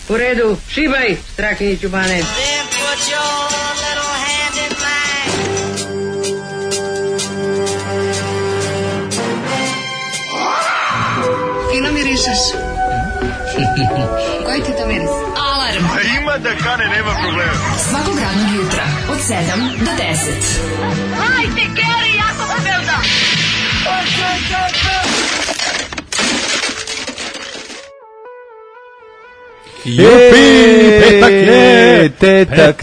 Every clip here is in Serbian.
U redu, šibaj, Strakiniću Bane. Fino mirišeš. Koji ti to miris? Alarm. Ima da kane, nema problema. Svakog radnog jutra, od 7 do 10. Hajde, Geri, jako se belda! Jupi, tetak,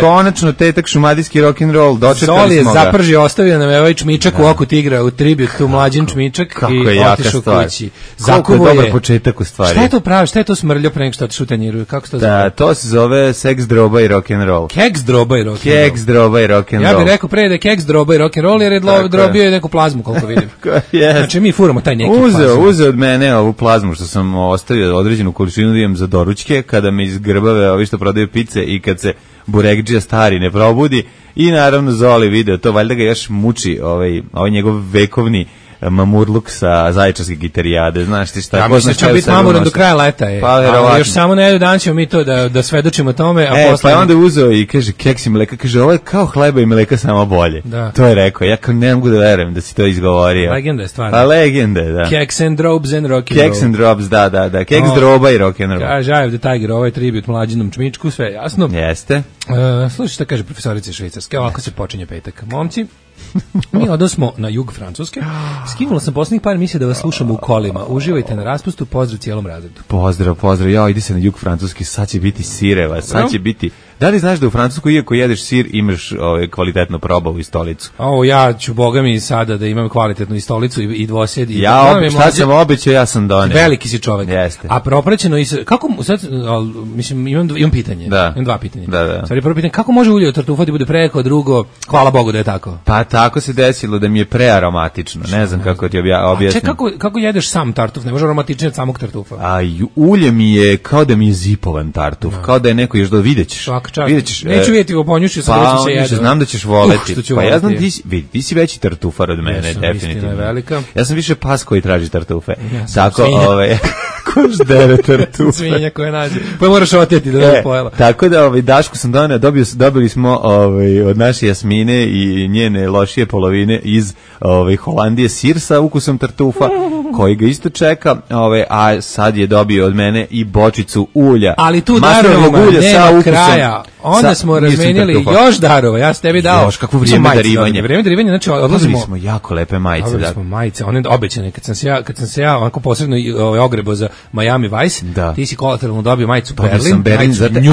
konačno tetak šumadijski rock'n'roll, dočekali Zoli je smo ga. zapržio, ostavio nam je ovaj čmičak u oku tigra, u tribut, tu mlađin čmičak Kako i je jaka otišao stvar. kući. Koliko je dobar početak u stvari. Šta je to pravi, šta je to smrljio pre nego što otišao u tanjiru, kako se to zove? Da, to se zove seks, droba i rock'n'roll. Keks, droba i rock'n'roll. Keks, droba i rock'n'roll. Ja bih rekao pre da je keks, droba i rock'n'roll, jer je drobio je neku plazmu, koliko vidim. Yes. Znači mi furamo taj neki plazmu. Uzeo od mene ovu plazmu što sam ostavio određenu količinu da imam za doručke, kada me iz Grbave ovi što prodaju pice i kad se burekdžija stari ne probudi i naravno Zoli video to, valjda ga još muči ovaj njegov vekovni mamurluk sa zaječarske gitarijade, znaš ti šta. Ja mislim da će biti mamuran do kraja leta. Pa, još samo na jedan dan ćemo mi to da svedočimo tome. A posle... Pa je onda uzeo i kaže keks i mleka, kaže ovo je kao hleba i mleka samo bolje. Da. To je rekao, ja kao ne mogu da verujem da si to izgovorio. Legenda je stvarno. Pa legenda, da. Keks and drobes and rock'n'roll. Keks and drobes, da. Keks, droba i rock'n'roll. Kaže, Eye of the Tiger, ovaj tribut mlađinom čmičku, sve jasno. Jeste. Slušaj šta kaže profesorica Švajcarske, ovako se počinje petak. Momci, mi odnosmo na jug Francuske. Skinula sam poslednjih par emisija da vas slušamo u kolima. Uživajte na raspustu, pozdrav cijelom razredu. Pozdrav. Ja, idi se na jug Francuske, sad će biti sireva, sad će biti... Da li znaš da u Francusku, iako jedeš sir, imaš kvalitetnu probavu i stolicu? Ja ću, boga mi, sada da imam kvalitetnu i stolicu i dvosjed. Šta sam obećao, ja sam doneo. Veliki si čovek. Jeste. A propraćeno i... Kako, sad, mislim, imam pitanje. Da. Imam dva pitanja. Da. Stvari, prvo pitanje, kako može ulje od tartufa da bude preko, drugo, hvala Bogu da je tako? Pa tako se desilo da mi je prearomatično. Ne znam kako ti objasnim. Kako jedeš sam tartuf? Ne može aromatičnije od samog tartufa. Ulje mi je kao da mi je zipovan tartuf. Kao da je neko još videćeš. Neću vidjeti u ponjušću, sam da će se znam da ćeš voleti. Pa ja znam ti si veći tartufar od mene, definitivno. Ja sam više pas koji traži tartufe. Tako, koš dere tartufe. Svinja koje nađe. Pa moraš oteti da ne pojela. Tako da Dašku sam doneo, dobili smo od naše Jasmine i njene lošije polovine iz Holandije sir sa ukusom tartufa, koji ga isto čeka, a sad je dobio od mene i bočicu ulja. Ali tu darovima nema kraja. Onda smo razmenili još darova. Ja sam tebi dao. Još kakvo vrijeme darivanja. Vrijeme darivanja, znači odlazimo. Dobili smo jako lepe majice. Dobili smo majice, one obećane. Kad sam se ja onako posebno ogrebo za Miami Vice, ti si kolateralno dobio majicu Berlin.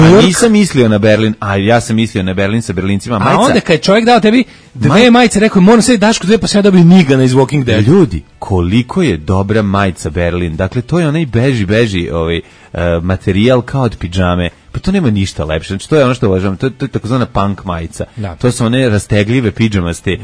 A nisam mislio na Berlin, a ja sam mislio na Berlin sa berlincima majica. A onda kad je čovjek dao tebi dve majice, rekao moram sve Dašku dve, pa sve dobio Nigana iz Walking Dead. Ljudi, koliko je dobra majica Berlin. Dakle, to je onaj beži materijal kao od pidžame. Pa to nema ništa lepše. Znači to je ono što uvažavam, to je takozvana punk majica. Da. To su one rastegljive pidžamasti,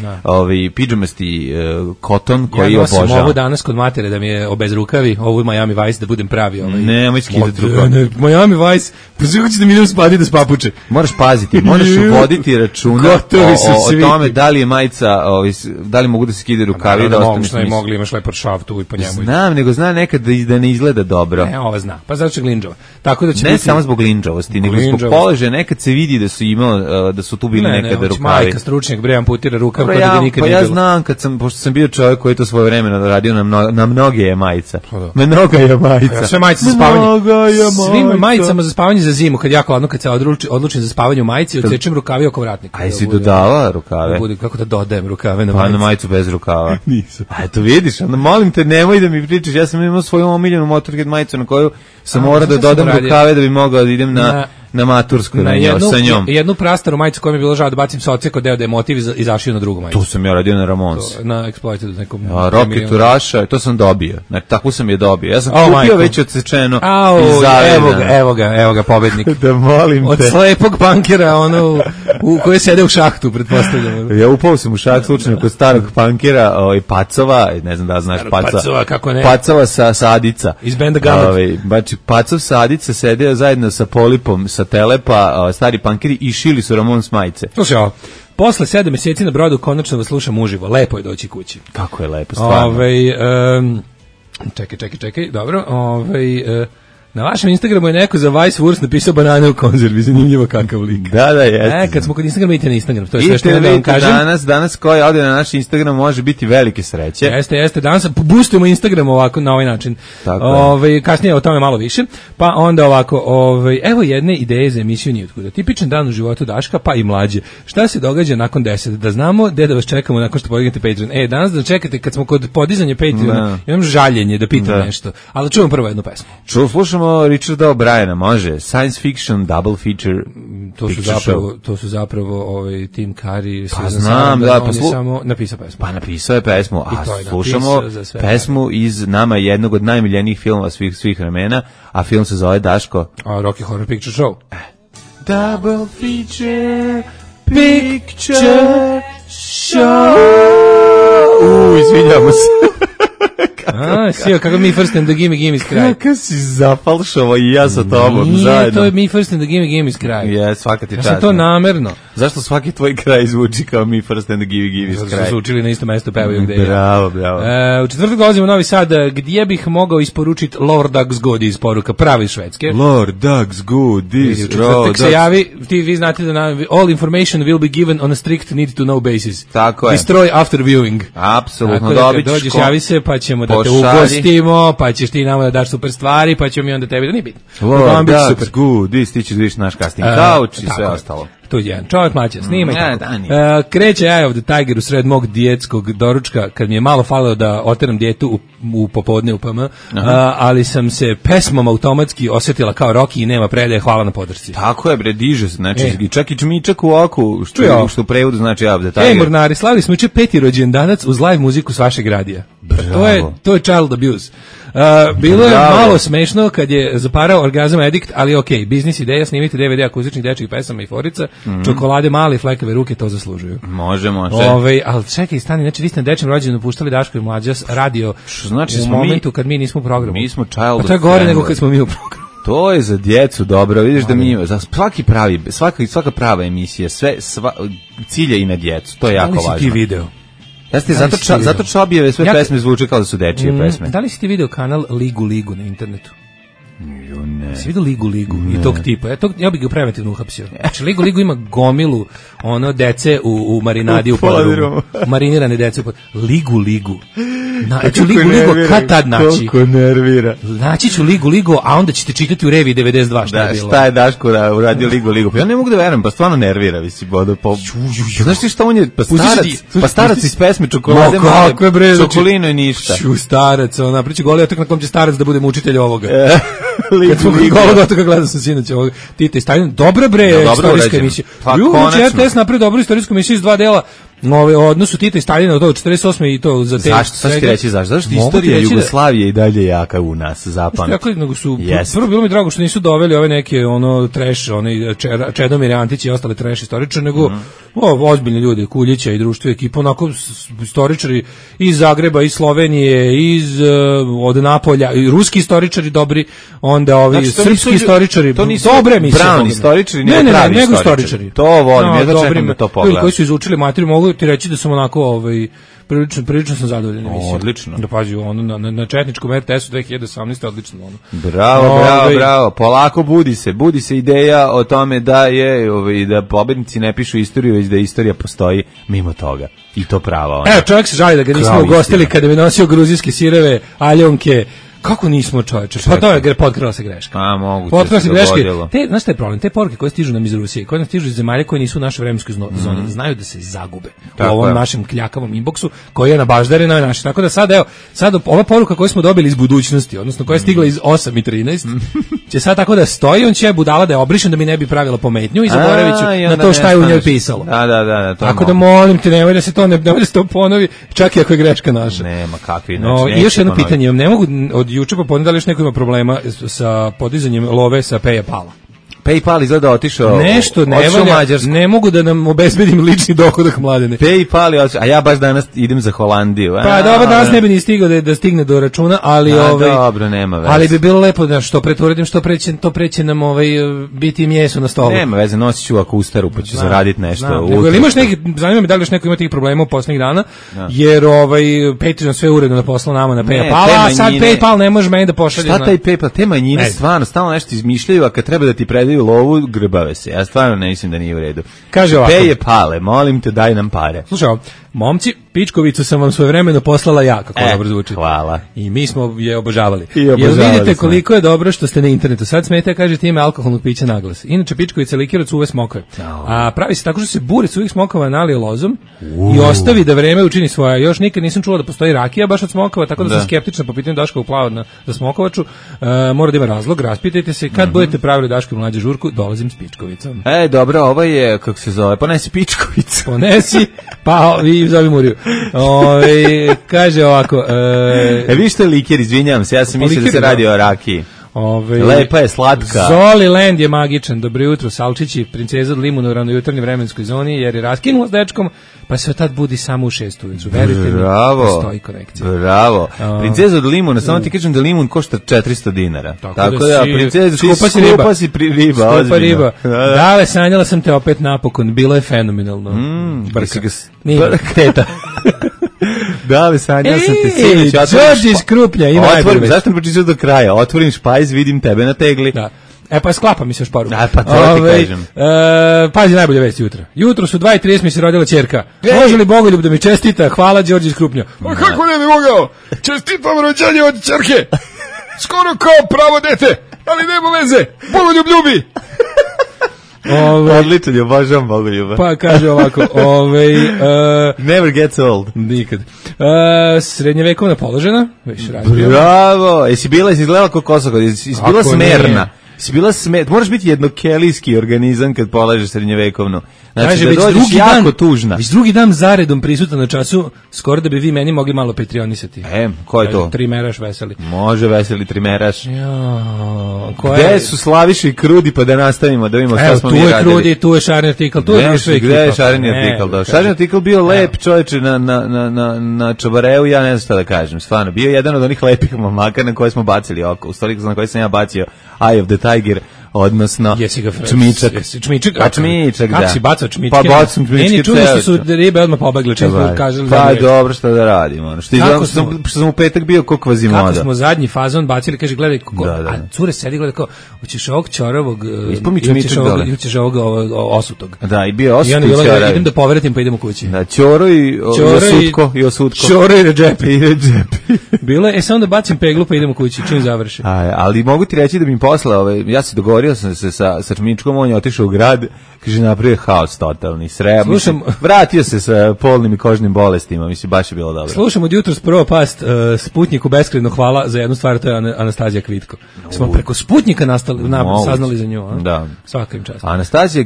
pidžamasti koton koji obožavam. Ja nosim ovu danas kod matere da mi je obezrukavi, ovu Miami Vice da budem pravi. Ne, moj skidati rukav. Miami Vice, pa sve hoće da mi idem spati da spapuče. Moraš paziti, moraš voditi računa o tome da li je majica, da li mogu da se skidaju rukavi da ostane smisla. Mogli, imaš lepor šav tu i po njemu. Znam, nego zna nekad da ne izgleda dobro. Ne, ova zna, pa zato će glinđova. Tako da će ne samo zbog glinđova, nego zbog položaja, nekad se vidi da su tu bili nekada rukavi. Majka stručnjak bre amputira rukav kada da nikad nije bilo. Pa ja znam pošto sam bio čovjek koji je to svoje vremena radio na mnoge je majica. Mnoga je majica. Sve majice za spavanje. Svim majicama za spavanje za zimu, kad jako hladno, kad se odlučim za spavanje u majici, odsečem rukavi oko vratnika. A jesi dodala rukave? Kako da dodajem rukave na majicu? Pa na majicu bez rukava. Nisam. A eto vidiš, onda molim te nemoj da mi pričaš, ja sam imao svoju omiljenu Motorhead majicu na koju sam morao da dodam rukave da bi mogao da idem na matursku sa njom. Jednu prastaru majicu koja mi je bilo žao da bacim sa odseko deo da je motiv i zašio na drugu majicu. Tu sam ja radio na Ramones. Na Exploited nekom. Rocket to Russia, to sam dobio. Znači, tako sam je dobio. Ja sam kupio već odsečeno i zavedano. Evo ga, pobednik. Da molim te. Od slepog punkera, u koje sede u šahtu, pretpostavljam. Ja upao sam u šah slučajno kod starog punkera, Pacova, ne znam da znaš Pacova, kako ne. Pacova sa Adica. Iz benda Gamat. Znači, Pacov sa Adica sedeo zajedno sa Polipom, sa Telepa, stari punkeri i šili su Ramones majice. Slušaj, posle 7 mjeseci na brodu konačno vas slušam uživo. Lepo je doći kući. Kako je lepo, stvarno. Čekaj, dobro. Na vašem Instagramu je neko za Vice Wurst napisao banane u konzervi, zanimljivo kakav lik. Da, jeste. Kad smo kod Instagrama, idite na Instagram, to je sve što da vam kažem. Danas koji ode na naš Instagram može biti velike sreće. Jeste, danas boostujemo Instagram ovako, na ovaj način. Kasnije o tome malo više. Pa onda ovako, evo jedne ideje za emisiju Nijotkuda. Tipičan dan u životu Daška, pa i mlađe. Šta se događa nakon 10? Da znamo gde da vas čekamo nakon što podignete Patreon. Danas da čekate kad smo kod podizanja Patreona, imam žaljenje da pitam nešto. Ali čuvam prvo jednu pesmu. Slušamo Richarda O'Briena, može. Science fiction, double feature. To su zapravo Tim Curry. Pa znam, da. On je samo napisao pesmu. Pa napisao je pesmu, a slušamo pesmu iz nama jednog od najmiljenijih filmova svih vremena, a film se zove Daško. Rocky Horror Picture Show. Double feature picture show. Izvinjamo se. Sio, kako Mi First and the Gimme kraj. Kako si zapalšao i ja sa tobom zajedno. To je Mi First and the Gimme kraj. Svaka ti čast. Ja sam to namerno. Zašto svaki tvoj kraj zvuči kao Mi First and the Gimme kraj? Zato su učili na isto mesto, pevaju gde je. Bravo. U četvrtak dolazimo u Novi Sad, gdje bih mogao isporučiti Lord Doug's Good iz poruka pravi švedske. Lord Doug's Good is u četvrtak se javi, vi znate da all information will be given on a strict need to know basis. Tako je. Destroy after viewing. Apsolutno, dobit ćeš. Dođeš, javi se, pa ćemo da te ugostimo, pa ćeš ti nama da daš super stvari, pa ćemo mi onda tebi da nije bitno. Lord Doug's Good, ti ćeš vidiš naš casting couch i sve ostalo. Tu je jedan čovjek mlađa, snima i tako. Kreće Eye of the Tiger u sred mog dijetskog doručka, kad mi je malo falilo da oteram dijetu u popodne u PM, ali sam se pesmom automatski osjetila kao Rocky i nema predaje, hvala na podršci. Tako je, bre, diže se, znači, čak i čmičak u oku, što u prevodu znači Eye of the Tiger. Mornari, slavili smo juče 5. rođendanac uz live muziku s vašeg radija. To je child abuse. Bilo je malo smešno kad je zaparao Orgazam Addict, ali okej, biznis ideja, snimite DVD akustičnih dečjih pesama i forica, čokolade male, flekave ruke, to zaslužuju. Može. Ali čekaj, stani, znači vi ste na dečjem rođendanu puštali Daško i Mlađa radio u momentu kad mi nismo u programu. Mi smo child. Pa to je gore nego kad smo mi u programu. To je za djecu dobro, vidiš da mi za svaka prava emisija, cilja i na djecu, to je jako važno. Da li si ti video? Jeste, zato Čobijeve sve pesme zvuče kao da su dečije pesme. Da li si ti video kanal Ligu na internetu? Ne. Si vidio Ligu i tog tipa? Ja bih ga preventivno uhapsio. Znači, Ligu ima gomilu dece u marinadi u podrumu. Marinirane dece u podrumu. Ligu. Znači, Ligu kad tad naći? Koliko nervira. Naći ću Ligu, a onda ćete čitati u Reviji 92 šta je bilo. Šta je Daško uradio Ligu? Pa ja ne mogu da verujem, pa stvarno nervira, znaš ti šta on je, pa starac iz pesme Čokolade male, Čokolino i ništa. Starac, priča goli otak na kom će starac da bude mučitelj ovoga. Kad smo golog otoka gledao sam sinoć ovog Tita i Stalin, dobra bre, istorijska emisija. Znači, RTS napravi dobru istorijsku emisiju iz 2 dela o odnosu Tita i Stalina od 48. i to za te... Zašto ti reći zašto? Zašto istorija Jugoslavije i dalje jaka u nas, zapamti. Prvo bilo mi drago što nisu doveli ove neke trash, Čedomir Antić i ostale trash istoričare, nego ozbiljni ljudi, Kuljića i društvo ekipa, onako istoričari iz Zagreba, iz Slovenije, od Napolja, i ruski istoričari dobri, onda ovi srpski istoričari, dobre emisije. Brown istoričari, nego istoričari. To volim, ja čekam da to pogledam. Koji su izučili materiju, mogu ti reći da sam onako prilično sam zadovoljan emisijom. Odlično. Da pazi, na četničkom RTS-u 2018. odlično. Bravo. Polako budi se ideja o tome da pobednici ne pišu istoriju, već da istorija postoji mimo toga. I to prava. Evo, čovjek se žali da ga nismo ugostili kada bi nosio gruzijske sireve, aljonke. Kako nismo, čoveče? Pa to je potkrala se greška. Potkrala se greška. Znaš šta je problem? Te poruke koje stižu nam iz Rusije, koje nam stižu iz zemalja koje nisu u našoj vremenskoj zoni, znaju da se zagube u ovom našem kljakavom inboxu koji je na baždarina naš. Tako da sad ova poruka koju smo dobili iz budućnosti, odnosno koja je stigla iz 8:13, će sad tako da stoji, on će budala da je obrišen da mi ne bi pravila pometnju i zaboravit ću na to šta je u njoj pisalo. Da. Tako da molim te, nemoj da se to ponovi, čak i ako je greška naša. Nema kakvi. I još jedno pitanje, ne mogu od juče popodne da li još neko ima problema sa podizanjem love sa Peja Pala. PayPal izgleda otišao. Nešto ne valja, ne mogu da nam obezbedim lični dohodak, Mladene. PayPal je otišao, a ja baš danas idem za Holandiju. Pa dobro, danas ne bi ni stigao da stigne do računa, ali dobro, nema veze. Ali bi bilo lepo da što pretvorim, to preće nam biti mjesto na stolu. Nema veze, nosit ću ako ustaru, pa ću zaraditi nešto. Imaš neki, zanima me da li još neko ima tih problema u poslednjih dana, jer Patreon sve uredno poslao nama na PayPal, a sad PayPal ne može meni da pošalje. Šta taj PayPal? Te manjine stvarno stalno nešto izmišljaju, a kad treba da ti predaju lovu, grbave se. Ja stvarno ne mislim da nije u redu. Kaže ovako. PayPale, molim te, daj nam pare. Slušaj, momci, pičkovicu sam vam svojevremeno poslala ja, kako dobro zvuči. Hvala. I mi smo je obožavali. Jel vidite koliko je dobro što ste na internetu? Sad smete, kažete, ime alkoholnog pića naglas. Inače, pičkovica likira cuve smokove. A pravi se tako što se bure cuvih smokova nalije lozom i ostavi da vreme učini svoja. Još nikad nisam čula da postoji rakija baš od smokova, tako da sam skeptična po pitanju Daškovog plava za smokovaču. Mora da ima razlog, raspitajte se. Kad budete pravili Daškovu mlađu žurku, dolazim s pičkovicom. Dobro, ovo je, kako se zove, ponesi pičkovicu. Ponesi, pa i zove Muriju. Kaže ovako. Vi što je liker, izvinjam se, ja sam mislio da se radi o rakiji. Lepa je, slatka. Zoliland je magičan. Dobro jutro, Salčići, princeza od Limuna u ravnojutarnjoj vremenskoj zoni, jer je raskinula s dečkom, pa se tad budi samo u 6 ujutru. Verujte mi, postoji konekcija. Bravo. Princeza od Limuna, samo ti kažem da limun košta 400 dinara. Tako da, princeza, skupa si riba. Skupa riba. Dale, sanjala sam te opet napokon, bilo je fenomenalno. Nije, teta. Da, li sanjao sam te sinoć. Đorđe iz Krupnja, ima najbolje. Zašto ne pročišao do kraja? Otvorim špajz, vidim tebe na tegli. Da. Pa sklapa mi se još poruku. Pa to ti kažem. Pazi, najbolje vesti jutra. Jutro su 2:30 mi se rodila ćerka. Može li Bogoljub da mi čestita? Hvala, Đorđe iz Krupnja. Kako ne bi mogao? Čestitam rođenje od ćerke. Skoro kao pravo dete, ali nema veze. Bogoljub ljubi. Odličan je, obožavam Bogoljuba. Pa kaže ovako, never gets old. Nikad. Srednjevekovna položena, već radio. Bravo, jesi izgledala kao Kosoko, jesi bila smerna. Si bila moraš biti jednokelijski organizam kad polažeš srednjevekovnu. Znači, kaže, da dođeš jako tužna. Već drugi dan zaredom prisutan na času, skoro da bi vi meni mogli malo patreonisati. Ko je to? Trimeraš veseli. Može veseli trimeraš. Gde su Slaviša i Krudi, pa da nastavimo, da vidimo šta smo mi radili. Tu je Krudi, tu je šareni artikl, tu je sve ekipa. Gde je šareni artikl? Šareni artikl bio lep, čoveče, na Čabareu, ja ne znam šta da kažem, stvarno. Bio jedan od onih lepih mamaka na koje smo bacili oko, u stvari na koje sam ja bacio Eye of the Tiger, odnosno čmičak. Čmičak, da. Kako si bacao čmičke? Pa bacam čmičke. Meni čudno što su ribe odmah pobegle. Pa dobro, što da radimo. Što sam u petak bio ko Kvazimoda. Kako smo zadnji fazon bacili, kaže, gledaj, a cure sedi, gledaj, kao, hoćeš ovog čoravog, hoćeš ovog osutog. Da, i bio osut i čoravi. Idem da povratim, pa idemo kući. Da, Ćoro i osutko. Ćoro i Redžepi. Bilo je, samo da bacim peglu, pa idemo kući, čim završi. Ali mogu ti reći da mi posle, ja se dogovorio sam se sa Čmičkom, on je otišao u grad, kaže, napravio haos totalni, vratio se sa polnim i kožnim bolestima, mislim, baš je bilo dobro. Slušam od jutros prvo past Sputniku beskrajno hvala za jednu stvar, to je Anastazija Kvitko. Smo preko Sputnika saznali za nju, da. Svaka im čast. Anastazija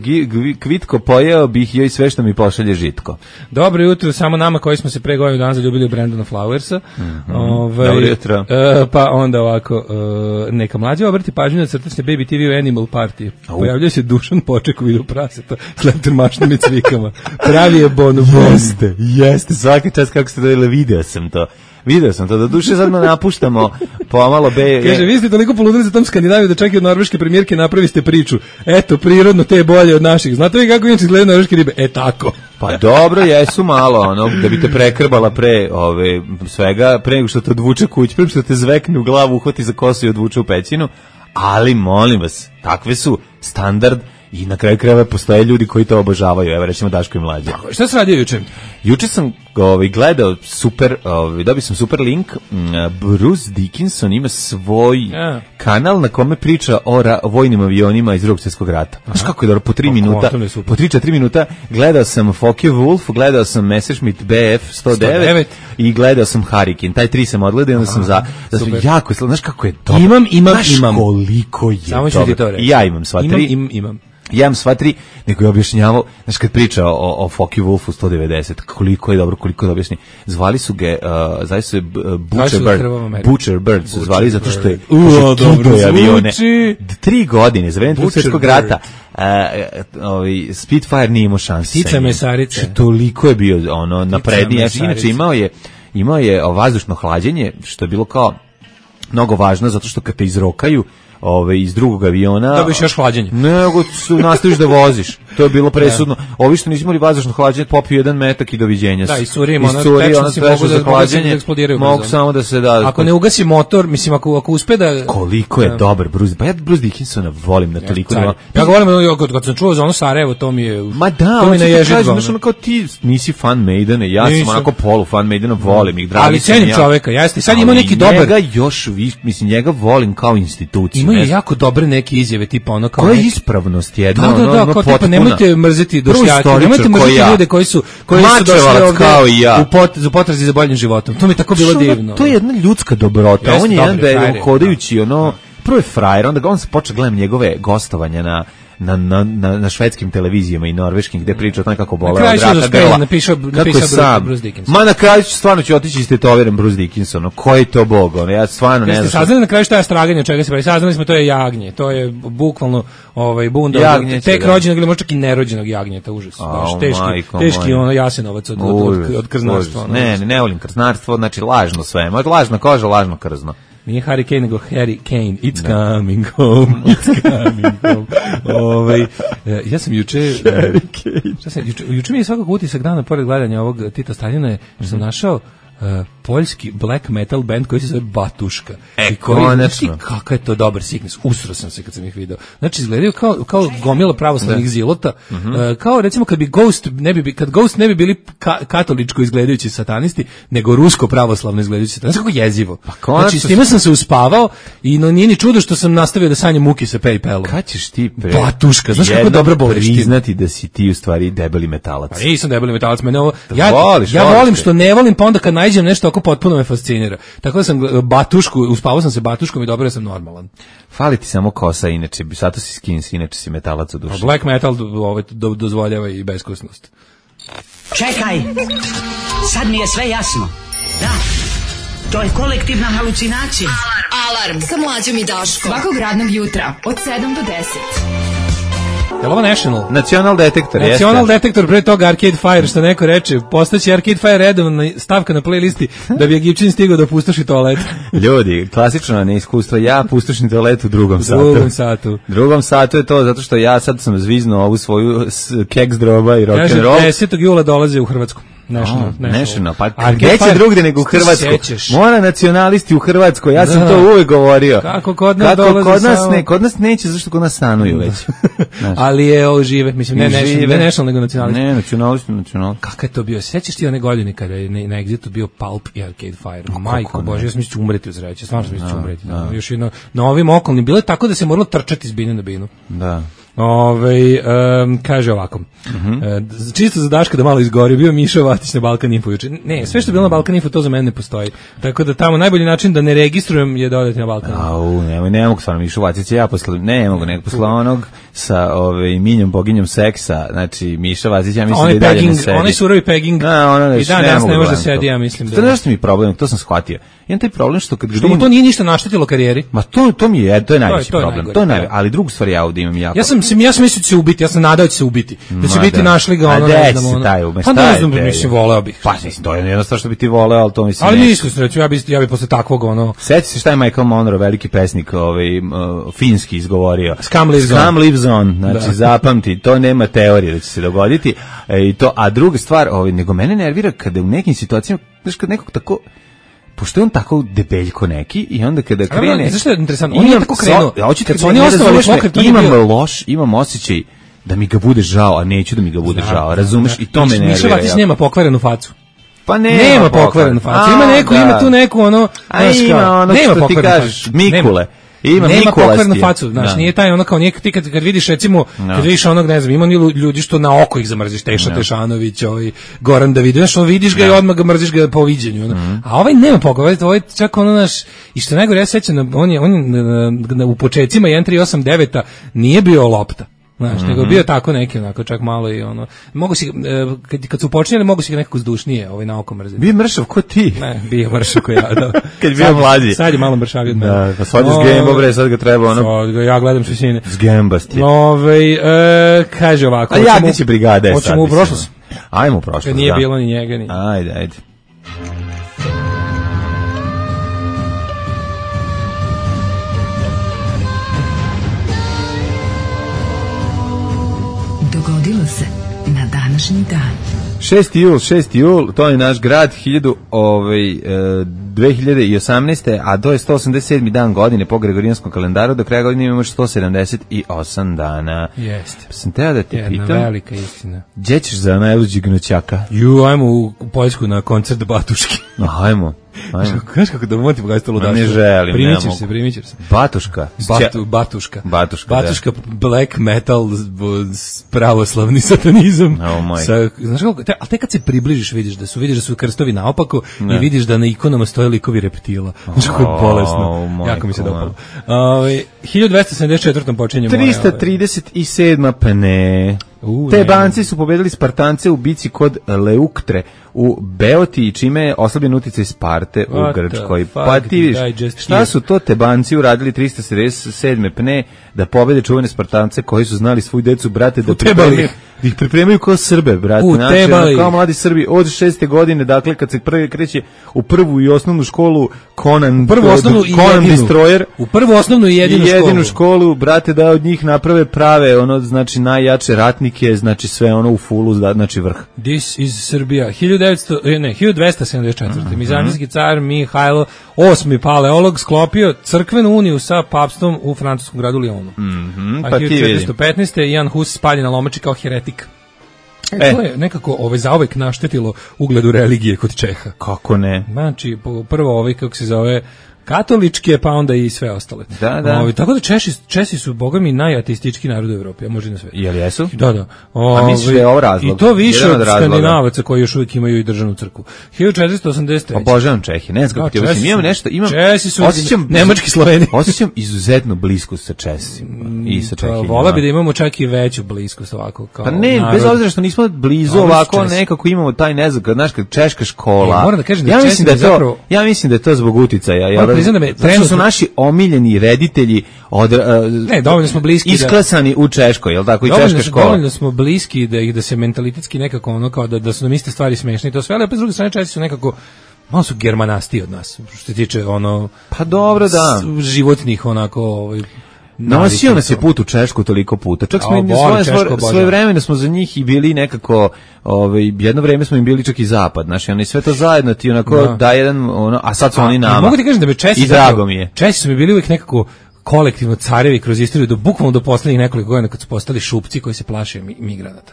Kvitko, pojeo bih joj sve što mi pošalje žitko. Dobro jutro, samo nama koji smo se pre godinu dana zaljubili u Brandona Flowersa. Dobro jutro. Pa onda ovako, neka mlađa obrati pažnju na crtačne Baby TV u Animal Party. Pojavljaju se Dušan Poček u vidu praseta s leptermašnim i cvikama. Pravi je bonobon. Jeste, svaki čas kako ste dodali, video sam to, do duše sad napuštamo pomalo Kaže, vi ste toliko poludili za tom Skandinaviju da čak i od norveške premijerke napraviste priču. Eto, prirodno te je bolje od naših. Znate vi kako inače izgledaju norveške ribe? Tako. Pa dobro, jesu malo, da bi te prekrbala pre svega, pre nego što te odvuče kuć, pre nego što te zvekne u glavu, uhvati za kosu i odvuče u pećinu, ali molim vas, takve su standard. I na kraju krajeva postoje ljudi koji to obožavaju. Evo, recimo Daško i mlađe. Šta si radio juče? Juče sam gledao dobio sam super link. Bruce Dickinson ima svoj kanal na kome priča o vojnim avionima iz Drugog svjetskog rata. Znaš kako je dobro, po 3-4 minuta gledao sam Focke-Wulf, gledao sam Messerschmitt Bf 109 i gledao sam Hurricane. Taj 3 sam odgledao i onda sam jako, znaš kako je dobro. Imam. Znaš koliko je samo ću ti to reći. Ja imam sva 3. Imam. Jem sva tri, nego je objašnjavao, znaš, kad priča o Focke Wulfu 190, koliko je dobro objašnji. Zvali su ga, zaista se Butcher Bird su zvali zato što je kibo avione. 3 godine, za vreme Drugog svjetskog rata, Spitfire nije imao šanse. Ptica mesarica. Toliko je bio napredniji. Inače imao je vazdušno hlađenje, što je bilo kao mnogo važno, zato što kad te izrokaju iz drugog aviona... Dobiš još hlađenje. Nego nastaviš da voziš. To je bilo presudno. Ovi što nisu imali vazdušno hlađenje, popiju jedan metak i doviđenja. Da, iscurimo, tečnosti mogu da eksplodiraju. Mogu samo da se da... Ako ne ugasi motor, mislim, ako uspe da... Koliko je dobar Bruce... Pa ja Bruce Dickinsona volim na toliko... Ja ga volim, kad sam čuo za ono Sarajevo, to mi je... Ma da, on ti kaže, znaš, ono kao ti nisi fan Maidena, ja sam onako polu fan Maidena, volim ih, dragi. Ali cenim čoveka, jeste. Sad ima neki dobar... Njega još, mislim, njega volim kao instituciju. Ima jako dobre neke izjave, tipa ono kao... To je ispravnost jedna, ono potpuna. Nemojte mrzeti Bošnjake, nemojte mrzeti ljude koji su došli ovde u potrazi za boljim životom. To mi je tako bilo divno. To je jedna ljudska dobrota. On je jedan da je hodajući, prvo je frajer, onda on se počeo gledam njegove gostovanja na švedskim televizijama i norveškim gde priča o tome kako bole od raka grla. Napisao Bruce Dickinson. Ma na kraju stvarno ću otići istetoviran Bruce Dickinson. Koji je to bog? Ja stvarno ne znam. Jeste saznali na kraju šta je straganje, od čega se pravi? Saznali smo, to je jagnje. To je bukvalno bunda tek rođenog ili možda čak i nerođenog jagnjeta. Užas. Teški Jasenovac od krznarstva. Ne volim krznarstvo, znači lažno sve. Lažna koža, lažno krzno. Nije Harry Kane, nego Harry Kane. It's coming home. It's coming home. Ja sam juče... Juče mi je svakako utisak dana, pored gledanja ovog Tita Staljina, je što sam našao poljski black metal band koji se zove Batuška. Konačno. Kakav je to dobar Sickness. Usro sam se kad sam ih video. Znači, izgledaju kao gomila pravoslavnih zilota. Kao, recimo, kad Ghost ne bi bili katoličko izgledajući satanisti, nego rusko pravoslavno izgledajući satanisti. Kako jezivo. Znači, s time sam se uspavao i nije ni čudo što sam nastavio da sanjam muki sa PayPalom. Kad ćeš ti Batuška, znaš kako dobro boliš ti? Priznati da si ti u stvari debeli metalac. Pa nisam debeli metalac, mene ovo... Ja volim što ne volim, pa onda kad nađem nešto oko potpuno me fascinira. Tako da sam uspavao sam se Batuškom i dobro sam normalan. Fali ti samo kosa, inače, zato si skins, inače si metalac u duši. Black metal dozvoljava i beskusnost. Čekaj, sad mi je sve jasno. Da, to je kolektivna halucinacija. Alarm sa Mlađom i Daškom. Svakog radnog jutra od 7 do 10. Je li ovo National? National Detektor, jeste. National Detektor, pre toga Arcade Fire, što neko reče, postaće Arcade Fire redovna stavka na playlisti da bi Egipćin stigao da pustoši toalet. Ljudi, klasično neiskustvo, ja pustošim toalet u drugom satu. Drugom satu je to, zato što ja sad sam zviznuo ovu svoju keks droba i rock'n'roll. 10. jula dolaze u Hrvatsku. National, pa gde će drugdje nego u Hrvatsku? Mora nacionalisti u Hrvatskoj, ja sam to uvijek govorio. Kako kod nas dolaze kod nas neće, zašto kod nas stanuju već. Ali je ovo žive, mislim, ne national, nego nacionalisti. Ne, nacionalisti. Kako je to bio? Sjećaš ti one godine kada je na Exitu bio Pulp i Arcade Fire? Majko Bože, ja sam mislio umreti u zreće, stvarno sam mislio umreti. Još jedno, na ovim okolnim, bilo je tako da se moralo trčati iz bine na binu. Da. Kaže ovako, čisto za Daška da malo izgori, bio Miša Vatić na Balkan Info juče. Ne, sve što je bilo na Balkan Info, to za mene ne postoji. Tako da tamo najbolji način da ne registrujem je dodati na Balkan Info. Ne mogu stvarno Miša Vatić, ja ne mogu nego posle onog sa minjom boginjom seksa, znači Miša Vatić, ja mislim da i dalje ne sedi. Onaj surovi pegging, i danas ne može da sedi, ja mislim. To nešto mi je problem, to sam shvatio. Imam taj problem što kad što mu to nije ništa naštetilo karijeri. Ma to mi je, to je najveći problem. To je ali drugu stvar ja ovdje imam jako. Ja sam mislio da će se ubiti, ja sam nadao da će se ubiti. Da će biti našli ga ono, ne znam. Pa ne znam, mislim, voleo bih. Pa mislim, to je jednostavno što bi ti voleo, ali to mislim. Ali nisam se reći, ja bi posle takvog ono. Sjeti se šta je Michael Monroe, veliki pesnik, finski izgovorio. Scum lives on, znači zapamti, to nema teorije da će se dogoditi. A druga stvar, nego mene nervira kada u nekim situacijama, znaš, kad nekog tako pošto je on tako debeljko neki i onda kada krene... Zašto je interesantno? On je tako krenuo. Kad oni osnovali pokret, imam osjećaj da mi ga bude žao, a neću da mi ga bude žao, razumeš? I to me nervira. Miša Vatić nema pokvarenu facu. Pa nema pokvarenu facu. Ima tu neku ono... Ima ono što ti kažeš, Mikule. Nema pokvarnu facu, znaš, nije taj ono kao ti kad vidiš recimo, kad vidiš onog, ne znam, ima ljudi što na oko ih zamrziš, Teša Tešanović, Goran Davidović, znaš, vidiš ga i odmah ga mrziš ga po viđenju, a ovaj nema pokvarnu, ovaj čak ono naš, i što najgore ja sećam, on je u početcima 1389 nije bio lopta. Znaš, nego bio tako neki, onako, čak malo i ono, mogu si, kad su počinjeli, mogu si ga nekako zdušnije, na oko mrziti. Bio mršav ko ti? Ne, bio mršav ko ja, da. Kad bio mlađi. Sad je malo mršavio od mene. Da, pa sad je zgemba, bre, sad ga treba, Sad ga, ja gledam šesine. Zgembast je. Kaže ovako. A ja će brigade. Hoćemo u prošlost. Ajmo u prošlost, nije bilo ni njega, ni. Ajde. Dogodilo se na današnji dan. 6. jul, to je naš grad, 2018. A to je 187. dan godine po Gregorijanskom kalendaru, do kraja godine imamo 178 dana. Jeste. Sam teo da te pitam. Jedna velika istina. Gdje ćeš za najluđi gnućaka? Ajmo u Poljsku na koncert Batuški. Ajmo. Znaš kako da motim gledati ludaštvo? Ne želim, primit ćeš se. Batuška. Batuška, black metal, pravoslavni satanizam. Znaš kako, ali tek kad se približiš vidiš da su krstovi naopako i vidiš da na ikonama stoje likovi reptila. Znaš kako je bolesno. Jako mi se dopalo. 1274. počinjemo. 337. pa ne. Tebanci su pobedili Spartance u bici kod Leuktre u Beotiji, čime je oslabljen uticaj Sparte u Grčkoj. Pa ti vidiš, šta su to Tebanci uradili 377. pne da pobede čuvene Spartance koji su znali svoju decu, brate, da ih pripremaju kao Srbe, brate. Znači, kao mladi Srbi od 6. godine, dakle, kad se prvi kreće u prvu i osnovnu školu Conan Destroyer. U prvu osnovnu i jedinu školu, brate, da od njih naprave prave, znači najjače ratnike, znači sve u fulu, znači vrh. This is Serbia. 1274. Mizanijski car Mihajlo VIII Paleolog sklopio crkvenu uniju sa papstvom u francuskom gradu Lyonu. Pa 1415. Jan Hus spaljen na Lomači kao heretik. To je nekako zauvek naštetilo ugledu religije kod Čeha. Kako ne? Znači, prvo kako se zove, katoličke, pa onda i sve ostale. Da. Tako da Česi su, boga mi, najateistički narod u Evropi, a može i na sve. Jel jesu? Da. A misliš da je ovo razlog? I to više od Skandinavaca koji još uvijek imaju i državnu crkvu. 1483. Obožavam Čehi, ne znam kako ti osim. Česi su nemački Sloveni. Osjećam izuzetnu bliskost sa Česima i sa Čehinjima. Vola bi da imamo čak i veću bliskost ovako. Pa ne, bez obzira što nismo blizu ovako, nekako imamo taj nezakad, znaš, češka škola. Moram da kažem da ja mislim da je to zbog uticaja. Trenutno su naši omiljeni reditelji dovoljno smo bliski isklesani u Češkoj, jel tako, i češka škola. Dovoljno smo bliski da se mentalitetski nekako kao da su nam iste stvari smešne i to sve, ali opet s druge strane Česi su nekako malo su germanasti od nas, što se tiče pa dobro, da, životnih onako nosio nas je put u Češku toliko puta. Čak smo svoje vremena smo za njih i bili nekako, jedno vreme smo im bili čak i zapad, znači oni sve to zajedno ti onako da jedan, a sad su oni nama. Mogu ti kažem da me Česi, i drago mi je. Česi su mi bili uvijek nekako kolektivno carevi kroz istoriju, bukvalno do poslednjih nekoliko godina kad su postali šupci koji se plaše migranata.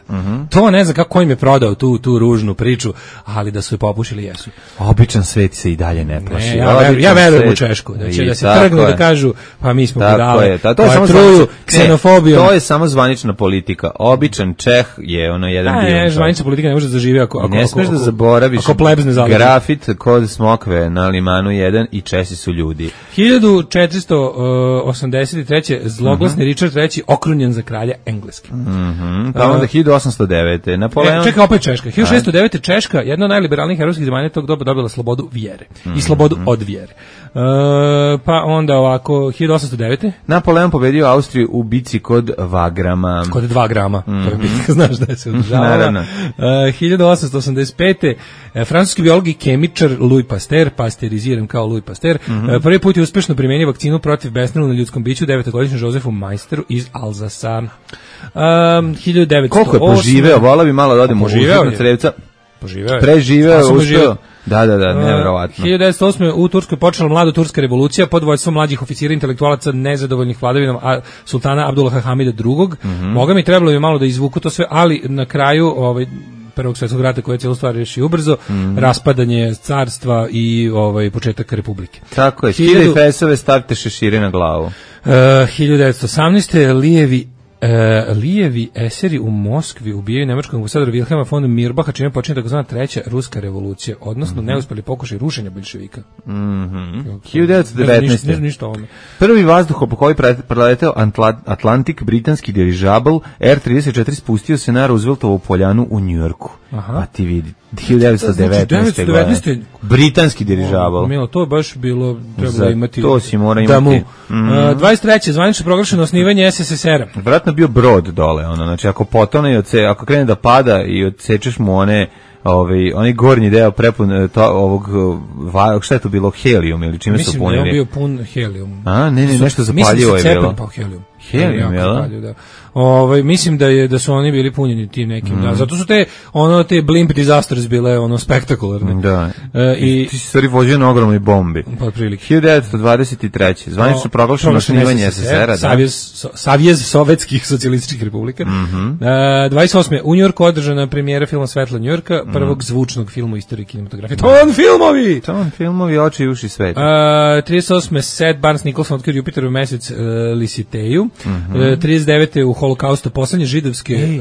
To ne znam kako im je prodao tu ružnu priču, ali da su je popušili jesu. Običan svet se i dalje ne plaši. Ja verujem u Češku, da će da se trgnu da kažu pa mi smo budale, to je samo truju ksenofobijom. To je samo zvanična politika. Običan Čeh je jedan dio. Ne, zvanična politika ne može da zaživi ako ne smeš da zaboraviš grafit kod Smokve na Limanu 1 i Česi su ljudi. 1483. zloglasni Richard III okrunjen za kralja Engleske. Pa onda 1809. Napoleon... Čekaj, opet Češka. 1609. Češka, jedna od najliberalnijih evropskih zemalja tog doba, dobila slobodu vjere. I slobodu od vjere. Pa onda ovako, 1809. Napoleon pobedio Austriju u bici kod Wagrama. Kod 2 grama. To je bitka, znaš da se održavala. Naravno. 1885. Francuski biolog i kemičar Louis Pasteur, pasteuriziran kao Louis Pasteur, prvi put je uspešno primenio vakcinu protiv besnila na ljudskom biću 9-godišnjem Josefu Majsteru iz Alzasa. 1908. Koliko je poživeo? Vola bi malo da odem u užitno crevca. Preživeo, uspeo. Da, nevjerovatno. 1908. u Turskoj počela mlada turska revolucija pod vođstvom mlađih oficira intelektualaca nezadovoljnih vladavinom sultana Abdullaha Hamida II. Boga mi trebalo bi malo da izvuku to sve, ali na kraju Prvog svjetskog rata koji je cijelu stvar reši ubrzo, raspadanje carstva i početak republike. Tako je, skidaj fesove, stavite šešire na glavu. 1918. lijevi Lijevi eseri u Moskvi ubijaju nemačkog ambasadora Wilhelma von Mirbacha, čime počinje takozvana treća ruska revolucija, odnosno neuspeli pokušaj rušenja boljševika. 1919. Prvi vazduhoplov koji preleteo Atlantik, britanski dirižabl R-34 spustio se na Rooseveltovu poljanu u Njujorku. Pa ti vidi, 1919. godine. Britanski dirižabl. Milo, to je baš bilo, trebalo imati. To si mora imati. 23. zvanično proglašeno osnivanje SSSR-a. Vratno bio brod dole, ono, znači ako potone, ako krene da pada i odsečeš mu onaj gornji deo prepun ovog, šta je to bilo, helijum ili čime su punili? Mislim da je bio pun helijum. Nešto zapaljivo je bilo. Helijum, jel? Da. Mislim da su oni bili punjeni tim nekim, da. Zato su te blimp disasters bile spektakularne. Da. I ti si stvari vođio na ogromnoj bombi. Pa otprilike. 1923. Zvanično proglašeno osnivanje SSR-a, da. Savez sovjetskih socijalističkih republika. 28. u Njujorku održana premijera filma Svetla Njujorka, prvog zvučnog filma u istoriji kinematografije. Ton filmovi, oči i uši sveta. 38. Seth Barnes Nicholson otkrio Jupiteru mesec Lisiteju. 39. u Holokaustu poslednje židovske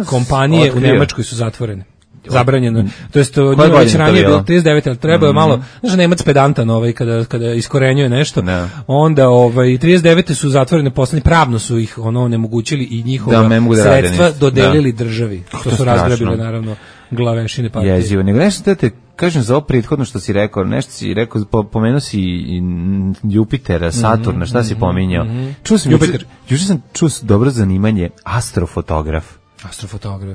kompanije u Nemačkoj su zatvorene. Zabranjeno. To jest njima već ranije bilo 39, ali trebao je malo, znaš, Nemac pedantan kada iskorenjuje nešto. Onda 39 su zatvorene poslednje, pravno su ih onemogućili i njihova sredstva dodelili državi. To su razgrabile naravno glavešine partije. Jezivo. Nego nešto da te kažem za ovo prethodno što si rekao, nešto si rekao, pomenuo si Jupitera, Saturna, šta si pominjao? Juče sam čuo dobro zanimanje, astrofotograf.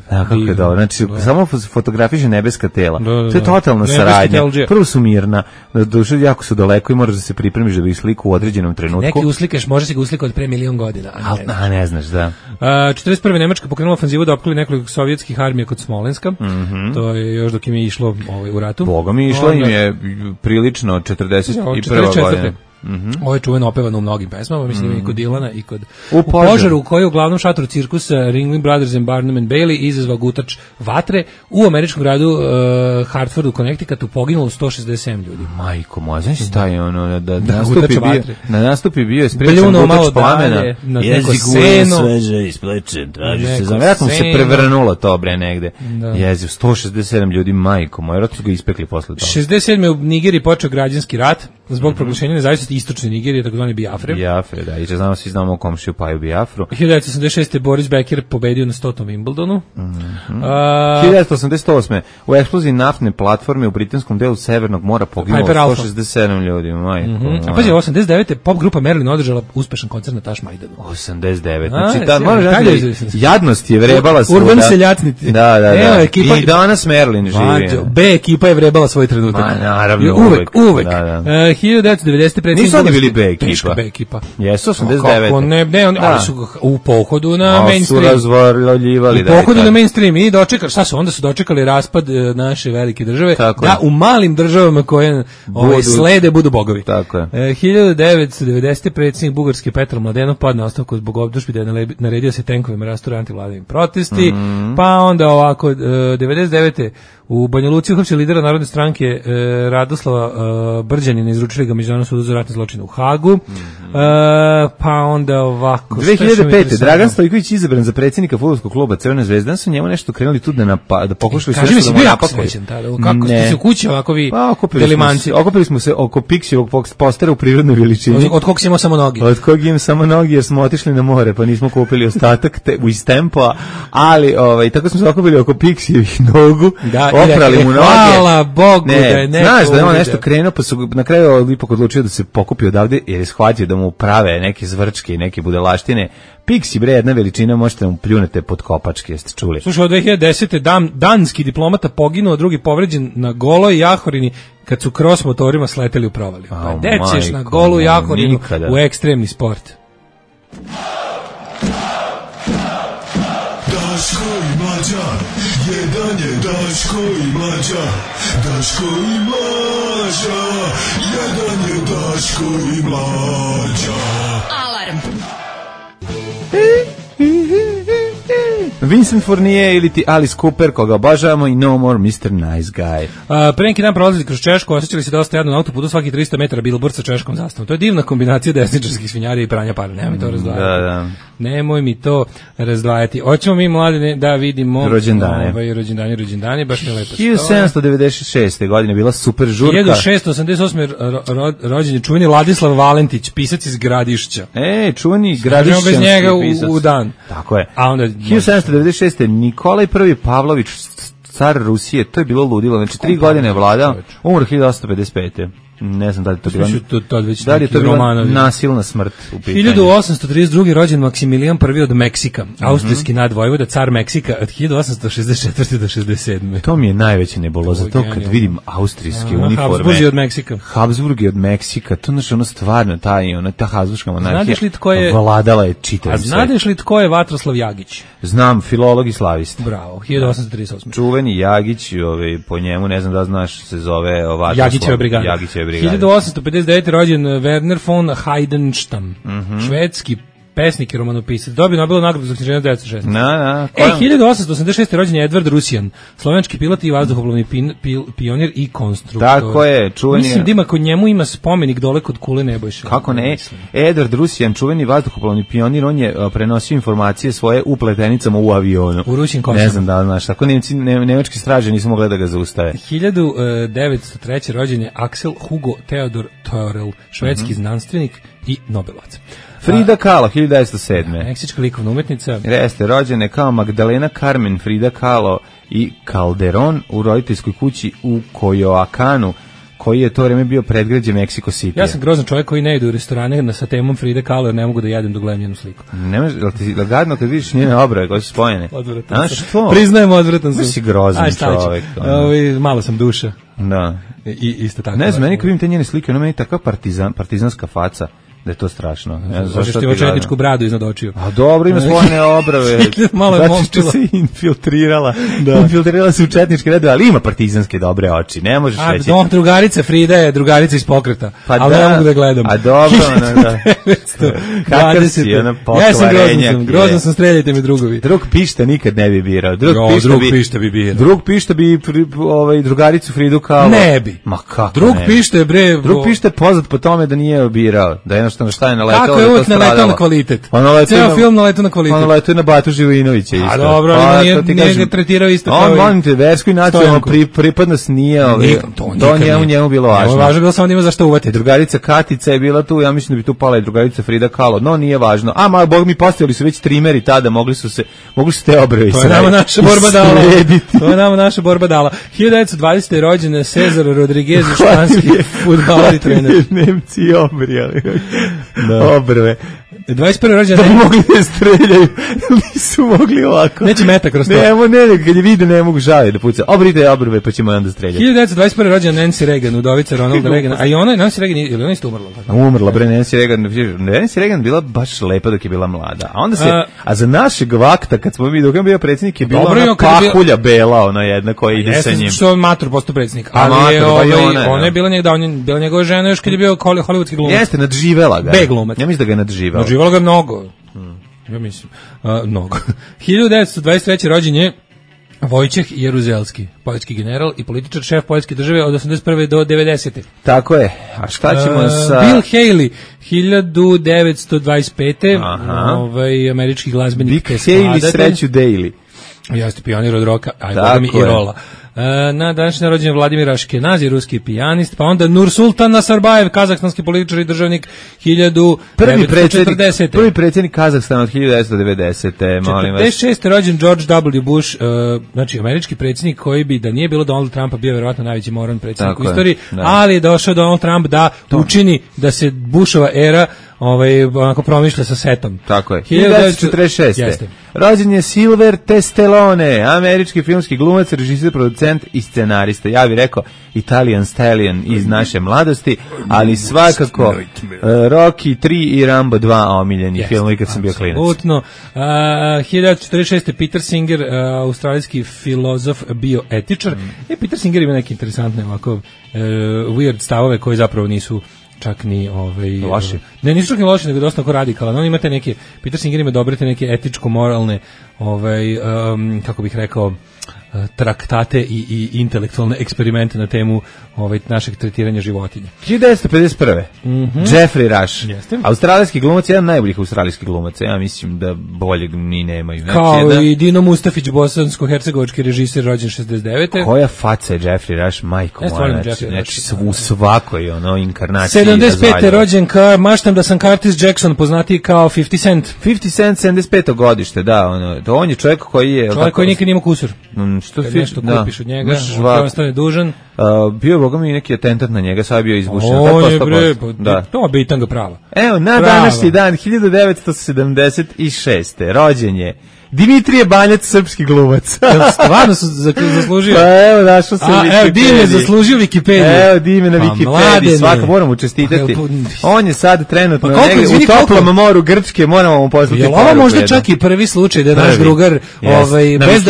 Kako je dobro, znači samo fotografiše nebeska tela. To je totalna saradnja. Prvo su mirna, duše jako su daleko i moraš da se pripremiš da bi sliku u određenom trenutku. Neki uslikaš, može se ga uslikati od pre milion godina. Ne znaš, da. 41. Nemačka pokrenula ofanzivu da opkoli nekoliko sovjetskih armija kod Smolenska. To je još dok im je išlo u ratu. Boga mi išlo im je prilično 41. godine. Ovo je čuveno opevano u mnogim pesmama, mislim i kod Dilana i kod u požaru u kojoj u glavnom šatoru cirkusa Ringling Brothers and Barnum and Bailey izazvao gutač vatre u američkom gradu Hartfordu, Connecticutu poginulo 167 ljudi. Majko moja, znaš taj ono da nastupi bio je sprečen gutač plamena, jezik je sveže isplečen, traži se za vjerojatno se prevrnulo to bre negde. Jeziv, 167 ljudi, majko moja, vjerojatno su ga ispekli posle toga. 67. u Nigeriji počeo građanski rat zbog proglašenja nezavisnosti istočne Nigerije, takozvani Biafre. Biafre, da, i svi znamo komšiju Paju Biafru. 1986. Boris Becker pobedio na 100. Wimbledonu. 1988. u eksploziji naftne platforme u britanskom delu Severnog mora poginulo 167 ljudi. A pazi, 89. pop grupa Merlin održala uspešan koncert na Tašmajdanu. 89. Znači, jadnost je vrebala svoda. Urban seljacnici. Da. I danas Merlin živi. B ekipa je vrebala svoj trenutak. Naravno, uvek. 1990. Nisu oni bili B ekipa. Teška B ekipa. Jesu, 89. Kako ne, ali su u pohodu na mainstream. Su razvaljivali. U pohodu na mainstream i dočekali, šta su, onda su dočekali raspad naše velike države, da u malim državama koje slede budu bogovi. Tako je. 1990. predsjednik Bugarske Petar Mladenov padne na ostavku zbog optužbi da je naredio se tenkovima rastura antivladini protesti, pa onda ovako, 99. u Banja Luci uhapsili lidera Narodne stranke Radoslava Brđanina, izručili ga Međunarodnom sudu za ratne zločine u Hagu. Pa onda ovako 2005. Dragan Stojković izabran za predsjednika fudbalskog kluba Crvena zvezda, su njemu nešto krenuli tu da pokušali sve što da mu napakuju. Kako ste se u kući ovako vi delimanci? Okupili smo se oko Piksijevog postera u prirodnoj veličini. Od kog imamo samo noge? Od kog imam samo noge jer smo otišli na more, pa nismo kupili ostatak iz tempa, ali tako smo se okupili oko Piksijevih nogu, oprali mu noge. Hvala Bogu da je neko. Znaš da je on nešto krenuo, pa su na kraju ipak odlučio da se pokupi odavde jer je shvatio da mu prave neke zvrčke i neke budalaštine. Piksi bre, jedna veličina, možete mu pljunete pod kopačke, jeste čuli. Slušaj, od 2010. danski diplomata poginuo, drugi povređen na Goloj Jahorini kad su cross motorima sleteli u provaliju. Pa dećeš na Golu Jahorinu u ekstremni sport. Daško i Mlađa, jedan je Daško i Mlađa, Daško i Mlađa, jedan je Daško i Mlađa. Alarm. Vincent Fournier ili ti Alice Cooper, koga obožavamo, i No More Mr. Nice Guy. Pre neki dan prolazili kroz Češku, osjećali se dosta jadno na autoputu, svaki 300 metara billboard sa češkom zastavom. To je divna kombinacija desničarskih svinjarija i pranja para. Nemoj to razdvajati. Da. Nemoj mi to razdvajati. Hoćemo mi, mladi, da vidimo rođendane. Rođendani, baš mi lepo. 1796. godine bila super žurka. 1688. rođen je čuveni Ladislav Valentić, pisac iz Gradišća. Čuveni Gradišćanski bez njega pisac. u dan. Tako je. A onda 1796. Nikolaj I Pavlović, car Rusije, to je bilo ludilo. Znači 3 godine je vladao, umro 1855. Ne znam da li je to bila nasilna smrt u pitanju. 1832. rođen Maksimilijan I od Meksika, austrijski nadvojvoda, car Meksika od 1864. do 67. To mi je najveće nebuloza, to kad vidim austrijske uniforme. Habsburgi od Meksika. Habsburgi od Meksika, to znači ono stvarno, ta habsburška monarhija vladala je čitavim svetom. Znadeš li tko je Vatroslav Jagić? Znam, filolog i slavist. Bravo, 1838. Čuveni Jagić, po njemu, ne znam da znaš, se zove Vatroslav. Jagićeva brigada. 1859. rođen Werner von Heidenstam, švedski pesnik i romanopisac. Dobio Nobelovu nagradu za književnost 1906. 1886. rođen je Edvard Rusijan, slovenski pilot i vazduhoplovni pionir i konstruktor. Tako je, čuveni. Mislim da ima kod njemu ima spomenik dole kod Kule Nebojša. Kako ne? Edvard Rusijan, čuveni vazduhoplovni pionir, on je prenosio informacije svoje u pletenicama u avionu. U Rusin Kosova. Ne znam da znaš, tako nemački straže nisu mogli da ga zaustave. 1903. rođen je Axel Hugo Theodor Thorel, švedski znanstvenik i Nobelovac. Frida Kahlo, 1907. Meksička likovna umetnica. Jeste, rođene kao Magdalena Carmen, Frida Kahlo i Calderon u roditeljskoj kući u Coyoacanu, koji je to vreme bio predgrađe Mexico City. Ja sam grozan čovjek koji ne ide u restorane sa temom Frida Kahlo jer ne mogu da jedem dok gledam njenu sliku. Jel ti gadno kad vidiš njene obrve koje su spojene? Odvratan sam. Priznajem, odvratan sam. Si grozan čovjek. Malo sam duša. Da. I isto tako. Ne znam, meni kad vidim te njene slike, ona meni takva partizanska faca. Da je to strašno. Zašto ti ima četničku bradu iznad očiju? A dobro, ima svojene obrave. Malo je momčila. Se infiltrirala. Infiltrirala se u četničke redove, ali ima partizanske dobre oči. Ne možeš reći. Drugarica Frida je drugarica iz pokreta. Ali ne mogu da gledam. A dobro, kakav si, ona pokvarenjak. Ja sam grozan sam, streljajte mi drugovi. Drug pišta nikad ne bi birao. Drug pišta bi birao. Drug pišta bi drugaricu Fridu Kahlo. Ne bi. Ma kako Drug pišta je bre. Drug pišta je poznat po tome da nije birao. Da jednostavno šta je naletao. Kako je uvijek naletao na kvalitet? Ceo film naletao na kvalitet. On naletao na Batu Živojinovića isto. A dobro, nije ga tretirao isto kao on, molim te, versku i nacionalnu pripadnost nije, to njemu bilo važno. Važno je bilo samo da ima zašto uvati. Drugarica Katica je bila tu, ja mislim da bi tu pala i drugarica Frida Kahlo, no nije važno. A bog mi postavili su već trimeri tada, mogli su te obrve to je nama naša borba dala. To je nama naša borba dala. 1920. je rođen Cezar Rodriguez, španski fudbaler i trener. Nemci obrijali obrve. 21. rođen da bi mogli da streljaju, nisu mogli ovako. Neće meta kroz to. Ne, kad je vide ne mogu žali da puca. Obrite obrve pa ćemo onda streljati. 1921. rođen Nancy Reagan, udovica Ronalda Reagana. A i ona, Nancy Reagan, ili ona isto umrla? Umrla, bre, Nancy Reagan. Nancy Reagan bila baš lepa dok je bila mlada. A onda a za našeg vakta, kad smo mi dok je bio predsjednik, je bila ona pahulja bela, ona jedna koja ide sa njim. Što on matur postao predsjednik. Ali ona je bila njegova žena još kad je bio hollywoodski glumac. Jeste, nadživela ga. B glumac. Ja mislim da ga je nadživela. Nadživela ga mnogo. Ja mislim. Mnogo. 1923. rođen je Vojčeh Jeruzelski, poljski general i političar, šef poljske države od 81. do 90. Tako je. A šta ćemo sa... Bill Haley, 1925. Američki glazbenik. Bill Haley, sreću Daily. Jeste pionir od roka, a boga mi i rola. Na današnji rođendan Vladimir Aškenazi, ruski pijanist, pa onda Nursultan Nazarbajev, kazahstanski političar i državnik, 1940. Prvi predsjednik Kazahstana od 1990. Molim vas. 46. rođen George W. Bush, znači američki predsjednik koji bi, da nije bilo Donald Trumpa, bio verovatno najveći moran predsjednik u istoriji, ali je došao Donald Trump da učini da se Bushova era onako promišlja sa setom. Tako je. 1946. Rođen je Sylvester Stallone, američki filmski glumac, režiser, producent i scenarista. Ja bih rekao Italian Stallion iz naše mladosti, ali svakako Rocky 3 i Rambo 2 omiljeni filmovi kad sam bio klinac. Apsolutno. 1946. Peter Singer, australijski filozof, bioetičar. Peter Singer ima neke interesantne ovako weird stavove koji zapravo nisu čak ni loši. Ne, nisu čak ni loši, nego dosta onako radikalan. On ima te neke, Peter Singer ima dobre te neke etičko-moralne, kako bih rekao, traktate i intelektualne eksperimente na temu našeg tretiranja životinja. 1951. Jeffrey Rush. Jeste. Australijski glumac, jedan najboljih australijskih glumaca. Ja mislim da boljeg ni nemaju. Znači, kao i Dino Mustafić, bosansko-hercegovački režisir, rođen 69. Koja faca je Jeffrey Rush, majko moja. Znači u svakoj inkarnaciji. 75. rođen maštam da sam Curtis Jackson, poznatiji kao 50 Cent. 50 Cent, 75. godište, da. On je čovjek koji je... Čovjek koji nikad nima kusur. Što kad nešto kupiš od njega, on ostane dužan. Bio boga mi neki atentat na njega, sad je bio izbušen. To bitanga prava. Evo, na današnji dan, 1976. rođen je Dimitrije Banjac, srpski glumac. Stvarno su zaslužio. Pa evo, našao se Wikipediji. Evo, Dime zaslužio Wikipediju. Evo, Dime na Wikipediji, svaka moramo čestitati. On je sad trenutno u toplom moru Grčke, moramo mu poslati poruku. Jel ovo možda čak i prvi slučaj da je naš drugar,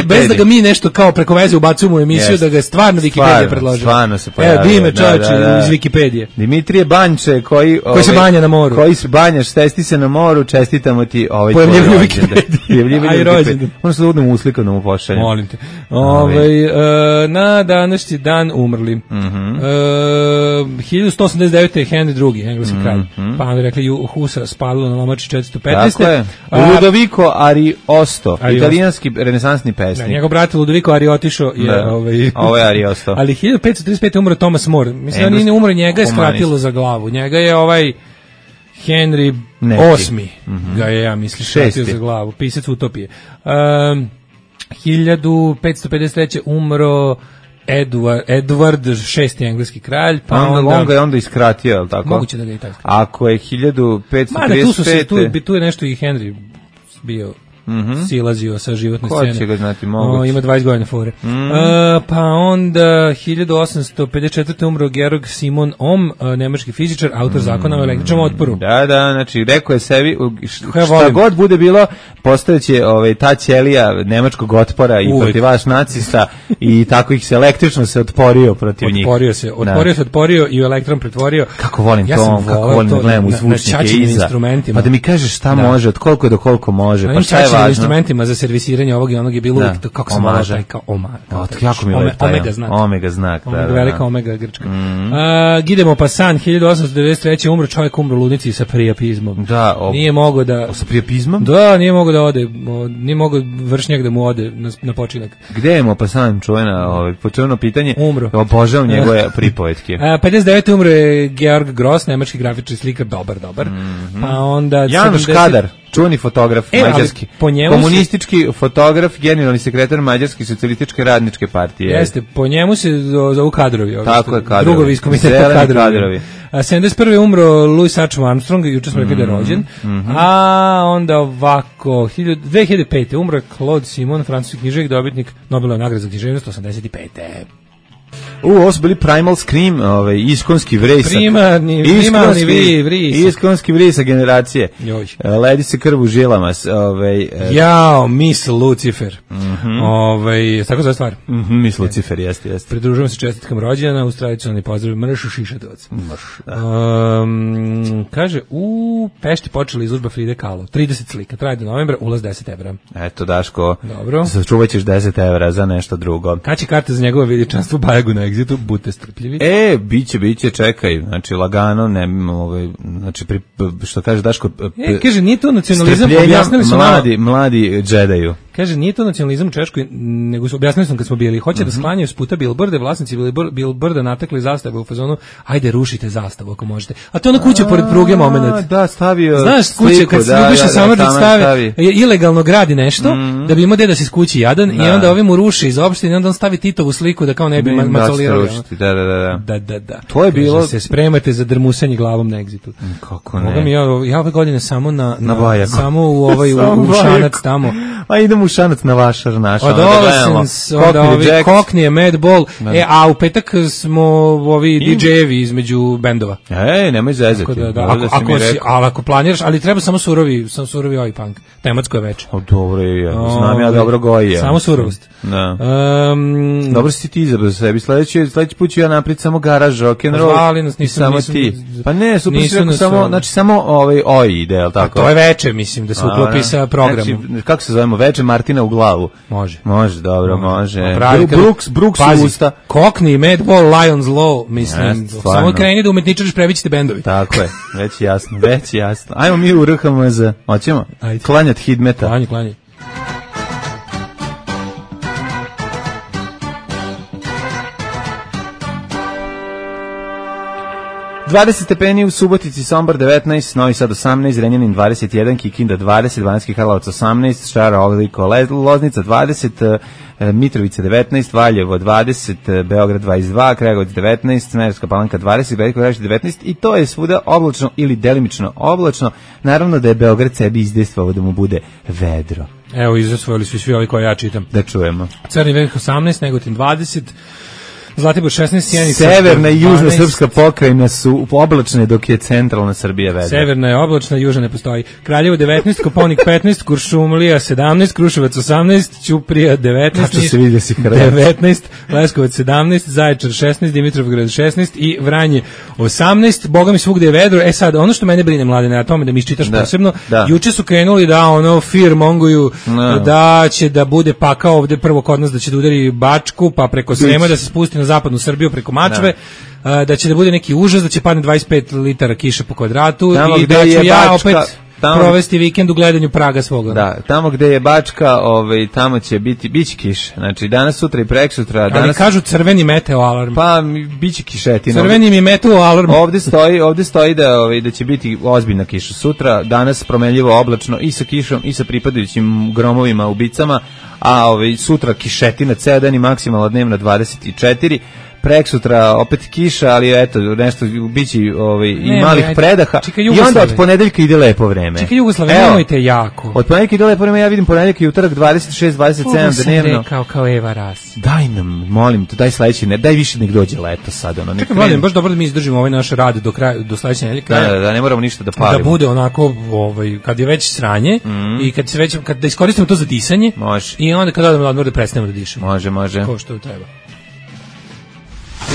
bez da ga mi nešto kao preko veze ubacujemo u emisiju, da ga je stvarno Wikipedija predložila. Stvarno se pojavio. Evo, Dime čovječe iz Wikipedije. Dimitrije Banjče, koji se banja na moru. Koji se banjaš, testi se na moru, čestitamo ti pojavljivu Wikipediju. Možda se udem uslikom da mu pošaljem. Molim te. Na današnji dan umrli. 1189. je Henry II, engleski kralj. Pa onda rekli Husa spalilo na lomači 415. Tako je. Ludovico Ariosto, italijanski renesansni pesnik. Njegov brat Ludovico Ariotišo je... Ovo je Ariosto. Ali 1535. umro Thomas More. Mislim da nije umro, njega je skratilo za glavu. Njega je Henry VIII ga je, ja mislim, šatio za glavu, pisac utopije. 1553. umro Edward VI, engleski kralj, pa on ga je onda iskratio, je li tako? Moguće da ga je i tako. Ako je 1535... Tu je nešto i Henry bio silazio sa životne scene. Ko će ga znati, moguće. Ima 20 godina fore. Pa onda 1854. umro Georg Simon Ohm, nemački fizičar, autor zakona o električnom otporu. Da, znači rekao je sebi šta god bude bilo, postojeće ta ćelija nemačkog otpora i protivaš nacista i tako ih se električno se otporio protiv njih. Otporio i u elektron pretvorio. Kako volim to, kako volim da gledam u zvučnike iza. Pa da mi kažeš šta može, od koliko do koliko može, pa šta je važno. Instrumentima za servisiranje ovog i onog je bilo uvijek to, kako se malo taj kao omega znak. Velika omega grčka. Idemo pa san, 1893. umro čovjek, umro u ludnici sa priapizmom. Nije mogao da... Sa priapizmom? Da, nije mogao da ode, nije mogao vršnjak da mu ode na počinak. Gde je mo pa san, čujeno pitanje? Umro. Obožavam njegove pripovetke. 59. umro je Georg Gross, nemački grafičar i slikar, dobar. Pa onda... Januš Kadar, čuveni fotograf mađarski, komunistički fotograf, generalni sekretar Mađarske socijalističke radničke partije. Jeste, po njemu se zovu kadrovi. Tako je, kadrovi. Drugovi iz komiteta kadrovi. 71. umro Louis Armstrong, juče smo rekli da je rođen. A onda ovako, 2005. umro Claude Simon, francuski književnik, dobitnik Nobelove nagrade za književnost, 85. Ovo su bili Primal Scream, iskonski vrisak. Iskonski vrisak generacije. Ledi se krv u žilama. Miss Lucifer. Tako zove stvar. Miss Lucifer, jeste. Pridružujem se čestitkam rođena, uz tradicionalni pozdrav Mršu Šišatovac. Kaže, u Pešti počela izložba Fride Kahlo. 30 slika, traje do novembra, ulaz 10 evra. Eto, Daško, dobro. Sačuvat ćeš 10 evra za nešto drugo. Kad će karte za njegovo veličanstvo Bajagu na Exitu, budite strpljivi. Biće, čekaj, znači lagano, znači što kaže Daško, kaže, nije to nacionalizam, objasnili su mladi džedaju. Kaže, nije to nacionalizam u Češkoj, nego su objasnili smo kad smo bili, hoće da sklanjaju s puta bilborde, vlasnici bilborda natekli zastave u fazonu, ajde rušite zastavu ako možete. A to na kuću pored pruge momenat. Da, stavio. Znaš, kuće kad se Ljubiša Samardžić stavi, ilegalno gradi nešto, da bi imao deda se iz kući jadan, i onda ovi mu ruši iz opštine, onda on stavi Titovu sliku da kao ne bi macolirali. Da. To je bilo. Se spremate za drmusanje glavom na Exitu. Kako ne? Ja ove godine samo samo u šanac tamo. A idemo idemo u Šanac na vašar naš. Onda ovi Koknije, Madball. A u petak smo ovi DJ-evi između bendova. Nemoj zezati. Ali ako planiraš, ali treba samo surovi ovaj punk. Tematsko je veče. Dobro je, znam ja dobro goji. Samo surovost. Dobro si ti izabrao za sebi. Sledeći put ću ja naprijed samo garaž, rock'n'roll. Zvali nas, samo ti. Pa ne, super si rekao samo, znači samo OI ide, je li tako? To je veče, mislim, da se uklopi sa programom. Znači, kako se zovemo, veče Martina u glavu? Može, dobro, može. Brooks u usta. Kokni, Madball, Lions Law, mislim. Samo kreni da umetničariš, previćete bendovi. Tako je, već jasno. Ajmo mi u RHMZ, hoćemo? Klanjat Hidmeta. Klanji. 20 stepeni u Subotici, Sombor 19, Novi Sad 18, Zrenjanin 21, Kikinda 20, Banatski Karlovac 18, Šara, Oveliko, Loznica 20, Mitrovica 19, Valjevo 20, Beograd 22, Kragujevac 19, Smederevska Palanka 20, Veliko Gradište 19 i to je svuda oblačno ili delimično oblačno. Naravno da je Beograd sebi izdejstvovao da mu bude vedro. Evo, izosvojili su svi ovi koje ja čitam. Da čujemo. Crni vrh 18, Negotin 20, Zlatibor 16, Sjenica. Severna i južna srpska pokrajina su oblačne, dok je centralna Srbija vedra. Severna je oblačna, južna ne postoji. Kraljevo 19, Koponik 15, Kuršumlija 17, Kruševac 18, Ćuprija 19, Tačno se vidi da si Hrvat. 19, Leskovac 17, Zaječar 16, Dimitrovgrad 16 i Vranje 18. Boga mi svugde je vedro. Sad, ono što mene brine, Mladene, na tome da mi iščitaš posebno, juče su krenuli da firmonguju da će da bude pakao ovde prvo kod nas, da će da udari Bačku, pa preko Srema da se spusti na zapadnu Srbiju preko Mačve, da će da bude neki užas, da će padne 25 litara kiše po kvadratu i da ću ja opet provesti vikend u gledanju praga svoga. Da, tamo gde je Bačka, tamo će biće kiša. Znači danas, sutra i preksutra. Ali kažu crveni meteo alarm. Pa biće kišetina. Crveni mi meteo alarm. Ovde stoji da će biti ozbiljna kiša sutra. Danas promenljivo oblačno i sa kišom i sa pripadajućim gromovima, ubicama, a sutra kišetina ceo dan i maksimalna dnevna 24. Preksutra opet kiša, ali eto, nešto biće i malih predaha. I onda od ponedeljka ide lepo vreme. Čekaj, Jugoslavije, nemojte jako. Od ponedeljka ide lepo vreme, ja vidim ponedeljka i utorak 26, 27 dnevno. Ovo sam rekao kao Eva Ras. Daj nam, molim te, daj sledeći, daj više nek dođe leto sad. Čekaj, Mladen, baš dobro da mi izdržimo ovaj naš rad do sledeće nedelje. Da, ne moramo ništa da palimo. Da bude onako, kad je već sranje i kad da iskoristimo to za disanje. Može. I onda kad odemo na odmor da prestanemo da dišemo. Može. Ko što treba.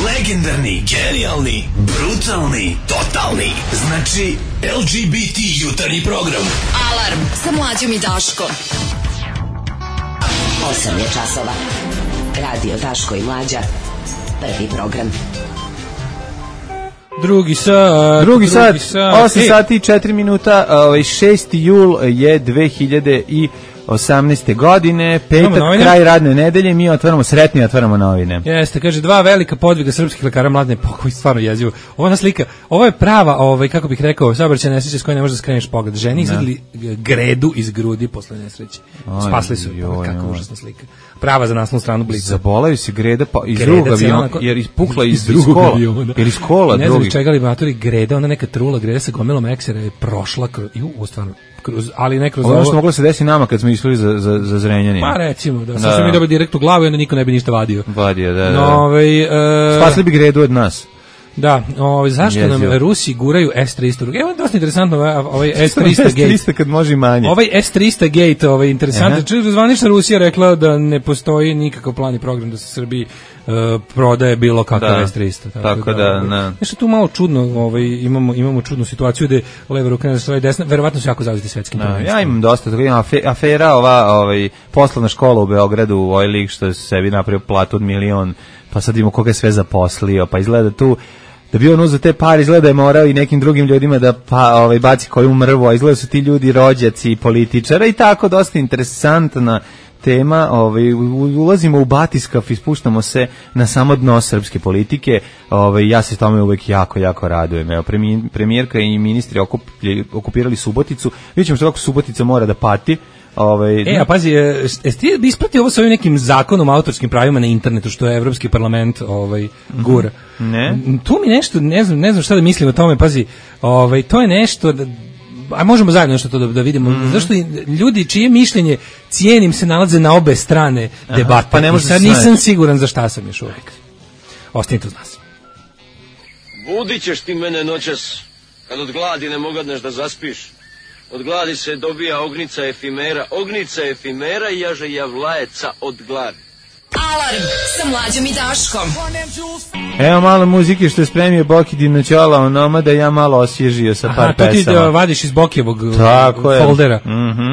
Legendarni, genijalni, brutalni, totalni. Znači, LGBT jutarnji program. Alarm sa Mlađom i Daškom. 8 je časova. Radio Daško i Mlađa. Prvi program. Drugi sat. 8 sati i 4 minuta. 6. jul je 2018. godine, petak, kraj radne nedelje, mi otvaramo novine. Jeste, kaže, 2 velika podviga srpskih lekara, Mladene, pokoj, stvarno jezivo. Ova slika, ovo je prava, kako bih rekao, saobraćajna nesreća s kojoj ne možeš da skreneš pogled. Ženi izgledali gredu iz grudi posle nesreće. Spasli su, kako užasna slika. Prava za naslovnu stranu Blica. Zabolaju se greda iz drugog aviona, jer ispukla iz kola. Jer iz kola drugi. Ne znam čega li matori greda, ona neka trula greda sa gomilom eksera je prošla ali ne kroz ovo. Ono što moglo se desiti nama kad smo išli za Zrenjanin. Pa recimo, da smo mi dobili direkt u glavu i onda niko ne bi ništa vadio. Spasli bi gredu od nas. Da, zašto nam Rusi guraju S-300? Evo je dosta interesantno ovaj S-300 gate. S-300 kad može i manje. Ovaj S-300 gate, interesantno. Zvanična Rusija rekla da ne postoji nikakav plan i program da se Srbiji prodaje bilo kakav S-300. Tako da. Nešto tu malo čudno, imamo čudnu situaciju gde leva ruka ne stoji desna, verovatno su jako zauzeti svetskim prvenstvom. Ja imam dosta toga, imam afera poslovna škola u Beogradu, ovaj lik što je sebi napravio platu od 1 milion, pa sad imamo koga je sve zaposlio, pa izgleda tu da bi on uzeo te pare, izgleda da je morao i nekim drugim ljudima da baci koju mrvu, a izgleda su ti ljudi rođaci političara i tako, dosta interesantna tema. Ulazimo u batiskav i spuštamo se na samo dno srpske politike. Ja se tome uvek jako, jako radujem. Evo, premijerka i ministri okupirali Suboticu. Vidjet ćemo što kako Subotica mora da pati. A pazi, jesi ti ispratio ovo sa ovim nekim zakonom o autorskim pravima na internetu, što je Evropski parlament gura? Ne. Tu mi nešto, ne znam šta da mislim o tome, pazi, to je nešto a možemo zajedno nešto to da vidimo. Zašto ljudi čije mišljenje cijenim se nalaze na obe strane debate. Pa ne može sad nisam siguran za šta sam još uvijek. Ostanite uz nas. Budit ćeš ti mene noćas, kad od gladi ne mogadneš da zaspiš. Od gladi se dobija ognica efimera i jaže javlajeca od gladi. Alarm sa Mlađom i Daškom. Evo malo muzike što je spremio Boki Dinoćola, onoma da ja malo osvježio sa par pesama. To ti da vadiš iz Bokijevog foldera.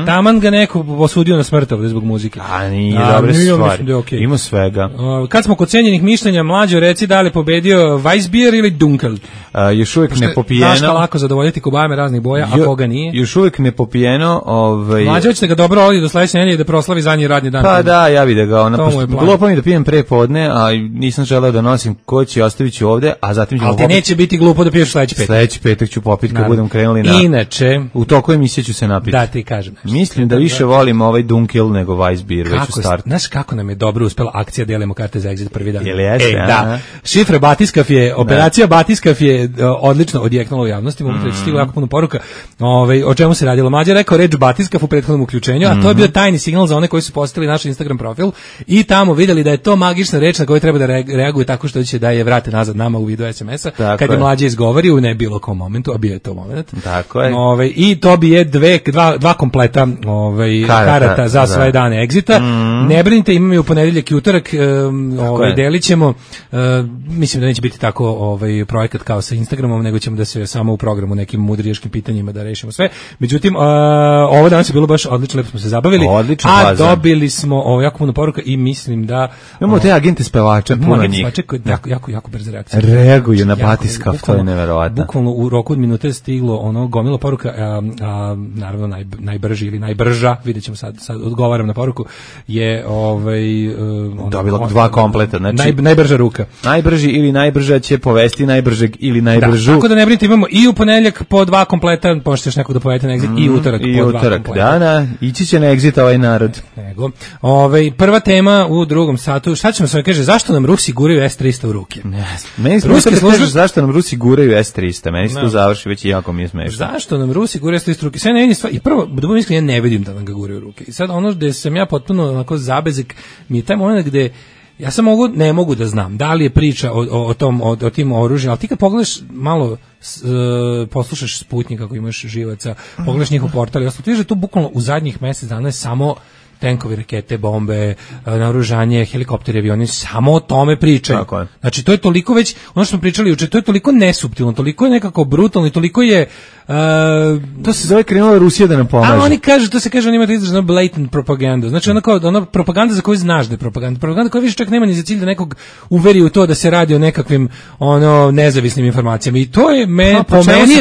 Taman ga neko osudio na smrt ovdje zbog muzike. A nije dobre stvari. Okay. Ima svega. Kad smo kod cenjenih mišljenja, Mlađo, reci da li pobedio Weissbier ili Dunkel? Još uvijek ne popijeno. Znaš lako zadovoljiti kobajame raznih boja, a koga nije? Još uvijek ne popijeno. Mlađo, hoćete ga dobro ovdje do sledeće nedelje da proslavi zadnji radni dan. Pa da, ja vide ga. Glupo mi da pijem pre podne, a nisam želeo da nosim koći, ostavit ću ovde, a zatim ćemo... Ali ti neće biti glupo da piješ sledeći petak. Sledeći petak ću popiti kad budem krenuli na... Inače... U toku emisije ću se napiti. Da, ti kažem nešto. Mislim da više volim ovaj Dunkel nego Weissbier već u startu. Znaš kako nam je dobro uspela akcija Delimo karte za Exit prvi dan? Jel jeste? Da. Šifra Batiskav je, operacija Batiskav je odlično odjeknula u javnosti, mogu reći, stigla jako puno poruka. O čemu se radilo? Mlađa je rekao reč Batiskav u prethodnom uključenju, a to je bio tajni signal za one koji su postavili naš Instagram profil i tamo videli da je to magična reč na koju treba da reaguje tako što će da je vrate nazad nama u vidu SMS-a. Kad je Mlađa izgovori u ne bilo kom momentu, a bio je to moment. Tako je. I to bi je dva kompleta karata za sve dane Exita. Ne brinite, imamo i u ponedeljak i utorak, delit ćemo. Mislim da neće biti tako projekat kao sa Instagramom, nego ćemo da se samo u programu nekim mudrijaškim pitanjima da rešimo sve. Međutim, ovo danas je bilo baš odlično, lepo smo se zabavili. Odlično, a dobili smo jako puno poruka i mislim da imamo te agente spevača, puno njih. Jako brze reakcije. Reaguju na Batiskav, to je neverovatno. Bukvalno u roku od minute stiglo gomila poruka, naravno najbrži ili najbrža, vidjet ćemo sad odgovaram na poruku, je dobila dva kompleta, znači najbrža ruka. Najbrži ili najbrža će povesti najbržeg ili najbržu. Tako da ne brinite, imamo i u ponedeljak po dva kompleta, možete još nekog da povedete na Exit, i utorak po dva kompleta. Da, ići će na Exit ovaj narod. Nego. Prva tema u drugom satu, šta ćemo sve kaže, zašto nam Rusi guraju S-300 u ruke? Meni ruske službe, zašto nam Rusi guraju S-300, meni se to završi već i jako mi je smešno. Zašto nam Rusi guraju S-300 u ruke? Sve ne vidim stvar, i prvo, da budem iskren, ja ne vidim da nam ga guraju u ruke. I sad ono gde sam ja potpuno onako zabezek, mi je taj moment gde ja sam ne mogu da znam da li je priča o tim oružjima, ali ti kad pogledaš malo, poslušaš Sputnik ako imaš živaca, pogledaš njihov portal i ostalo, ti vidiš da to bukvalno u zadnjih mjesec dana je samo tenkovi, rakete, bombe, naoružanje, helikopteri, avioni, samo o tome pričaju. Znači, to je toliko već, ono što smo pričali juče, to je toliko nesuptilno, toliko je nekako brutalno i toliko je... to se zove krenula Rusija da nam pomaže. A oni kažu, to se kaže, oni imaju izraženo blatant propaganda. Znači, ona propaganda za koju znaš da je propaganda. Propaganda koja više čak nema ni za cilj da nekog uveri u to da se radi o nekakvim nezavisnim informacijama. I to je, po meni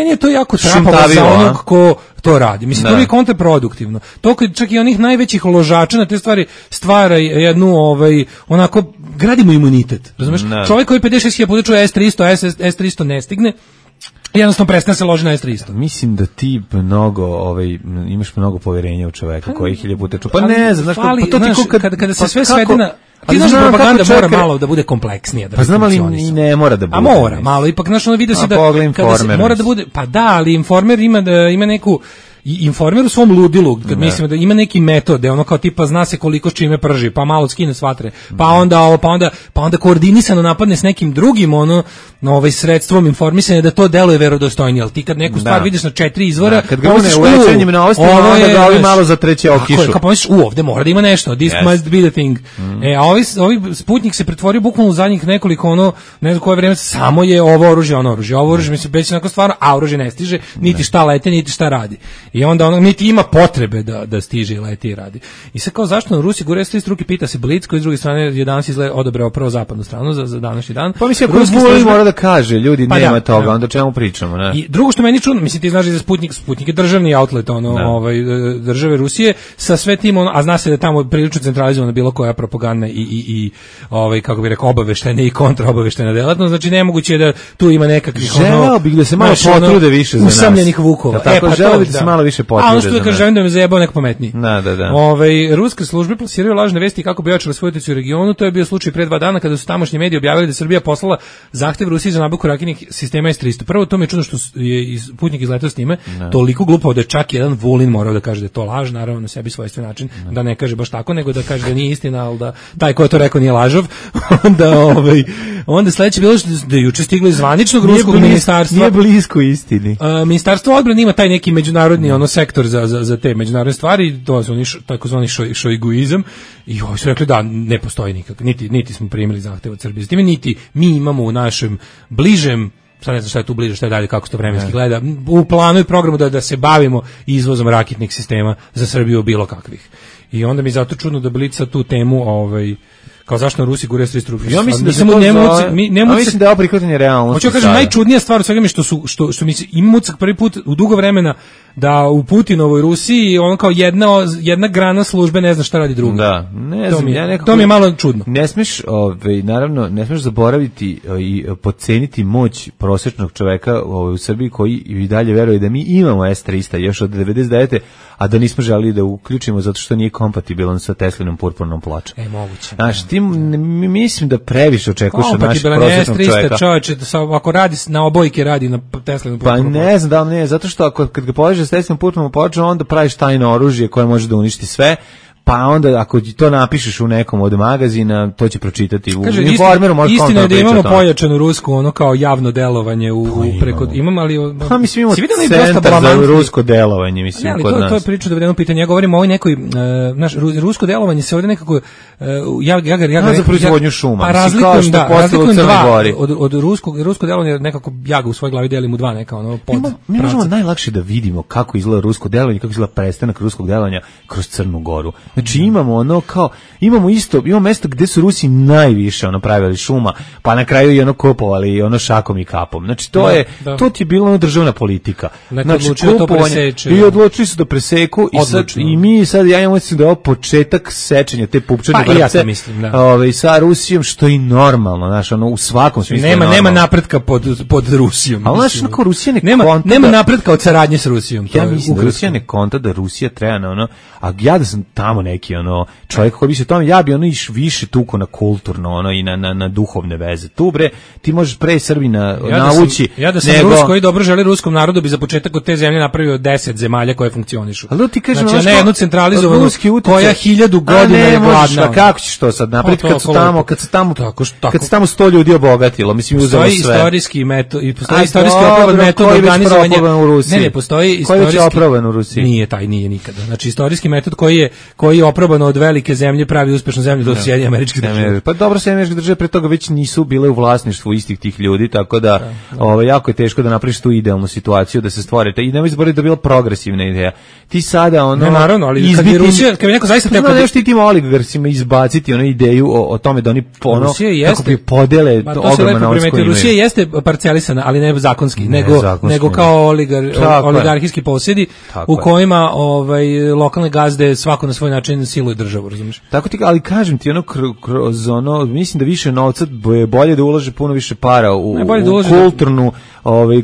je to jako trapavo za onog ko to radi. Mislim, to je kontraproduktivno. To kad čak i onih najvećih ložača na te stvari stvara jednu, onako, gradimo imunitet. Razumeš? Čovjek koji 56.000 puta čuje S-300 ne stigne, jednostavno prestane se loži na S-300. Mislim da ti imaš mnogo poverenja u čoveka koji 1000 puta čuje. Pa ne znam, kada se sve svede na... Ti znaš da propaganda mora malo da bude kompleksnija. Pa znam, ali i ne mora da bude. A mora, malo, ipak znaš, ono vidi se da kada se mora da bude, pa da, ali Informer ima neku, Informer u svom ludilu, kad mislimo da ima neki metod, da ono kao tipa zna se koliko s čime prži, pa malo skine s vatre, pa onda koordinisano napadne s nekim drugim sredstvom informisanja da to deluje verodostojnije, ali ti kad neku stvar vidiš na 4 izvora, kad ga ne u večernjim novostima, onda ga ovi malo zatreće okišu. Kao pomisliš, ovde mora da ima nešto, this must be the thing. A ovi Sputnik se pretvorio bukvalno u zadnjih nekoliko, ne znam koje vreme, samo je ovo oružje, ovo oružje, mislim, već onako stvarno, a oružje ne stiže, niti šta lete, niti šta radi. I onda niti ima potrebe da stiže i leti i radi. I sad kao zašto nam Rusi gure s ruke, pita se Blic, koji s druge strane je danas odabrao prvo zapadnu stranu za današnji dan. Pa mislim, ako mora da kaže, ljudi, nema toga, onda čemu pričamo, ne? I drugo što meni čudno, mislim, ti znaš da je Sputnik je državni outlet, države Rusije, sa sve tim, a zna se da tamo prilično centralizovana bilo koja propaganda i kako bi rekao, obaveštena i kontraobaveštena delatnost, znači nemoguće je da tu ima nekakvih želeo bih da se malo potrude više za nas. Usamljenih vukova. Želeo bih da se malo više potrebe. A ono što kaže, želim da me zajebao neko pametniji. Da. Ruske službe plasiraju lažne vesti kako bi ojačale svoju uticaj u regionu. To je bio slučaj pre 2 dana kada su tamošnji mediji objavili da Srbija poslala zahtev Rusiji za nabavku raketnih sistema S-300. Prvo, to mi je čudno što je putnik izletao s time, toliko glupao da je čak jedan Vulin morao da kaže da je to laž, naravno na sebi svojstven način, da ne kaže baš tako, nego da kaže da nije istina, ali da taj ko je to rekao nije lažov. Onda sledeće bilo da je juče stiglo iz zvaničnog ruskog ministarstva. Nije blisko istini. Ministarstvo odbrane ima taj neki međunarodni sektor za te međunarodne stvari, to su oni takozvani šojguizam, i oni su rekli da ne postoji nikak, niti smo primili zahtev od Srbije, niti mi imamo u našem bližem, sad ne znam šta je tu bliže, šta je dalje, kako se to vremenski gleda, u planu i programu da se bavimo izvozom raketnih sistema za Srbiju bilo kakvih. I onda mi zato čudno da Blica tu temu kao zašto na Rusi gure S-300. Ja mislim mislim da je ovo prihvatanje realnosti. Hoću kažem, najčudnija stvar u svega mi što mi se ima ucak prvi put u dugo vremena da u Putinovoj Rusiji on kao jedna grana službe ne zna šta radi druga. Da, ne znam, to mi je malo čudno. Ne smeš, naravno, ne smeš zaboraviti i podceniti moć prosječnog čoveka u Srbiji koji i dalje veruje da mi imamo S-300 još od 99. a da nismo želeli da uključimo zato što nije kompatibilan sa Teslinom purpurnom pločom. Moguće. Znaš, ti mislim da previše očekuješ od našeg prosječnog čoveka. Čovječe, ako radi na obojke, radi na Teslinom purpurnom pločom. Pa ne znam da li ne, zato što kad ga povežeš s Teslinom purpurnom pločom, onda praviš tajno oružje koje može da uništi sve. Pa onda ako to napišeš u nekom od magazina, to će pročitati u Informeru, može istina je da imamo pojačanu rusku, ono kao javno delovanje preko imamo, ali pa mislim imamo centar za rusko delovanje, mislim kod nas. To je priča da jedno pitanje, ja govorim o ovoj nekoj naš rusko delovanje se ovdje nekako ja za proizvodnju šuma, razlikujem od rusko delovanje nekako ja ga u svojoj glavi delim u dva neka ono pod. Mi možemo najlakše da vidimo kako izgleda rusko delovanje, kako izgleda prestanak ruskog delovanja kroz Crnu Goru. Znači imamo imamo mesto gde su Rusi najviše pravili šuma, pa na kraju i kopovali šakom i kapom. Znači to ti je bila državna politika. Znači i odlučili su da preseku i mi sad ja mislim da je ovo početak sečenja te pupčane vrpce sa Rusijom, što je i normalno, znači u svakom smislu. Nema napretka pod Rusijom. Ali znači Rusija nema napretka od saradnje s Rusijom. Ja mislim da Rusija ne konta da Rusija treba a ja da sam tamo neki čovjek koji bi se tome, ja bi iš više tuko na kulturno i na duhovne veze. Tu bre, ti možeš pre Srbina navući. Ja da sam Rus koji dobro želi ruskom narodu bi za početak od te zemlje napravio 10 zemalja koje funkcionišu. Ali ti kažeš, znači, ne jednu centralizovanu koja 1000 godina je gladna. Kako ćeš to sad napraviti kad se tamo 100 ljudi obogatilo, mislim uzelo sve. Istorijski metod i postoji istorijski oproban metod organizovanja u Rusiji. Ne, postoji istorijski oproban u Rusiji. Nije nikada. Znači istorijski metod koji je oprobano od velike zemlje pravi uspešnu zemlju do Sjedinjenih Američkih Država. Pa dobro, Sjedinjene Američke Države pre toga već nisu bile u vlasništvu istih tih ljudi, tako da jako je teško da napraviš tu idealnu situaciju da se stvorite. I nemoj zaboraviti da je bila progresivna ideja. Ti sada ne, naravno, ali kad je Rusija, kad je neko zaista teo nešto tim oligarsima izbaciti ideju o tome da oni kako bi podele ogroman novac koji imaju. Rusija jeste parcelisana, ali ne zakonski, nego kao oligarhijski posjedi u kojima lokalne gazde svako na svoj način siluje državu, razumiješ? Tako ti, ali kažem ti kroz mislim da više novca je bolje da ulaže puno više para u kulturnu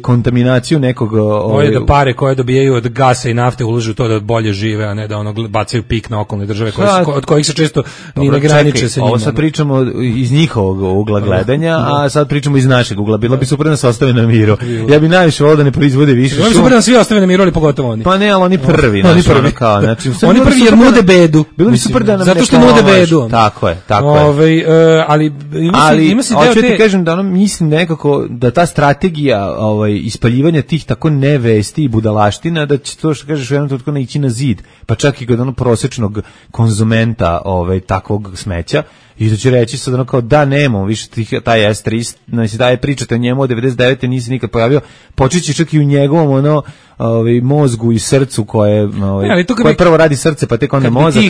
kontaminaciju nekog bolje da pare koje dobijaju od gasa i nafte ulažu to da bolje žive, a ne da bacaju pik na okolne države od kojih se često ni ne graniče sa njima. Ovo sad pričamo iz njihovog ugla gledanja, a sad pričamo iz našeg ugla. Bilo bi super da se ostave na miru. Ja bi najviše volio da ne proizvode više šuma. Bilo bi super da svi ostave na miru, ali pogotovo oni. Pa ne, ali oni prvi. Oni prvi jer nude bedu. Bilo bi super da nam zato što nude bedu. Tako je. Ali ima se hoću ti kažem da mislim nekako da ta strategija ispaljivanja tih tako nevesti i budalaština, da će to što kažeš u jednom trenutku naići na zid, pa čak i kod prosječnog konzumenta takvog smeća, i da će reći sad kao da nemamo više taj S-300, znači da je pričate o njemu od 99. nisi nikad pojavio, počeći čak i u njegovom mozgu i srcu koje prvo radi srce pa tek onda mozak,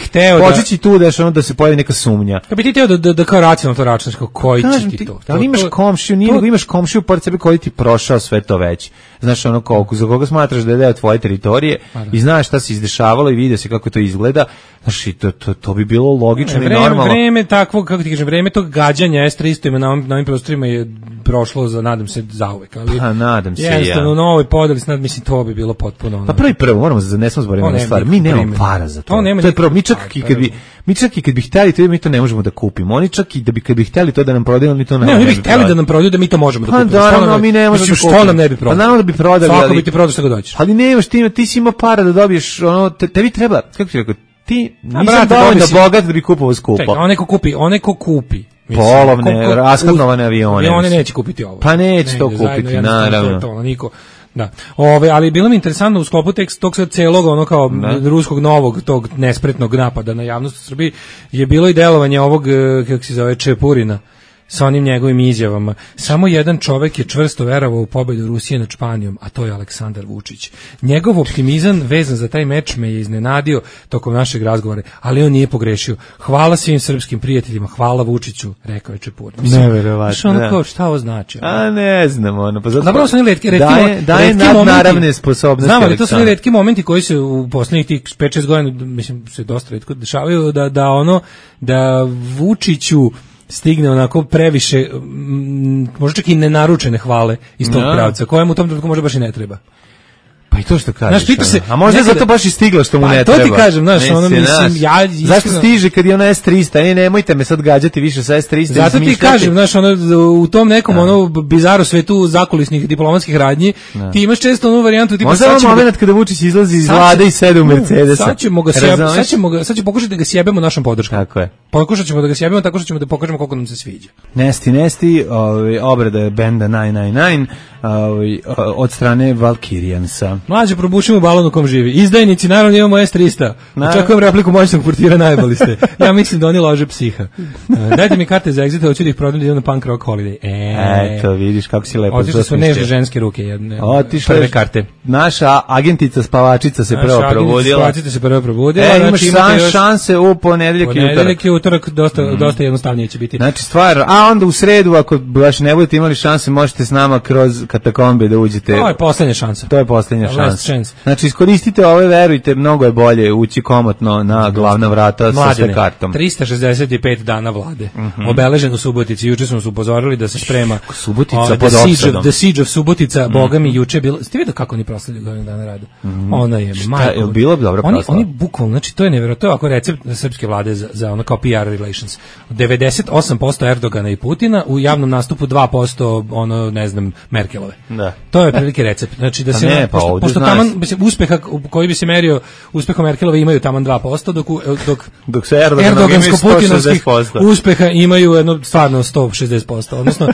počeći tu da se pojavi neka sumnja. Kad bi ti teo da kao racionalno to računaš, koji će ti to? Ali imaš komšiju, imaš komšiju pored sebe koji ti prošao sve to već. znaš ono za koga smatraš da je deo tvoje teritorije i znaš šta se izdešavalo i vidi se kako to izgleda, znaš i to bi bilo logično i normalno. Vreme takvog, kako ti kažem, vreme tog gađanja S-300 na ovim prostorima je prošlo nadam se zauvek, ali nadam se jednostavno u novoj podeli mislim to bi bilo potpuno pa prvo moramo ne smemo zaboraviti jednu stvar, mi nemamo para za to je prvo, mi čak i kad bi hteli to mi to ne možemo da kupimo, oni čak i kad bi hteli to da nam prodaju, oni to ne bi hteli da nam prodaju, da mi to možemo da kupimo. Pa naravno, mi ne možemo da kupimo. Što nam ne bi prodali? Pa naravno da bi prodali, svako bi ti prodao što ga dođeš. Ali nemaš, ti si imao para da dobiješ, tebi treba, kako ti rekao, ti nisam dovoljno bogat da bi kupovao skupo. Čekaj, onaj ko kupi polovne, raskladnovane avione. Oni neće kupiti ovo. Pa neće to kupiti, naravno. Niko. Da. Ali bilo mi interesantno u sklopu tog sad celog ono kao ruskog novog tog nespretnog napada na javnost u Srbiji je bilo i delovanje ovog, kako se zove, Čepurina sa onim njegovim izjavama. Samo jedan čovek je čvrsto verovao u pobedu Rusije nad Španijom, a to je Aleksandar Vučić. Njegov optimizam vezan za taj meč me je iznenadio tokom našeg razgovora, ali on nije pogrešio. Hvala svim srpskim prijateljima, hvala Vučiću, rekao je Čepurin. Neverovatno. Šta ovo znači? A ne znam, ono. Pa zapravo su oni daje nadnaravne sposobnosti. Znam, ali to su retki momenti koji se u poslednjih tih 5-6 godina, mislim, se dosta retko dešavaju, da Vučiću stigne onako previše, možda čak i nenaručene hvale iz tog pravca, kojemu u tom trenutku možda baš i ne treba. Pa i to što kažeš. A možda zato baš i stiglo što mu ne treba. To ti kažem, znaš, ono mislim, ja iskreno... Zašto stiže kad je ona S-300? Nemojte me sad gađati više sa S-300. Zato ti kažem, znaš, u tom nekom bizaru svetu zakulisnih diplomatskih radnji, ti imaš često onu varijantu tipa... Možda je moment kada Vučić izlazi iz vlade i sede u Mercedesa. Sad ćemo pokušati da ga sjebemo našom podrškom. Tako je. Pokušat ćemo da ga sjebemo tako što ćemo da pokažemo koliko nam se sviđa. Nesti, obrada benda 999 od strane Valkirijansa. Mlađe, probušimo balon u kom živi. Izdajnici, naravno imamo S-300. Očekujem repliku moćnog portira, najbolji ste. Ja mislim da oni lože psiha. Dajte mi karte za exit, hoću da ih prodam da idem na punk rock holiday. Eto, vidiš kako si lepo. Otišle su nežne ženske ruke jedne. Prve karte. Naša agentica spavačica se prvo probudila. Imaš šanse u ponedeljak i utorak dosta jednostavnije će biti. Znači stvar, a onda u sredu ako baš ne budete imali šanse, možete s nama kroz katakombe da uđete. To je poslednja šansa. Znači iskoristite ove, verujte, mnogo je bolje ući komotno na glavna vrata sa sve kartom. 365 dana vlade. Obeležen u Subotici. Juče smo se upozorili da se sprema Subotica pod opsadom. The Siege of Subotica, boga mi juče bilo. Ste vidio kako oni proslavljaju godinu dana rada? Ona je majko. Je bilo dobro proslava. Oni bukvalno, znači to je nevjerojatno, to je ovako recept srpske vlade za ono kao PR relations. 98% Erdogana i Putina, u javnom nastupu 2% ono, ne znam, Merkelove. Da. To je prilike recept. Znači da se pošto taman uspeha koji bi se merio uspehom Merkelove imaju taman 2%, dok se Erdogansko-putinovskih uspeha imaju jedno stvarno 160%. Odnosno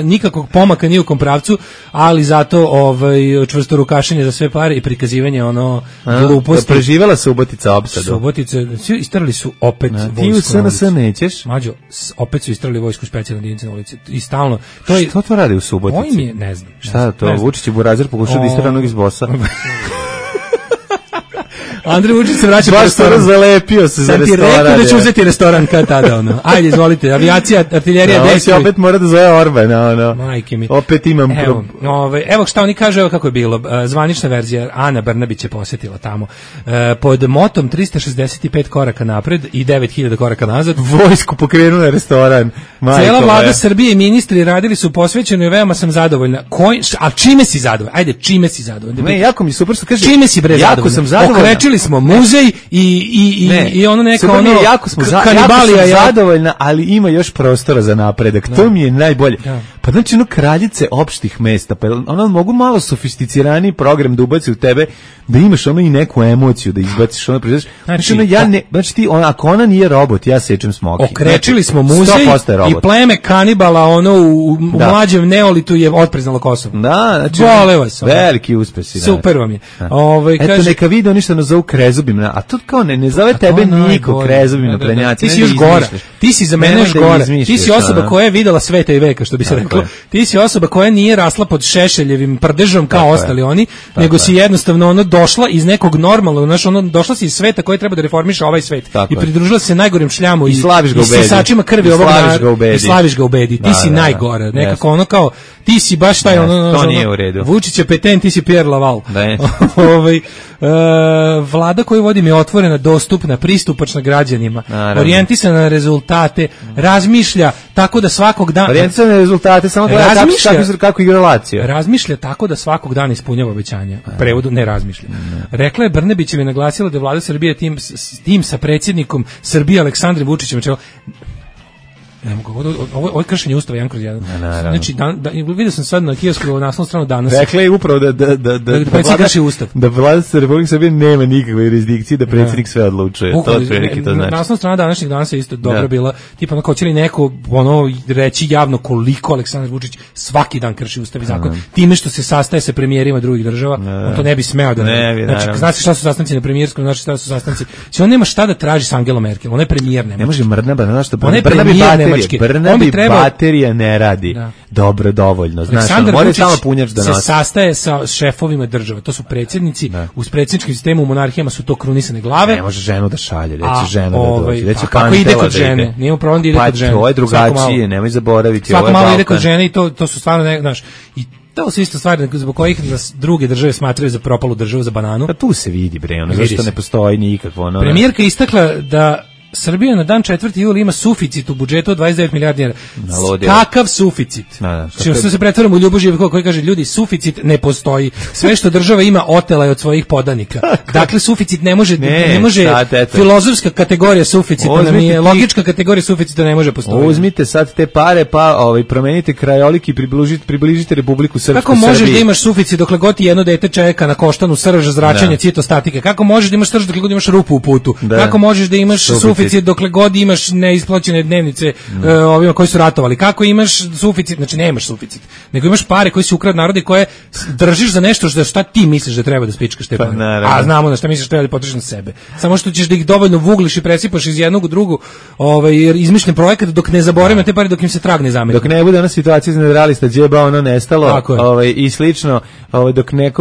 nikakvog pomaka ni u kom pravcu, ali zato čvrsto rukašenje za sve pare i prikazivanje ono gluposti. Preživela Subotica opsadu. Subotice, svi istrali su opet vojsku. Ti u SNS nećeš? Mađo, opet su istrali vojsku specijalne jedinice na ulici. I stalno. Što to radi u Subotici? Ovo im je, ne znam. Šta to? Vučić i Burazer pokušao da istera onog iz bossa. Andrej Vučić se vraća po restoran. Baš zalepio se za restoran. Sam ti rekao da će uzeti restoran kad tada, ono. Ajde, izvolite, avijacija, artiljerija, dejstvuj. Ovo opet mora da zove Orbana, ono. Majke mi. Opet imam Evo šta oni kažu, evo kako je bilo. Zvanična verzija, Ana Brnabić je posjetila tamo. Pod motom 365 koraka napred i 9000 koraka nazad. Vojsku pokrenula restoran. Cijela vlada Srbije i ministri radili su posvećeno i veoma sam zadovoljna. A čime si zadovoljna? Ajde, čime si zadovoljna? Ne, jako mi super što kaže. Čime si bre zadovoljna? Okrečili smo muzej i ono neko ono jako smo zadovoljna, ali ima još prostora za napredak. To mi je najbolje. Pa znači ono kraljice opštih mesta, pa ono mogu malo sofisticiraniji program da ubaci u tebe, da imaš ono i neku emociju da izbaciš ono proizvodiš. Znači ti ako ona nije robot, ja sečem smoki. Okrečili smo muzej i pleme kanibala ono u mlađem neolitu je otpriznalo Kosovo. Da, znači vole vas. Veliki uspesi. Super vam je. Eto neka vide oni što nas zovu krezubim, a to kao ne zove tebe niko krezubim na prednjaci. Ti si još gora, ti si za mene još gora, ti si osoba koja je videla sveta i veka, što bi se reklo, ti si osoba koja nije rasla pod Šešeljevim prdežom kao ostali oni, nego si jednostavno ono došla iz nekog normalnog, znaš, ono došla si iz sveta koji treba da reformiše ovaj svet i pridružila se najgorem šljamu i sisačima krvi ovog naroda i slaviš ga u bedi, ti si najgora, nekako ono kao, ti si baš taj ono, Vučić je peten, ti si Pierre Laval. Vlada koju vodim je otvorena, dostupna, pristupačna građanima, orijentisana na rezultate, razmišlja tako da svakog dana... Orijentisana na rezultate, samo kako igra Lazio. Razmišlja tako da svakog dana ispunjava obećanja. U prevodu ne razmišlja. Rekla je Brnebićeva i naglasila da je vlada Srbije tim sa predsjednikom Srbije Aleksandrom Vučićem. Ne mogu, ovo je kršenje ustava 1/1. Znači, vidio sam sad na kiosku naslovnu stranu danas. Rekla je upravo da vlada Republike Srbije nema nikakve jurisdikcije, da predsjednik sve odlučuje. To otprilike to znači. Naslovna strana današnjeg danas je isto dobro bila, tipa onako će li neko reći javno koliko Aleksandar Vučić svaki dan krši ustav i zakon, time što se sastaje sa premijerima drugih država, on to ne bi smeo da znači, znaš šta su sastanci na premijerskom, znači šta su sastanci. On nema šta da traži s Angelom Merkel, ona je premijer, ne može Brnabe, znaš što Brnabi baterija ne radi dobro dovoljno, znaš, mora samo punjač da nosi. Se sastaje sa šefovima država, to su predsjednici, uz predsjedničkim sistemu u monarhijama su to krunisane glave. Ne može ženu da šalje, reći ženu da dođe, reći kako ide kod žene, nije problem da ide kod žene. Pa to je drugačije, nemoj zaboraviti. Svako malo ide kod žene i to su stvarno, znaš, i to su isto stvari zbog kojih nas druge države smatraju za propalu državu, za bananu. Pa tu se vidi, bre, ono, zašto ne postoji nikakvo. Premijerka istakla da Srbija na dan 4. jula ima suficit u budžetu od 29 milijardi dinara. Kakav suficit? Što se pretvaramo u Ljubu Živkova koji kaže, ljudi, suficit ne postoji. Sve što država ima otela je od svojih podanika. Dakle, suficit ne može filozofska kategorija suficita nam je, logička kategorija suficita ne može postojati. Uzmite sad te pare, pa promenite krajolik i približite Republiku Srpsku Srbiji. Kako možeš da imaš suficit dokle god ti jedno dete čeka na koštanu, srža, zračenja, citostatike? Kako možeš da imaš srž dokle god imaš rupu u putu? Kako možeš da imaš suficit dokle god imaš neisplaćene dnevnice ovima koji su ratovali? Kako imaš suficit? Znači nemaš suficit, nego imaš pare koje si ukrao narode, koje držiš za nešto šta ti misliš da treba da spičkaš te pare. A znamo na šta misliš da treba da potrošiš na sebe. Samo što ćeš da ih dovoljno vugliš i presipaš iz jednog u drugu, izmišljen projekat dok ne zaboravimo te pare, dok im se trag ne zameti. Dok ne bude ona situacija iz nadrealista džeba ono nestalo i slično, dok ne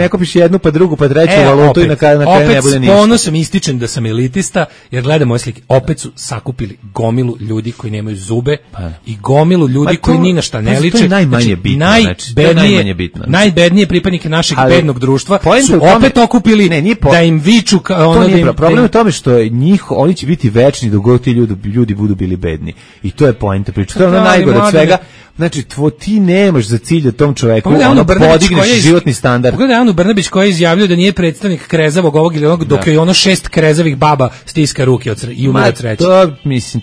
kopiš jednu pa drugu pa treću valutu i na kraju ne bude ništa. Opet s ponosom ističem da sam elitista, jer gledam ove slike, opet su sakupili gomilu ljudi koji nemaju zube i gomilu ljudi koji ni na šta ne liče. To je najmanje bitno. Najbednije pripadnike našeg bednog društva su opet okupili da im viču. Problem je u tome što oni će biti večni dok god ti ljudi budu bili bedni. I to je poenta priče. To je ono najgore od svega. Znači, ti nemaš za cilj da tom čoveku podigneš životni standard. Pogledaj Anu Brnabić koja je izjavljuje da nije predstavnik krezavog ovog ili onog, dok je ono 6 krezavih baba stiska ruke i umire od sreće.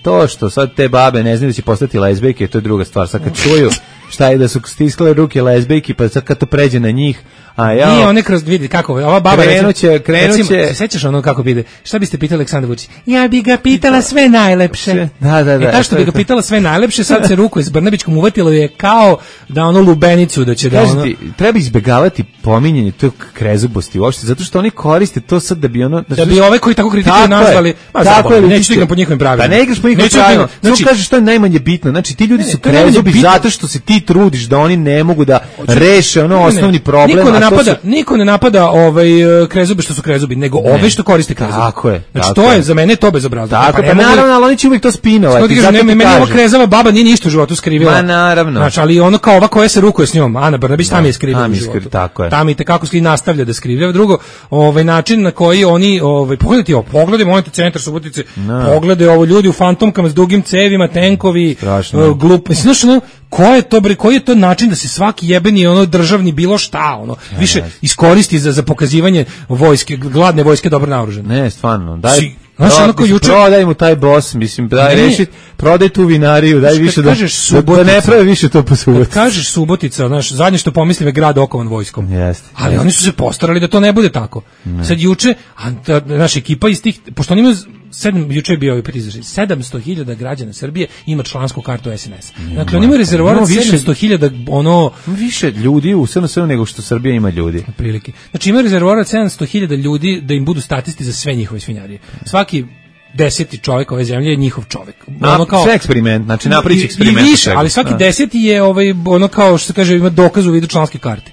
To što sad te babe ne znaju da će postati lezbijke, to je druga stvar. Sad kad čuju šta je da su stiskale ruke lezbijki, pa sad kad to pređe na njih, nije one kroz vidi kako ova baba krenuće. Se sećaš ono kako ide? Šta biste pitali Aleksandar Vučić? Ja bi ga pitala sve najlepše. Da. Ta što bi ga pitala sve najlepše, sad se ruku s Brnabićkom uvatilo je kao da ono lubenicu da će da ono. Treba izbegavati pominjanje tog krezubosti uopšte, zato što oni koriste to sad da bi ono da bi ove koji tako kritikuju nazvali, neću igram po njihovim pravilima. Da ne igraš po njihovim pravilima. Znači kažeš što je najmanje bitno. Znači ti ljudi su krezubi zato što se ti trudiš da oni ne mogu da reše ono osnovni problem. Niko ne napada krezube što su krezubi, nego ove što koriste krezube. Tako je. Znači to je za mene to bezobrazno. Tako, pa naravno, ali oni će uvijek to spinovati. Meni ova krezava baba nije ništa u životu skrivila. Ma naravno. Znači, ali ono kao ova koja se rukuje s njom, Ana Brnabić, tam je skrivila u životu. Tako je. Tam i tekako nastavlja da skrivlja. Drugo, način na koji oni, pogledaj monitor centar Subotice, pogledaj ovo ljudi u fantomkama s dugim cevima, tenkovi, glup. Znači, koji je to način da se svaki jebeni državni bilo šta više iskoristi za pokazivanje vojske, gladne vojske dobro naoružane. Ne, stvarno. Daj prodaj mu taj boss, mislim, daj rešiti, prodaj tu vinariju, daj više da ne pravi više to po Subotici. Kad kažeš Subotica, zadnje što pomislim je grad okovan vojskom. Oni su se postarali da to ne bude tako. Sad juče, naša ekipa iz tih, pošto oni imaju juče je bio ovaj izražaj, 700.000 građana Srbije ima člansku kartu SNS. Dakle, oni imaju rezervoar 700.000 ono... Više ljudi u SNS-u nego što Srbija ima ljudi. Prilike. Znači, imaju rezervoar 700.000 ljudi da im budu statisti za sve njihove svinjarije. Svaki 10. čovjek ove zemlje je njihov čovjek. Ono kao sve eksperiment, znači napriči eksperiment. I više, ali svaki 10. je ono kao što se kaže ima dokaz u vidu članske karte.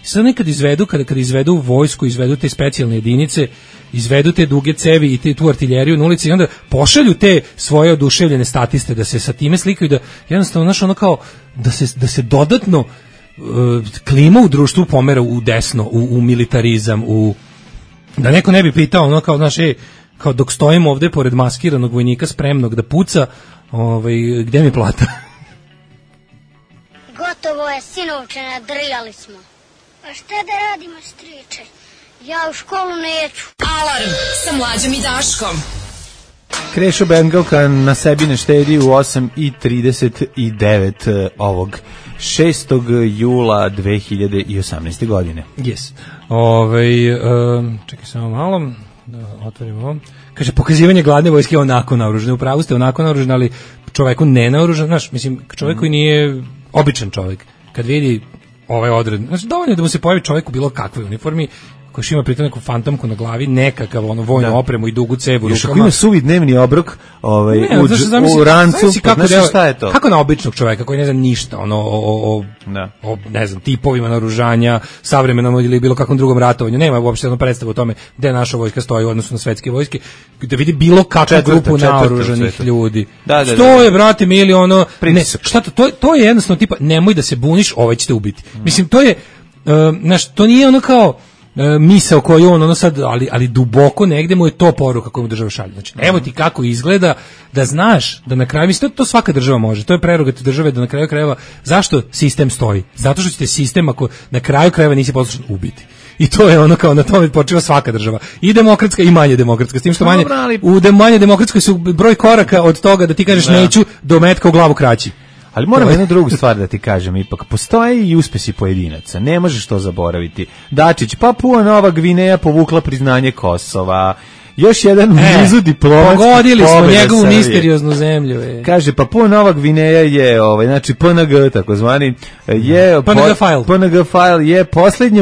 I sad nekad izvedu, kada izvedu vojsku, izvedu te specijalne jedinice, izvedu te duge cevi i tu artiljeriju na ulici i onda pošalju te svoje oduševljene statiste da se sa time slikaju, da jednostavno znaš ono kao da se dodatno klima u društvu pomera u desno, u militarizam, da neko ne bi pitao ono kao znaš, kao dok stojimo ovde pored maskiranog vojnika spremnog da puca, gde mi plata? Gotovo je, sinovče, nadrijali smo. A šta da radimo, striče? Ja u školu neću. Alarm sa Mlađom i Daškom. Krešo Bengalka na sebi ne štedi u 8:39 ovog 6. jula 2018. godine. Yes. Čekaj samo malo, da otvorimo ovo. Kaže, pokazivanje gladne vojske onako naoružane. Upravo ste onako naoružani, ali čoveku ne naoružan. Znaš, mislim, čovek koji nije običan čovek, kad vidi ovaj odred, znači dovoljno da mu se pojavi čovjek u bilo kakvoj uniformi, koji ima pritom neku fantomku na glavi, nekakav vojnu opremu i dugu cevu rukama. Još ako ima suvi dnevni obrok u rancu, znači šta je to? Kako na običnog čovjeka koji ne zna ništa o ne znam, tipovima naoružanja, savremenom ili bilo kakvom drugom ratovanju, nema uopšte jednu predstavu o tome gde naša vojska stoji u odnosu na svetske vojske, da vidi bilo kakvu grupu naoružanih ljudi. Što je, brate, mili, šta to je jednostavno tipa, nemoj da se buniš, ovaj će te ubiti. Mislim, to je, to nije ono kao misao koju on sad, ali duboko negde mu je to poruka koju mu država šalje. Znači, evo ti kako izgleda, da znaš da na kraju, mislim, to svaka država može, to je prerogativ države da na kraju krajeva, zašto sistem stoji? Zato što ćete sistem, ako na kraju krajeva nisi poslušan, ubiti. I to je ono kao na tome počiva svaka država. I demokratska i manje demokratska. S tim što u manje demokratskoj su broj koraka od toga da ti kažeš neću do metka u glavu kraći. Ali moram jednu drugu stvar da ti kažem, ipak postoje i uspesi pojedinaca, ne možeš to zaboraviti. Dačić, Papua Nova Gvineja povukla priznanje Kosova, još jedan u nizu diplomatskih pobjeda. Pogodili smo njegovu misterioznu zemlju. Kaže, Papua Nova Gvineja je, znači PNG, takozvani, je PNG file je poslednji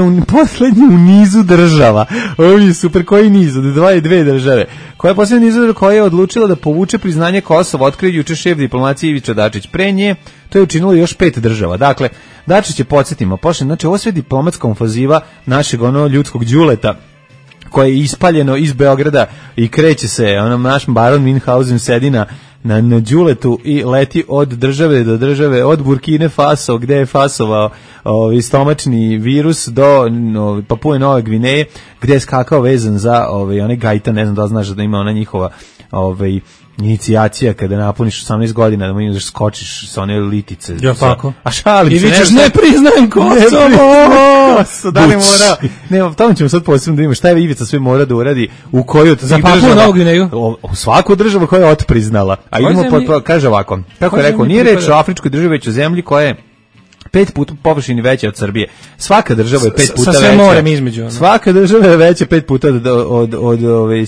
u nizu država. Ovo je super, koji niz? Od dve države. Koja je posljednja nizu koja je odlučila da povuče priznanje Kosova, otkrio juče šef diplomacije Ivica Dačić. Pre nje to je učinilo još 5 država. Dakle, Dačić je, podsjetimo, znači ovo sve diplomatska ofanziva našeg ljudskog đuleta, koje je ispaljeno iz Beograda i kreće se, naš baron Minhausen sedi na đuletu i leti od države do države, od Burkine Faso, gde je fasovao stomačni virus, do Papue Nove Gvineje, gde je skakao vezan za onaj gajtan, ne znam da znaš da ima ona njihova inicijacija kada napuniš 18 godina da mu imaš skočiš sa one litice. Ja tako. A šalim se. I vičeš ne priznajem Kosovo. Da li mora? Ne, tamo ćemo sad posebno da vidimo šta je Ivica sve mora da uradi u koju od za Papua Novu Gvineju. U svaku državu koja je otpriznala. A idemo kaže ovako. Kako je rekao, nije reč o afričkoj državi, već o zemlji koja je 5 puta površini veća od Srbije. Svaka država je 5 puta veća. Sa sve morem između. Svaka država je veća 5 puta od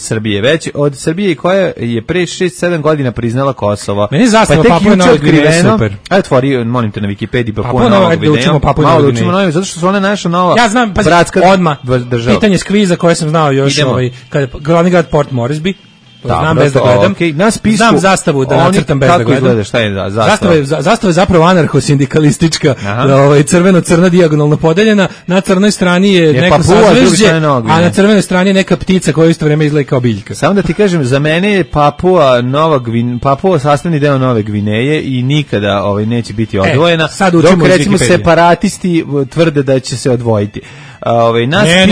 Srbije. Veća od Srbije koja je pre 6-7 godina priznala Kosovo. Meni zastava Papua Nova Gvineja super. Ajde, otvori, molim te, na Wikipediji Papua Nova Gvineja. Malo učimo novo, zato što su one naša nova bratska država. Pitanje s kviza koje sam znao još, kada glavni grad Port Moresby. Znam bez da gledam. Na spisku, znam zastavu da nacrtam bez da gledam. Kako izgleda, šta je zastava? Zastava je zapravo anarcho-sindikalistička, crveno-crna dijagonalno podeljena, na crnoj strani je neko sazvežđe, a na crvenoj strani je neka ptica koja isto vreme izgleda kao biljka. Samo da ti kažem, za mene je Papua sastavni deo Nove Gvineje i nikada neće biti odvojena, dok recimo separatisti tvrde da će se odvojiti. Ne,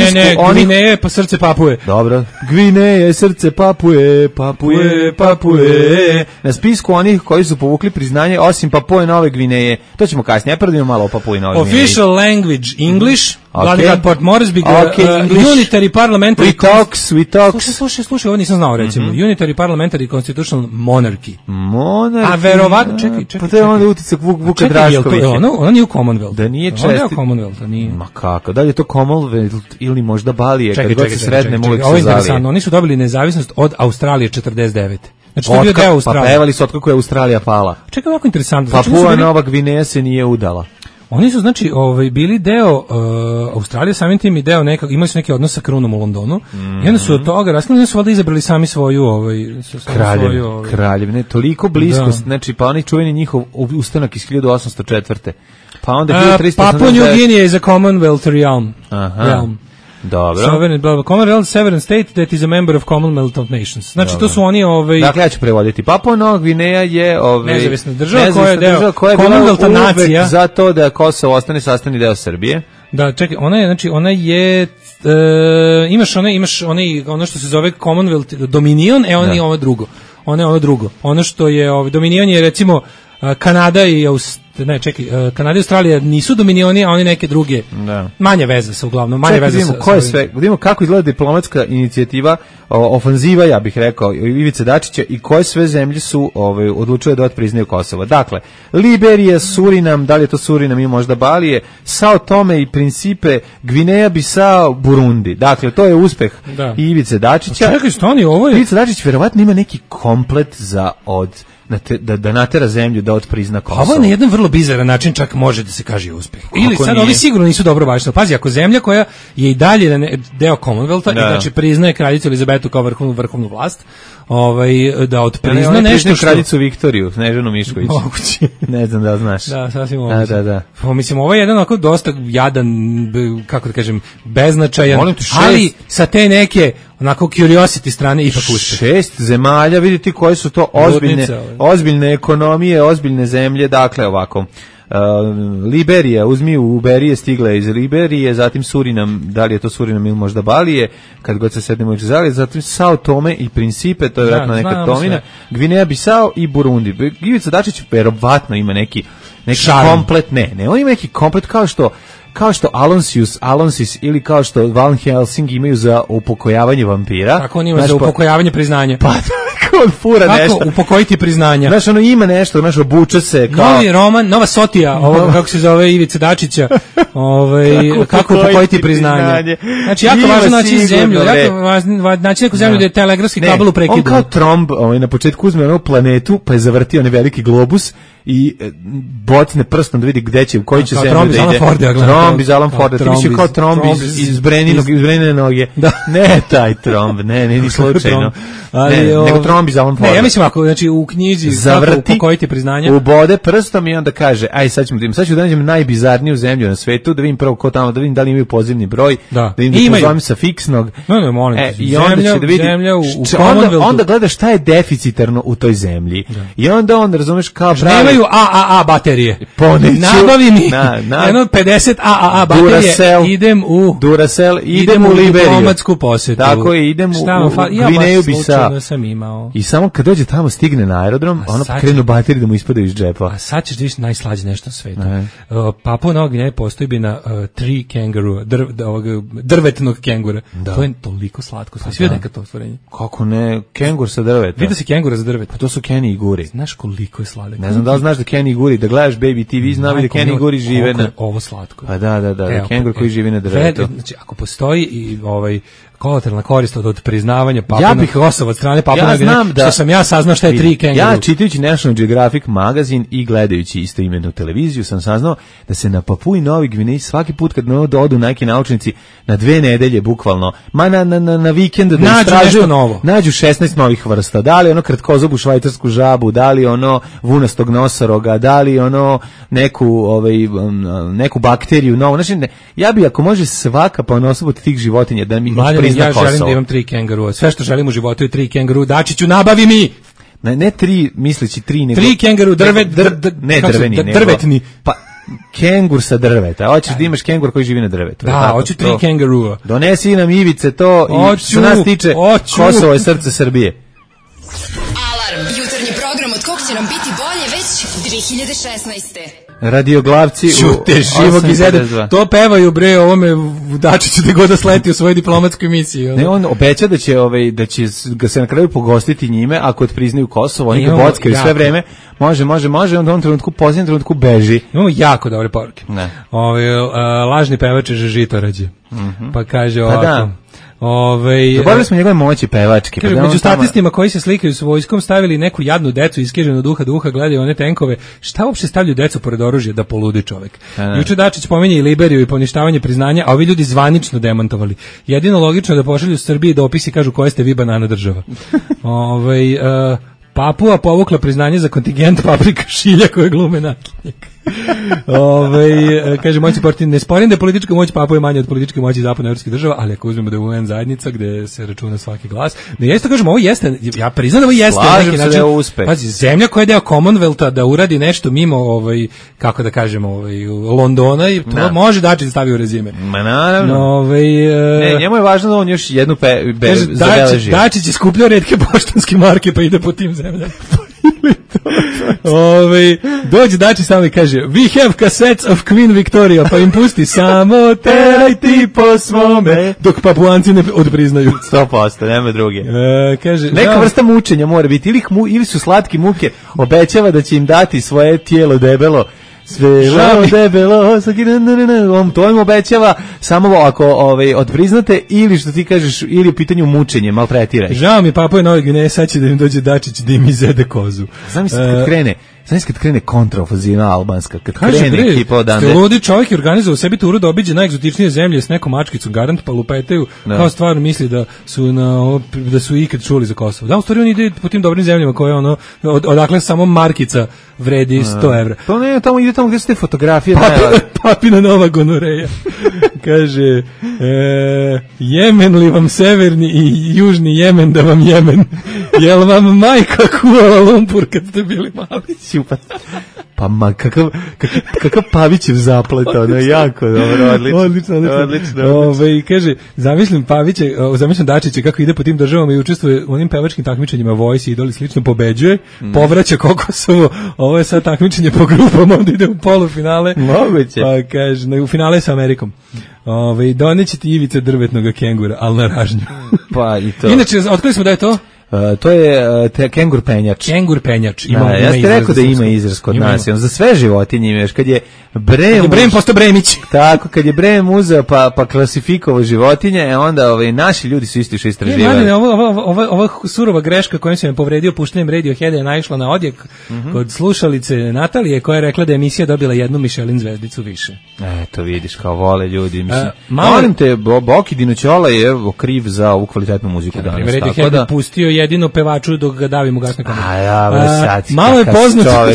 Gvineje pa srce Papue. Dobro, Gvineje, srce Papue. Na spisku onih koji su povukli priznanje, osim Papue Nove Gvineje, to ćemo kasnije, prvo malo o Papui Nove Gvineje. Official language English, Glavni grad Port Moresby, Unitary Parliamentary... We talks. Slušaj, ovo nisam znao, recimo. Unitary Parliamentary Constitutional Monarchy. Monarchy? A verovatno, čekaj. Pa to je onda uticak Vuka Draškovića. Ona nije u Commonwealth. Da nije česti. Ona je u Commonwealth, nije. Ma kako, da li je to Commonwealth ili možda Balije, kad god se sretne uvijek se zavije. Oni su dobili nezavisnost od Australije 49. Znači, to je bio deo Australije. Pa pevali su otkako je Australija pala. Čekaj, ovako interesantno. Papua Nova Gvineja se nije udala. Oni su, znači, bili deo Australije, samim tim i deo nekog, imali su neki odnos sa krunom u Londonu, i onda su od toga raskinuli, su valjda izabrali sami svoju kraljevine, toliko blisko, znači, pa onaj čuveni njihov ustanak iz 1804. Pa onda 1389. Papua New Guinea is a Commonwealth realm. Dobro. Commonwealth Sovereign State that is a member of Commonwealth of Nations. Znači, to su oni... Dakle, ja ću prevoditi. Papua Nova Gvineja je... nezavisna država koja je deo Commonwealtha nacija. Za to da Kosovo ostane sastavni deo Srbije. Da, čekaj, ona je... imaš ono što se zove Commonwealth Dominion, on je ovo drugo. Ono što je... Dominion je, recimo, Kanada i Kanada i Australija nisu dominioni, a oni neke druge. Manje veze sa uglavnom, vidimo kako izgleda diplomatska inicijativa, ofanziva, ja bih rekao, Ivice Dačića, i koje sve zemlje su odlučile da otpriznaju Kosovo. Dakle, Liberija, Surinam, da li je to Surinam i možda Balije, Sao Tome i Principe, Gvineja, Bisao, Burundi. Dakle, to je uspeh Ivice Dačića. Čekaj, stani, ovo je... Ivica Dačić verovatno ima neki komplet za da natera zemlju da otprizna Kosovo. Ovo je na jedan vrlo bizaran način čak može da se kaže uspeh. Ili sad ovi sigurno nisu dobro baštali. Pazi, ako zemlja koja je i dalje deo Commonwealtha i znači priznaje kraljicu Elizabetu kao vrhovnu vlast, da otprizna nešto što... kraljicu Viktoriju, Snežanu Mišković. Moguće. Ne znam da znaš. Da, sasvim moguće. Da. Pa, mislim, ovo je jedan onako dosta jadan, kako da kažem, beznačajan, ali sa te neke onako curiosity strane ipak uspeh. 6 zemalja, vidite koje su to ozbiljne ekonomije, ozbiljne zemlje, dakle ovako. Liberija, uzmi u Berije, stigla je iz Liberije, zatim Surinam, da li je to Surinam ili možda Balije, kad god se sednemo iz Zalije, zatim Sao Tome i Principe, to je vjerojatno neka Tomina, Gvineja, Bisao i Burundi. Ivica Dačić verovatno ima neki komplet, ne, on ima neki komplet kao što Alonsis ili kao što Van Helsing imaju za upokojavanje vampira. Kako on ima za upokojavanje priznanja? Pa on fura nešto. Kako upokojiti priznanja? Znaš, ono ima nešto, znaš, obuče se kao... Novi roman, nova Sotija, kako se zove Ivica Dačića, kako upokojiti priznanja. Znači, jako važno naći zemlju, naći neku zemlju da je telegrafski kabel prekidan. On kao Tromb na početku uzme onu planetu, pa je zavrtio onaj veliki globus i bocne prstom da vidi gde će, u koji će zemlju da ide. Tromb iz Alan Forda, ti misli kao Tromb iz Brenine noge. Ne taj Tromb, ne, ni slučajno. Nego Tromb iz Alan Forda. Ne, ja mislim ako, znači u knjizi zavrti, upokojiti priznanja. Ubode prstom i onda kaže, aj sad ću da nađem najbizarniju zemlju na svetu, da vidim prvo ko tamo, da vidim da li imaju pozivni broj, da vidim da pozovem sa fiksnog. Ne, molim te. I onda će da vidi, onda gleda šta je deficitarno u toj zemlji. I onda razumeš kao nemaju AAA baterije. Nabavi mi jedno 50 AAA baterije, idem u Duracell, idem u Liberiju. Diplomatsku posetu. Tako je, idem u Gvineju Bisao. Imao. I samo kad dođe tamo, stigne na aerodrom, krenu baterije da mu ispadaju iz džepa. A sad ćeš da viš najslađe nešto na svetu. Papua Nova Gvineja postoji na tree kangaroo, drvetnog kengura. To je toliko slatko. Svi vidio nekad to stvorenje? Kako ne, kengur sa drveta. Vidio si kengura za drvet? Pa to su Kenny i Guri. Znaš koliko je sladak? Ne znam da li znaš da Kenny i Guri, da gledaš Baby TV, znam da Kenny i Guri žive na... Ovo slatko. Pa da, kengur koji živi na drvetu. Znači, ako postoji i kolateralna korist od priznavanja Kosovo od strane Papua Nove Gvineje, što sam ja saznao šta je tri kenguru. Ja čitajući National Geographic magazin i gledajući istoimenu televiziju sam saznao da se na Papui Novoj Gvineji svaki put kad odu neki naučnici na 2 nedelje bukvalno, na vikend da istražuju, nađu 16 novih vrsta. Da li kratkozobu švajcarsku žabu, da li vunastog nosoroga, da li neku bakteriju novu. Znači, ja bi ako može svaka ponosoba od tih životinja da mi ja želim da imam 3 kengurua. Sve što želim u životu je 3 kenguru. Dačiću, nabavi mi! Ne 3, misleći 3, nego... 3 kenguru, drvetni. Pa, kengur sa drveta. Hoćeš da imaš kengur koji živi na drvetu. Da, hoću 3 kengurua. Donesi nam Ivice to i što nas tiče, Kosovo je srce Srbije. Alarm, jutarnji program od kog će nam biti bolje već 2016. Radioglavci Čute živog izede. To pevaju bre ovome Dačiću da god da sleti u svojoj diplomatskoj misiji. Ne, on obeća da će ga se na kraju pogostiti njime ako priznaju Kosovo, oni ga bockaju sve vreme. Može, onda u ovom trenutku, posljednjem trenutku beži. Imamo jako dobre poruke. Lažni pevač je Žitorađe. Pa kaže ovako. Zaboravili smo njegove moći pevačke. Kaže, među statistima koji se slikaju s vojskom stavili neku jadnu decu iskriženu duha do uha, gledaju one tenkove. Šta uopšte stavljaju decu pored oružja da poludi čovek? Juče Dačić pominje i Liberiju i poništavanje priznanja, a ovi ljudi zvanično demantovali. Jedino logično da pošalju Srbiji dopisi i kažu koja ste vi banana država. Papua povukla priznanje za kontingent Paprika Šilja koje glume nakinjak. Kaže, moći portin, ne sporim da je politička moć Papua je manja od političke moći zapadnoevropskih država, ali ako uzmemo da je UN zajednica gde se računa svaki glas, da jeste, kažem, ovo jeste, ja priznam da ovo jeste na neki način, pazi, zemlja koja je deo Commonwealtha da uradi nešto mimo, kako da kažemo, Londona i to može Dačić da stavi u rezime. Ma naravno. Njemu je važno da on još jednu zabeleži. Dačić je skupljao retke poštanske marke pa ide po tim zemljama. Dođe Dačić samo i kaže we have cassettes of Queen Victoria, pa im pusti samo teraj ti po svome, dok Papuanci ne odpriznaju. 100%, nema druge. Kaže, neka vrsta mučenja mora biti, ili su slatki muke, obećava da će im dati svoje tijelo debelo, sve debelo, to im obećava samo ako odpriznate, ili što ti kažeš, ili u pitanju mučenje, maltretiraj. Žao mi Papua Nove Gvineje, sad će da im dođe Dačić da im izede kozu. Znam kad krene kontraofenziva albanska, kad krene ekipa odande. Ste ludi, čovjek je organizovao sebi turu da obiđe najegzotičnije zemlje s nekom mačkicom, garant pa lupetaju, kao stvarno misli da su ikad čuli za Kosovo. Da, u stvari on ide po tim dobrim zemljama koje odakle samo markica vredi 100 evra. To ne, ide tamo gdje su te fotografije. Papina nova gonoreja. Kaže, Jemen li vam severni i južni Jemen da vam Jemen? Jel vam majka kuvala lumpur kad ste bili mali? Pa kakav Pavićev zaplet, ono je jako dobro, odlično. Kaže, zamislim Dačića kako ide po tim državama i učestvuje u onim pevačkim takmičenjima, Voice, Idol i slično, pobeđuje, povraća Kokosovo, ovo je sad takmičenje po grupama, onda ide u polufinale. Moguće. Pa kaže, u finale sa Amerikom. Doneće ti ivice drvetnog kengura, ali na ražnju. Pa i to. Inače, otkrili smo da je to? To je kengur penjač. Kengur penjač. Ja ste rekao da ima izraz kod nas. Za sve životinje imaš. Kad je Brem postao Bremić. Tako, kad je Brem uzeo pa klasifikovao životinje, onda naši ljudi su isto što istraživali. Ova surova greška kojom se me povredio puštanjem Radioheada je naišla na odjek kod slušalice Natalije, koja je rekla da je emisija dobila jednu Michelin zvezdicu više. Eto vidiš, kao vole ljudi. Molim te, Boki Dinoćola je kriv za ovu kvalitetnu muziku danas. Radiohead je pustio jedino pevaču dok ga davim u gasne kamere. Malo je poznato.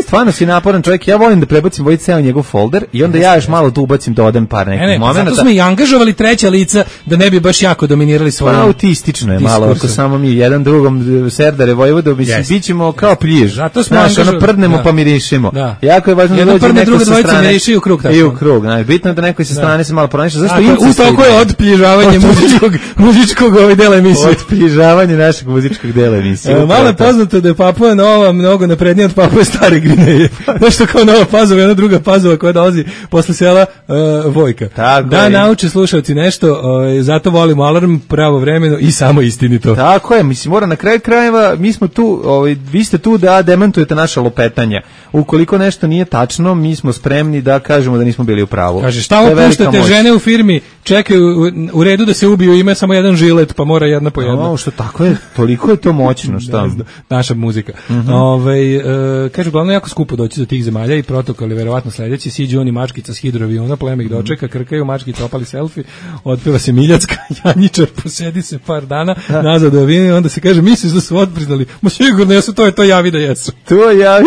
Stvarno si naporan čovjek, ja volim da prebacim ceo njegov folder i onda ja još malo tu ubacim, dodam par nekih momenata. Zato smo i angažovali treća lica da ne bi baš jako dominirali svoje. Pa autistično je malo, ako samo mi jedan drugom Serdare Vojvodo, bit ćemo kao pljiž. Zato smo angažovali. Prdnemo pa mirišimo. Jako je važno da dođe neko sa strane. I u krug. Bitno je da neko sa strane se malo pronaša. U toliko je odpljižavanje muzičkog dela emisije. Odpljižavanje našeg muzičkog dela emisije. Malo je poznato da je Papua Nova mnogo naprednija od Papue Stare Gvineje. Nešto kao Nova Pazova, jedna druga Pazova koja dolazi posle sela Vojka. Da nauče slušalci nešto, zato volimo Alarm pravovremeno i samo istinito. Tako je, mislim, mora na kraju krajeva, mi smo tu, vi ste tu da demantujete naša lupetanja. Ukoliko nešto nije tačno, mi smo spremni da kažemo da nismo bili u pravu. Kaže, šta opuštate, žene u firmi čekaju u redu da se ubiju, ima samo jedan žilet, pa mora jedna po jedna. Što tako je, toliko je to moćno, šta? Naša muzika. Kaže, uglavnom jako skupo doći do tih zemalja i protokol je verovatno sledeći, siđu oni mačkica s hidroaviona, pleme ih dočeka, krkaju, mačkica opali selfie, otpeva se Miljacka, Janjičar posedi se par dana, nazad u avion i onda se kaže, misliš da su odpriznali? Ma sigurno jesu, to javi da jesu. To javi.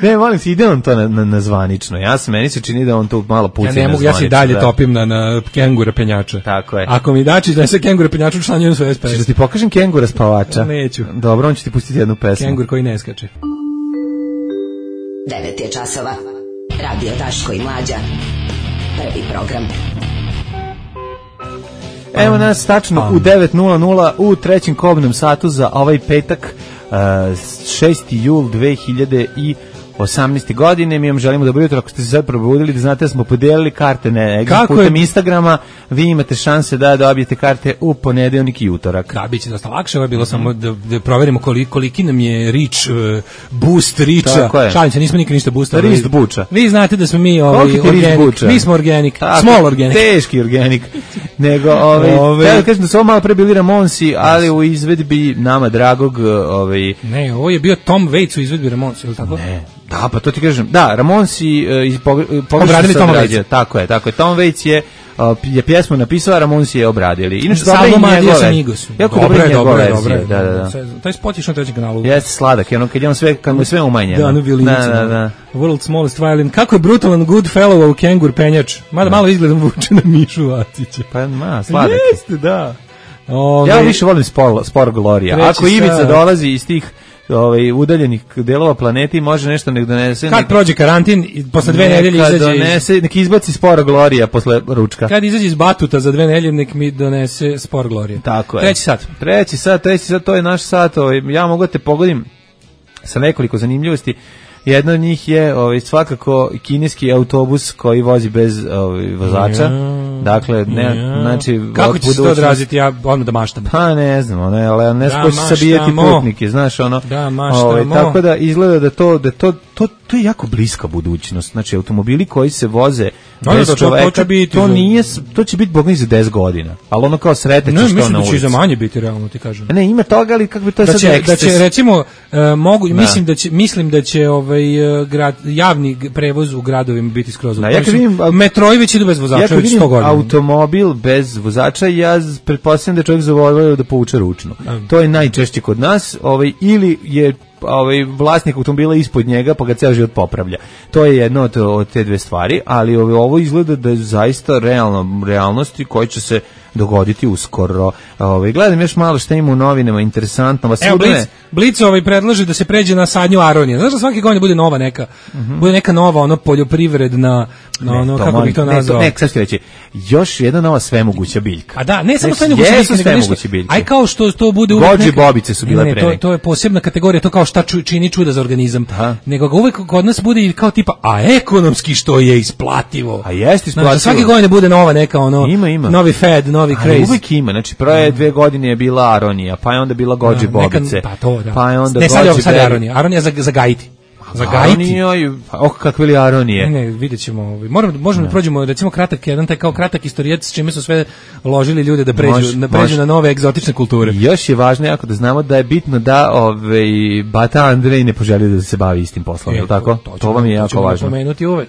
Ne, molim se, ide on to na zvanično. Meni se čini da on to malo puci na zvanično. Ja se dalje topim na kengura penjača. Tako je. Ako mi Dačić da se kengura penjača, učlanjujem svoje SPS. Češ da ti pokažem kengura spavača? Neću. Dobro, on će ti pustiti jednu pesmu. Kengur koji ne skače. 9 je časova. Radio Daško i Mlađa. Prvi program. Evo nas tačno u 9:00 u trećem kobnom satu za ovaj petak. 6. jul 2018. godine. Mi vam želimo dobro jutro, ako ste se sad probudili, da znate da smo podelili karte putem Instagrama, vi imate šanse da dobijete karte u ponedeljnik i utorak. Da, bit će dosta lakše, ovo je bilo samo da proverimo koliki nam je reach, boost reacha. Šalim se, nismo nikad ništa boostali. Rist buča. Vi znate da smo mi organic, mi smo organic, small organic. Teški organic. Nego, ja kažem da su ovo malo pre bili Ramonsi, ali u izvedbi nama dragog... Ne, ovo je bio Tom Waits u izvedbi Ramonsi, ili tako? Ne. Da, pa to ti kažem. Da, Ramonsi obradili Tom Waits. Tako je. Tom Waits je pjesmu napisao, a Ramonsi je obradili. Inače, dobro i njegove. Jako dobro verzije. Da. Taj spot je što na trećem kanalu. Jeste sladak, kad mu je sve umanjeno. Da, da. World's smallest violin. Kako je brutalan Goodfellow u kengur penjač. Mada malo izgledam vuče na Mišu Vacića. Pa sladak. Jeste, da. Ja više volim spor Gloria. Ako Ivica dolazi iz tih udaljenih delova planeti, može nešto nek donese. Kad prođe karantin i posle 2 nedelje izađe, nek izbaci spor Gloria posle ručka. Kad izađe iz Batuta za 2 nedelje, nek mi donese spor Gloria. Tako je. Treći sat, to je naš sat. Ja mogu da te pogodim sa nekoliko zanimljivosti. Jedna od njih je svakako kineski autobus koji vozi bez vozača. Dakle, znači... Kako će se to odraziti, ja odmah da maštam? Pa ne znam, ne skoči sabijeti putnike, znaš, Da, maštamo. Tako da izgleda da to je jako bliska budućnost. Znači, automobili koji se voze bez čoveka, to će biti bogni za 10 godina. Ali ono kao sreteć što na ulici. Ne, mislim da će i za manje biti, realno ti kažem. Ne, ima toga, ali kako bi to sad eksces. Da će, recimo, mislim da će javni prevoz u gradovima biti skroz. Metroji već idu bez vozača, već 100 godina. Automobil bez vozača, ja pretpostavljam da čovjek zavolio da povuče ručno. To je najčešće kod nas, ili je vlasnik automobila ispod njega pa ga ceo život popravlja. To je jedno od te dve stvari, ali ovo izgleda da je zaista realnosti koji će se dogoditi uskoro. Gledam još malo šta ima u novinama, interesantno. Evo, Blic predlaže da se pređe na sadnju aronije. Znaš da svake godine bude nova neka, bude neka nova poljoprivredna, kako bih to nazvao? Sad ću reći, još jedna nova svemoguća biljka. A da, ne samo svemoguća biljka, aj kao što to bude uvek Gođi bobice su bile pre. To je posebna kategorija, to kao šta čini čuda za organizam. Nego ga uvek kod nas bude i kao tipa, a ekonomski što je isplativo. A jeste isplativo. Svake godine bude nova neka ima. Novi fed, novi craze. Uvek ima, znači prve 2 godine je bila aronija, pa je onda bila Gođi bobice. Pa to, da. Pa je onda sad je aronija. Aronija za gajiti. Za gajiti. Kakve li aronije? Ne, vidjet ćemo. Možemo da prođemo, recimo, kratak istorijet s čime su sve ložili ljude da pređu na nove egzotične kulture. Još je važno jako da znamo da je bitno da Bata Andrej ne poželi da se bavi istim poslom, je li tako? To vam je jako važno. To ćemo pomenuti uvek.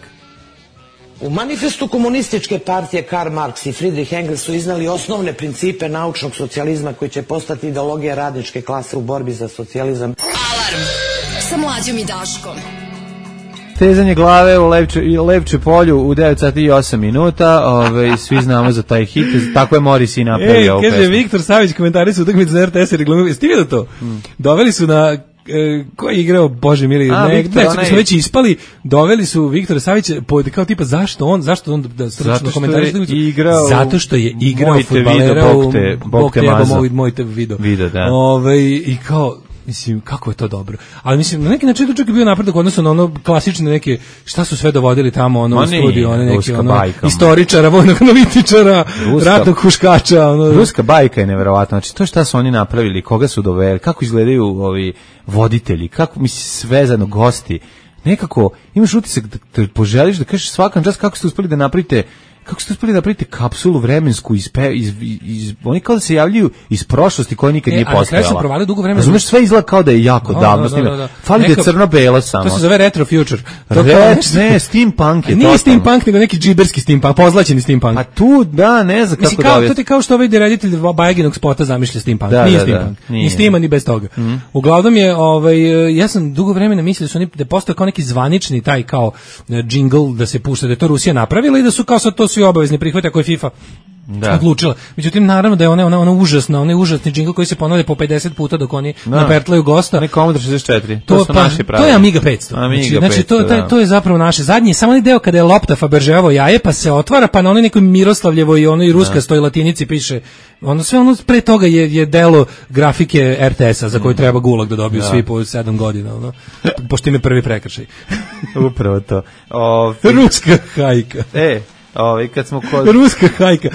U manifestu komunističke partije Karl Marx i Friedrich Engels su iznali osnovne principe naučnog socijalizma koji će postati ideologija radničke klase u borbi za socijalizam. Alarm sa Mlađom i Daškom. Stezanje glave u Levče polju u 9 sati i 8 minuta. Svi znamo za taj hit. Tako je Morris i napravio ovu pesmu. Kaže Viktor Savić, komentari su utakmicu za RTS i reklamiraju. Jeste vidio to? Doveli su na... ko je igrao, bože mili, smo već ispali, doveli su Viktora Savića kao tipa zašto on da stručno komentariše, zato što je igrao fudbalera u Bog te jebo moj te video, i kao, mislim, kako je to dobro. Ali mislim, na neki način to čak je bio napredak odnosno na ono klasične neke, šta su sve dovodili tamo u studiju, one neke istoričara, vojnog analitičara, ratnog huškača. Ruska bajka je neverovatna. Znači, to šta su oni napravili, koga su doveli, kako izgledaju ovi voditelji, kako, mislim, svezano gosti. Nekako, imaš utisak da poželiš da kažeš svakom čas kako ste uspeli da napravite kapsulu vremensku oni kao da se javljaju iz prošlosti koja nikad nije postojala. Su provali dugo vremena. Razumeš, sve izgleda kao da je jako davno snimljeno. Fali da je crno-belo samo. To se zove retro future. Ne, steampunk je. Nije steampunk, nego neki džiberski steampunk, pozlaćeni steampunk. A tu, da, ne znam kako da... To ti kao što ovaj reditelj Bajaginog spota zamišlja steampunk. Nije steampunk. Ni steama, ni bez toga. Uglavnom je, ja sam dugo vremena mislio da su oni, da postoje kao neki zvanični taj kao jingle da se pušta, da je to Rusija napravila i da su kao sad to svi obavezni prihvate ako je FIFA odlučila. Međutim, naravno da je ona užasna, onaj užasni džingl koji se ponavlja po 50 puta dok oni napertlaju gosta. Ne Commodore 64. To su naši pravi. To je Amiga 500. Znači to je zapravo naše zadnje, samo onaj deo kada je lopta Fabergeovo jaje, pa se otvara, pa na onoj nekoj Miroslavljevoj i onoj ruskastoj latinici piše, sve ono pre toga je delo grafike RTS-a za koju treba gulag da dobiju svi po 7 godina, pošto im je prvi prekršaj. Upravo to. Ruska hajka. Kad smo kod... Ruska hajka.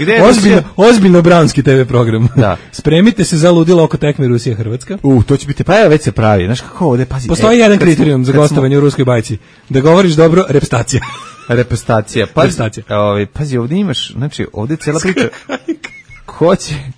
Ozbiljno branski TV program. Da. Spremite se za ludilo oko tekme Rusija-Hrvatska. To će biti, pa evo već se pravi. Znaš kako ovde, pazi. Postoji jedan kriterijum za gostovanje u ruskoj bajci. Da govoriš dobro, repstacija. Repstacija. Pazi, ovde imaš, znači, ovde cijela priča.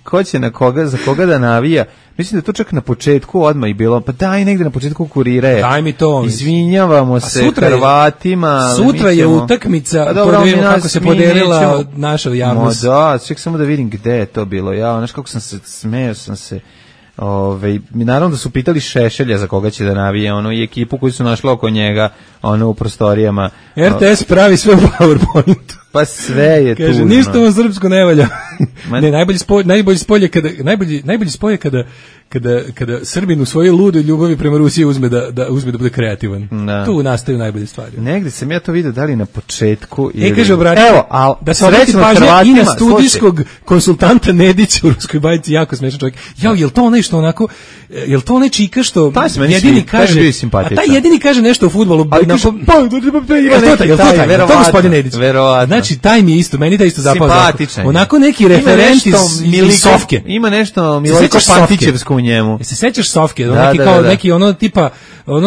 Ko će na koga, za koga da navija. Mislim da to čak na početku odmah i bilo, pa daj negde na početku kurira je. Daj mi to. Izvinjavamo se Hrvatima. Sutra je utakmica, da vidimo kako se podelila naša javnost. Ček samo da vidim gde je to bilo. Znaš kako sam se, smeo sam se. Naravno da su pitali Šešelja za koga će da navije, i ekipu koju su našli oko njega, u prostorijama. RTS pravi sve u PowerPointu. Pa sve je tu. Kaže, ništa mu srpsko ne valja. Ne, najbolji spoj je kada Srbin u svojoj ludoj ljubavi prema Rusiji uzme da bude kreativan. Tu nastaju najbolje stvari. Negde sam ja to vidio, da li na početku ili... kaže, da se obrati pažnja i na studijskog konsultanta Nedića u ruskoj bajci, jako smešan čovjek. Jel to onaj što onako, jel to onaj čika što jedini kaže, a taj jedini kaže nešto o fudbalu. Ali kaže, to gospodin Nedić. Znači, taj mi je isto, meni da isto zapao. Simpatičan. Onako neki referent iz Sofke. Ima nešto Miliko Pantićevsko u njemu. Se sećaš Sofke? Neki tipa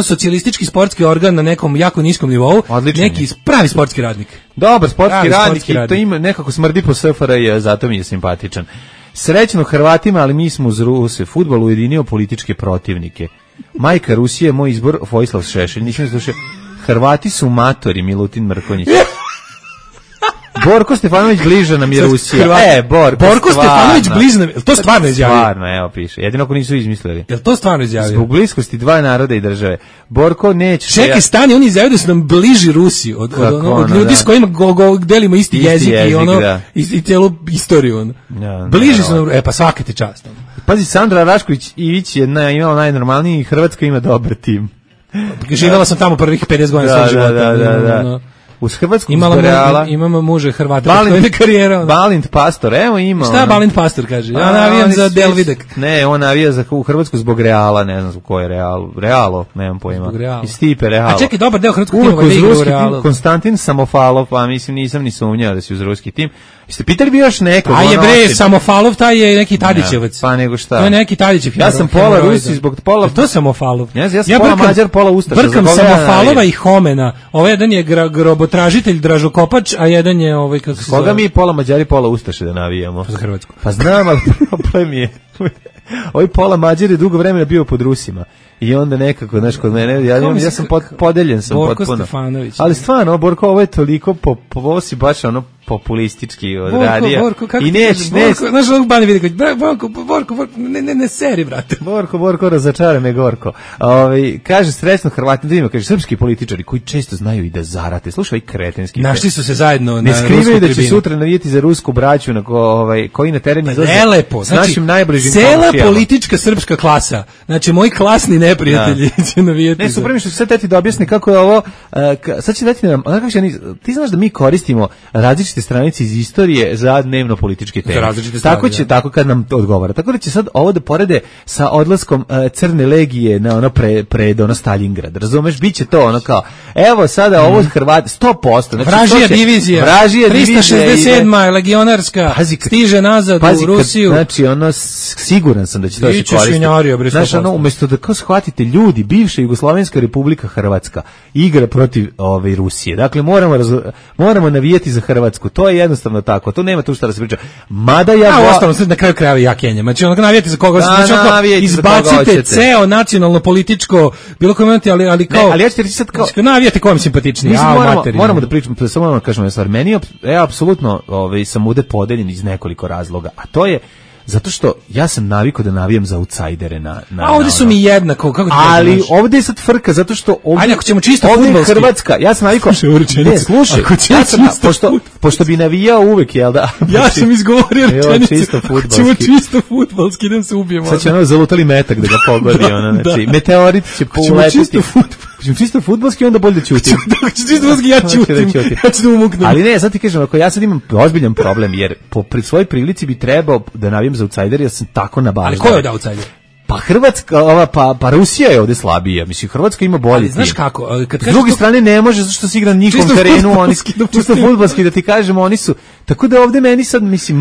socijalistički sportski organ na nekom jako niskom nivou. Odličan. Neki pravi sportski radnik. Dobar sportski radnik i to ima nekako smrdi po SFRJ, zato mi je simpatičan. Srećno Hrvatima, ali mi smo uz Ruse. Fudbal ujedinio političke protivnike. Majka Rusije, moj izbor, Vojislav Šešelj. Nisam slušao. Hrvati su matori, Milutin Mrkonjić. Borko Stefanović bliže nam je Rusija. Borko Stefanović bliže nam je, to stvarno izjavio? Stvarno, evo piše. Jedino ako nisu izmislili. Jel to stvarno izjavio? Zbog bliskosti dva naroda i države. Borko neće... Čekaj, stani, on izjavio da su nam bliži Rusi od ljudi s kojima delimo isti jezik i cijelu istoriju. Bliži su nam, pa svaka ti čast. Pazi, Sandra Rašković Ivić je imala najnormalniji i Hrvatska ima dobar tim. Živjela sam tamo prvih 50 godina svog života. Da. Uz Hrvatsku Reala. Imamo muže Hrvata. Balint Pastor, evo ima. Šta Balint Pastor kaže? Ja navijam za Delvidek. Ne, on navija za u Hrvatsku zbog Reala, ne znam zbog koje Realo, nemam pojma. I Stipe Realo. A čekaj, dobar deo hrvatskog tima da igra u Realu. Konstantin Samofalov, pa mislim nisam ni sumnjao da si uz ruski tim. Jeste pitali bi još nekog? A je bre, Samofalov, taj je neki Tadićevac. Pa nego šta? To je neki Tadićev. Ja sam pola Rusi zbog pola... To je Samofalov. Ja sam pola Mađar, pola Ustaša. Brkam Samofalova i Homena. Ovaj jedan je grobotražitelj Dražokopač, a jedan je kako se zove. Koga mi pola Mađari, pola Ustaše da navijamo? Za Hrvatsku. Pa znam, ali problem je... Ovaj pola Mađar je dugo vremena bio pod Rusima. I onda nekako, znaš, kod mene, ja sam podeljen sam Borko potpuno. Stefanović. Ali stvarno, Borko, ovo je toliko, ovo si baš populistički odradio. Borko, kako i neć. Znaš, ovog Bani vidi, Borko, ne seri, brate. Borko, razočara me Gorko. Kaže, srećno Hrvati, da ima, kaže, srpski političari koji često znaju i da zarate. Slušaj, kretenski. Našli su se zajedno na rusku tribinu. Ne skrivaju da će sutra navijeti za rusku braću koji na terenu izlaze s našim najbližim komšijama. Cela politička srpska klasa, znači moji klasni neprijatelji će navijeti. Ne, su prvi što sad teti da objasni kako je ovo, sad će dati nam, ti znaš da mi koristimo različite stranice iz istorije za dnevno političke teme. Tako će, tako kad nam odgovara. Tako da će sad ovo da porede sa odlaskom Crne legije na pred Stalingrad. Razumeš, biće to kao, evo sada ovo Hrvati 100%. Znači, Vražija divizija. 367. legionarska stiže nazad u Rusiju. Znači, siguran sam da će to se koristiti. Znači, umjesto da kao shvatite ljudi, bivša Jugoslovenska Republika Hrvatska igra protiv Rusije. Dakle, moramo navijati za Hrvatsku. To je jednostavno tako. To nema tu šta da se priča. Mada ostalo na kraju krajeva ja Kenjam. Znači, navijati za koga izbacite ceo nacionalno političko bilo koji momenti, ali kao ali ja ću ti sad kao navijate kom simpatični. Moramo da pričamo, samo da kažemo stvar. Meni je apsolutno sam ovde podeljen iz nekoliko razloga. A to je Zato što ja sam navikao da navijam za outsidere a ovde su mi jednako, kako ti ali ovde je sad frka, zato što ovde... Ajde, ako ćemo čisto ovde fudbalski. Hrvatska, ja sam navikao... Slušaj, pošto bi navijao uvek, jel da? Ja sam izgovorio rečenicu. Čisto fudbalski. Ćemo čisto fudbalski, idem se ubijemo. Sad će ono zalutali metak da ga pogodi, znači, meteorit će poletiti. Čisto fudbalski, onda bolje da ćutim. Čisto fudbalski, ja ćutim. Ja ću da umuknem. Ali ne, sad ti kažem, ako ja sad imam ozbiljan problem, jer po svojoj prilici bi trebao da navijam za outsider, ja sam tako nabaždan. Ali ko je od outsider? Pa Hrvatska, pa Rusija je ovde slabija. Mislim, Hrvatska ima bolji tim. Znaš kako? S druge strane ne može, zato što se igra na njihovom terenu, oni čisto fudbalski, da ti kažemo, oni su... Tako da ovde meni sad, mislim,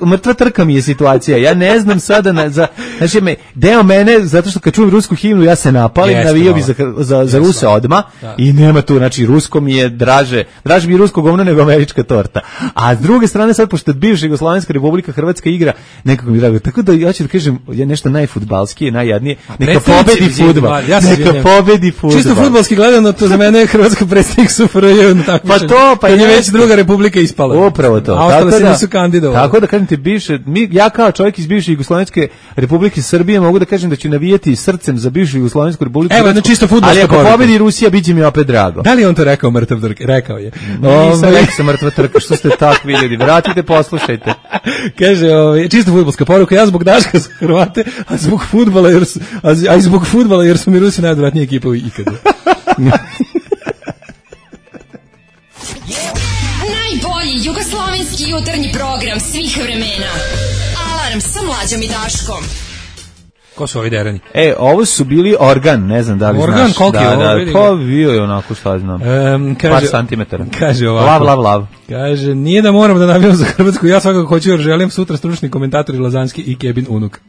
mrtva trka mi je situacija. Ja ne znam sada, znači, deo mene, zato što kad čujem rusku himnu, ja se napalim, navijao bi za Ruse odma i nema tu, znači, rusko mi je draže mi je rusko govno nego američka torta. A s druge strane, sad, pošto bivša Jugoslovenska Republika Hrvatska igra, nekako mi drago. Tako da ja ću da kažem, ja nešto najfudbalskije, najjadnije, neka pobedi fudbal. Neka pobedi fudbal. Čisto fudbalski gledano, to za mene je Hrvatska predstavnik SFRJ na takmičenju. Pa to, pa je već druga republika ispala. Upravo to. A ostale se nisu kandidovali. Tako da kažem ti, ja kao čovjek iz bivše Jugoslovenske Republike Srbije mogu da kažem da ću navijati srcem za bivšu Jugoslovensku Republiku. Evo, na čisto fudbalska poruka. Ali ako pobedi Rusija, biće mi opet drago. Da li on to rekao mrtav trka? Rekao je. Nisam rekao mrtva trka, što ste tako vidjeli. Vratite, poslušajte. Kaže, čisto fudbalska poruka, ja zbog Daška za Hrvate, a zbog fudbala jer su mi Rusi najodvratnija ekipa ikada. Najbolji jugoslovenski jutarnji program svih vremena. Alarm sa Mlađom i Daškom. Ko su ovi derani? Ovo su bili Organ, ne znam da li Organ, znaš. Organ, koliki je ovo? Pa bio je onako, šta znam, par santimetara. Kaže ovako. Lav. Kaže, nije da moram da navijam za Hrvatsku, ja svakako hoću jer želim sutra stručni komentatori Lazanski i Kebin unuk.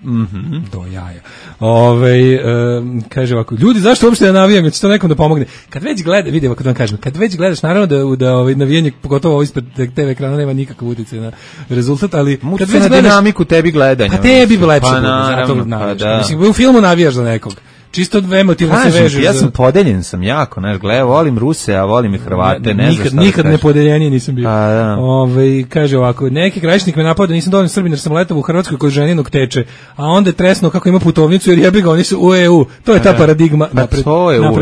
Do jaja. Kaže ovako, ljudi, zašto uopšte da navijam, jer će to nekom da pomogne? Kad već gleda, vidi ovako da vam kažem, kad već gledaš, naravno da navijanje, pogotovo ispred TV ekrana, nema nikakav utjecaj na rezultat, ali kad već gledaš dinamiku tebi gledanja. Pa tebi bi lepše bude, mislim, u filmu navijaš za nekog. Čisto emotivno se vežeš. Ja sam podeljen sam jako, znaš, volim Ruse, a volim i Hrvate, ne znam šta. Nikad ne podeljeniji nisam bio. Kaže ovako, neki krajišnik me napao da nisam dovoljno Srbin jer sam letao u Hrvatskoj kod ženinog teče, a onda je tresno kako ima putovnicu jer jebi ga, oni su u EU. To je ta paradigma napred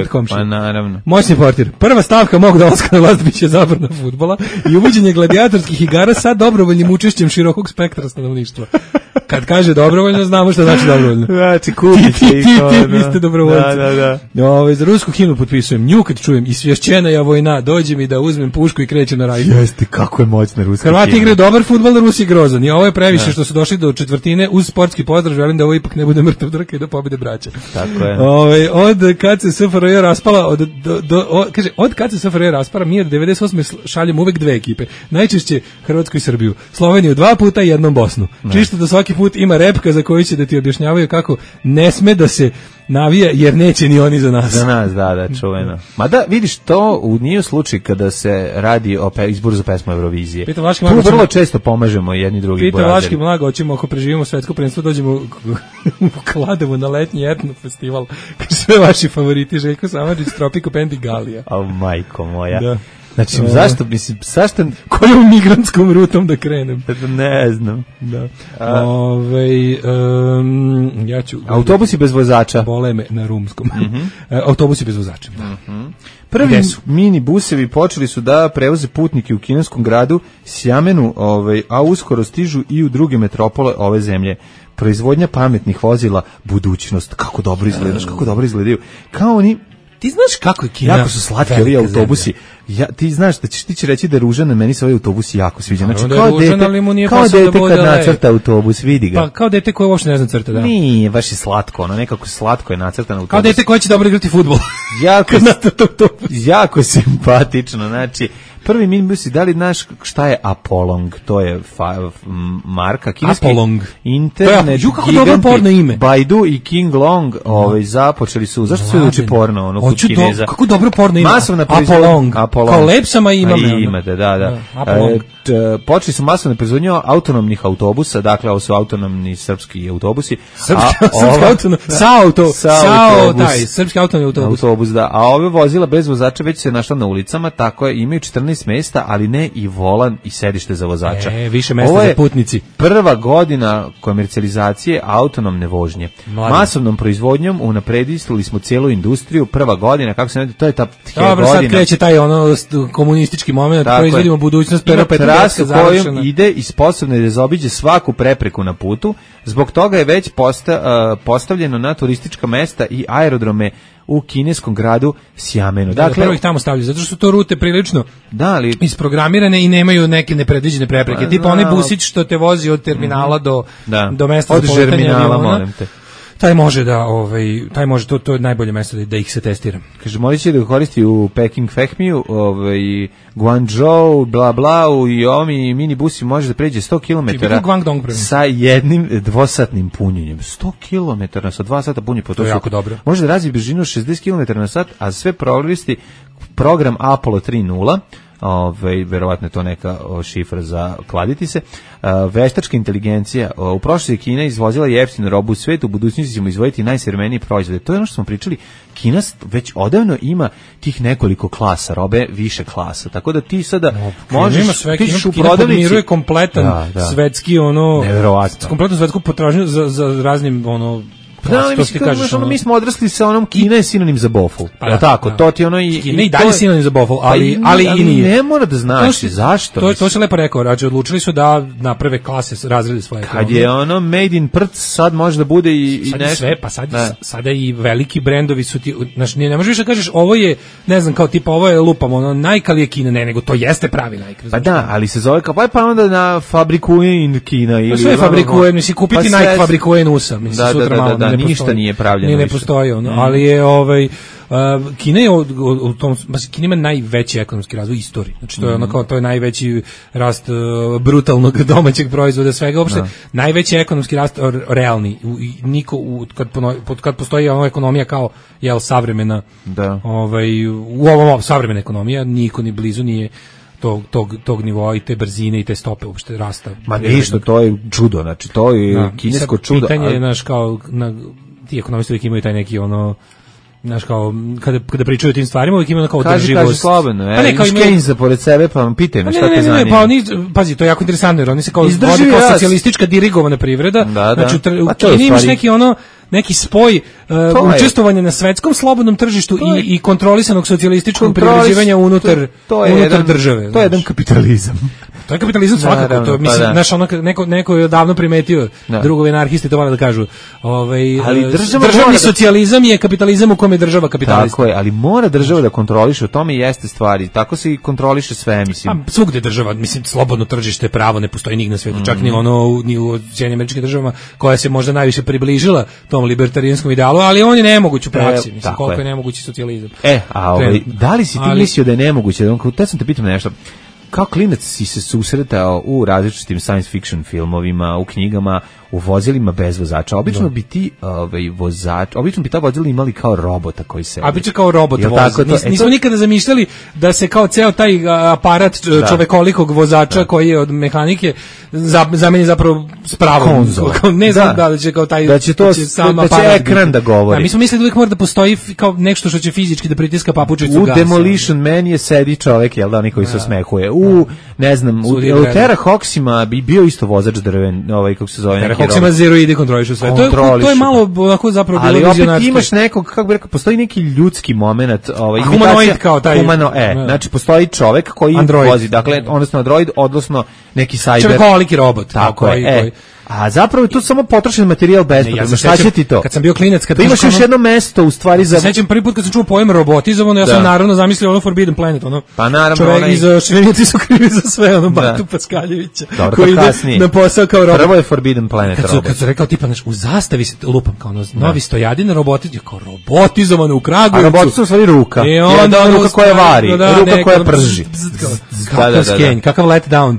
komšije. Pa naravno. Moćni portir. Prva stavka mog dolaska na vlast biće zabrana fudbala i uvođenje gladijatorskih igara sa dobrovoljnim učešćem širokog spektra stanovništva. Kad kaže dobrovoljno, znamo šta znači dobrovoljno. Znači, kupite ih. Vi ste dobrovoljci. Da. Za rusku himnu potpisujem. Nju kad čujem, isvješćena ja vojna, dođe mi da uzmem pušku i krećem na raj. Jeste, kako je moćna ruska himna. Hrvati igraju dobar fudbal, Rusi je grozan. I ovo je previše što su došli do četvrtine. Uz sportski pozdrav, želim da ovo ipak ne bude mrtav trka i da pobede braća. Tako je. Od kad se SFRJ raspala, od kad se SFRJ raspala, mi od 98. šaljemo uvek dve ekipe. Najčešće Hrvatsku i Srbiju. Sloveniju 2 puta i jednom Bosnu. Čisto da svaki put ima repka za koju će da ti objašnjavaju kako ne sme da se navija jer neće ni oni za nas. Za nas, da, čuveno. Mada vidiš, to nije slučaj kada se radi o izboru za pesmu Eurovizije. Tu vrlo često pomažemo jedni drugi. Pita Vlaški Mlaga, hoćemo ako preživimo svetsko prvenstvo, dođemo u Kladovu na letnji etno festival. Sve vaši favoriti, Željko Samardžić, Tropico Band i Galija. A majko moja. Da. Znači, zašto, mislim, kojom migrantskom rutom da krenem? Ne znam. Da. Ja ću... Autobusi bez vozača. Bole me na rumskom. Autobusi bez vozača. Prvi mini busevi počeli su da prevoze putnike u kineskom gradu Sjamenu, a uskoro stižu i u druge metropole ove zemlje. Proizvodnja pametnih vozila, budućnost, kako dobro izgledaju. Kao oni... Ti znaš kako je Kina? Jako su slatki ovi autobusi. Ti znaš da ti će reći da je ružan, meni se ovaj autobus jako sviđa. Znači, kao dete kad nacrta autobus, vidi ga. Pa kao dete koje uopšte ne zna crta, da. Nije, baš je slatko, nekako slatko je nacrtan autobus. Kao dete koje će dobro igrati fudbal. Jako simpatično, znači... Prvi minibus, da li znaš šta je Apolong? To je marka kineski. Apolong. Internet giganti Baidu i King Long započeli su. Zašto se uči porno kod Kineza? Kako dobro porno ima? Masovna Apolong. Kao lepsama imate, da. Počeli su masovne proizvodnje autonomnih autobusa, dakle ovo su autonomni srpski autobusi. Srpski autonomni autobus. Da. A ove vozila bez vozača već se našla na ulicama, tako je, imaju 14 17 mesta, ali ne i volan i sedište za vozača. Više mesta za putnici. Prva godina komercijalizacije autonomne vožnje. Masovnom proizvodnjom unapredili smo cijelu industriju. Prva godina, kako se to je ta godina. Sad kreće taj komunistički moment, proizvodimo budućnost, pero trasu kojom ide i sposobno je da zaobiđe svaku prepreku na putu. Zbog toga je već postavljeno na turistička mesta i aerodrome u kineskom gradu Sjamenu. Dakle, prvo ih tamo stavljaju, zato što su to rute prilično isprogramirane i nemaju neke nepredviđene prepreke. Tipa onaj busić što te vozi od terminala do mesta za poletanje aviona. Taj može to je najbolje mesto da ih se testira. Kaže, molit će da koristi u Peking Fehmiju, Guangzhou, bla bla, i ovi minibusi može da pređe 100 km sa jednim dvosatnim punjenjem. 100 km sa 2 sata punjenja. To je jako dobro. Može da razvije brzinu 60 km na sat, a sve koristi program Apollo 3.0, verovatno je to neka šifra za kladiti se. Veštačka inteligencija. U prošlosti je Kina izvozila jeftinu robu u svijetu, u budućnosti ćemo izvojiti najsavremenije proizvode. To je ono što smo pričali. Kina već odavno ima tih nekoliko klasa robe, više klasa. Tako da ti sada možeš pišeš u prodavnici. Kina podmiruje kompletan svetski kompletnu svetsku potražnju za raznim mi smo odrasli sa onom Kina je sinonim za bofl. Tako, to ti ono i Kina i dalje sinonim za bofl, ali i nije. Ne mora da znači zašto. To se lepo rekao, odlučili su da naprave klase, razrede svoje. Kad je ono made in prc, sad može da bude i nešto. Sve, pa sada i veliki brendovi su ti, znači ne možeš više da kažeš ovo je, ne znam, kao tipa ovo je lupamo, najkalije Kina, ne, nego to jeste pravi najkre. Pa da, ali se zove kao pa onda na fabrikuje in Kina ili sve fabrikuje, mislim kupiti Nike fabrikuje USA, mislim sutra malo. Ništa nije pravljeno. Ne postoji ono, ali je Kina je u tom, Kina ima najveći ekonomski razvoj u istoriji. Znači to je ono kao, to je najveći rast brutalnog domaćeg proizvoda, svega uopšte, najveći ekonomski rast realni. Niko kad postoji ona ekonomija kao savremena, u ovom savremena ekonomija, niko ni blizu nije tog nivoa i te brzine i te stope uopšte rasta. Ma ništa, to je čudo, znači to je kinesko čudo. Pitanje je, znaš, kao ti ekonomisti uvijek imaju taj neki znaš, kao kada pričaju o tim stvarima uvijek imaju kao održivost. Kaži slobodno, imaš Keynesa pored sebe, pa vam pitaj me šta te zanima. Pazi, to je jako interesantno, jer oni se kao vodi kao socijalistička dirigovana privreda, znači u Kini imaš neki spoj učestvovanja na svetskom slobodnom tržištu i kontrolisanog socijalističkog privređivanja unutar države. To je jedan kapitalizam. To je kapitalizam svakako, to mislim, znaš, neko je davno primetio, drugovi anarhisti to vole da kažu, državni socijalizam je kapitalizam u kome je država kapitalista. Tako je, ali mora država da kontroliše, o tome jeste stvari, tako se i kontroliše sve, mislim. Svugde država, mislim, slobodno tržište, pravo ne postoji nigde na svijetu, čak ni u Sjedinjenim Američkim Državama, koja se možda najviše približila tom libertarijanskom idealu, ali on je nemoguć u praksi, mislim, koliko je nemogući socijalizam. Da li si ti mislio da je nemoguće? Tad sam te pitam nešto. Kao klinac si se susretao u različitim science fiction filmovima, u knjigama, u vozilima bez vozača. Obično bi ti obično bi ta vozila imali kao robota koji se. A biće kao robot vozi. Nismo nikada zamišljali da se kao ceo taj aparat čovekolikog vozača koji je od mehanike zameni zapravo s pravom. Ne znam da će kao taj da će ekran da govori. Mi smo mislili da uvijek mora da postoji kao nešto što će fizički da pritiska papučicu gasa. U Demolition Man je sedi čovek, jel da, oni koji se osmehuje. Ne znam, u Terra Hoxima bi bio isto vozač drven, kako se zove, Terra Hoxima zeroidi kontrolišu sve. To je malo onako zapravo bilo vizionarsko. Ali opet imaš nekog, kako bi rekao, postoji neki ljudski moment, humanoid kao taj. Znači postoji čovek koji vozi, dakle, odnosno android, odnosno neki cyber. Čovekoliki robot. Tako je. A zapravo je to samo potrošen materijal bespotrebno. Šta će ti to? Kad sam bio klinac, kad imaš još jedno mesto u stvari za. Sećam prvi put kad sam čuo pojam robotizovano, ja sam naravno zamislio ono Forbidden Planet, ono. Pa naravno, čovjek iz Švenjeci su krivi za sve, ono Batu Paskaljevića. Koji ide na posao kao robot. Prvo je Forbidden Planet robot. Kad su rekao tipa u zastavi se lupam kao novi Stojadin robotiz, kao robotizovano u Kragujevcu. A robotiz u stvari ruka. I onda ruka koja vari, ruka koja prži. Kakav skenj, kakav let down.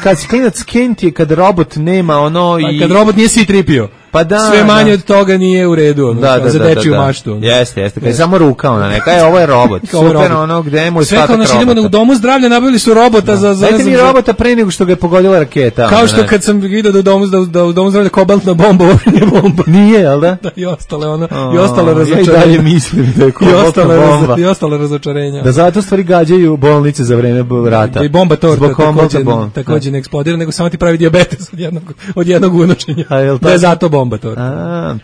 Kad klinac skenj je kad robot nema ono kad robot nije C-3PO. Pa da, sve manje od toga nije u redu, za dečiju maštu. Jeste, kad je samo ruka ona neka, ovo je robot. Super, ono, gde je moj statak robota. Sve kao idemo u domu zdravlja, nabavili su robota za... Dajte mi robota pre nego što ga je pogodila raketa. Kao što kad sam vidio da u domu zdravlja kobaltna bomba, ovo nije bomba. Nije, jel da? I ostale razočarenja. Ja i dalje mislim da je kobaltna bomba. I ostale razočarenja. Da zato stvari gađaju bolnice za vreme rata. I bomba torta takođe ne eksplodira, nego samo ti pravi dijabetes od jednog unočenja. Da je zato bomba torta.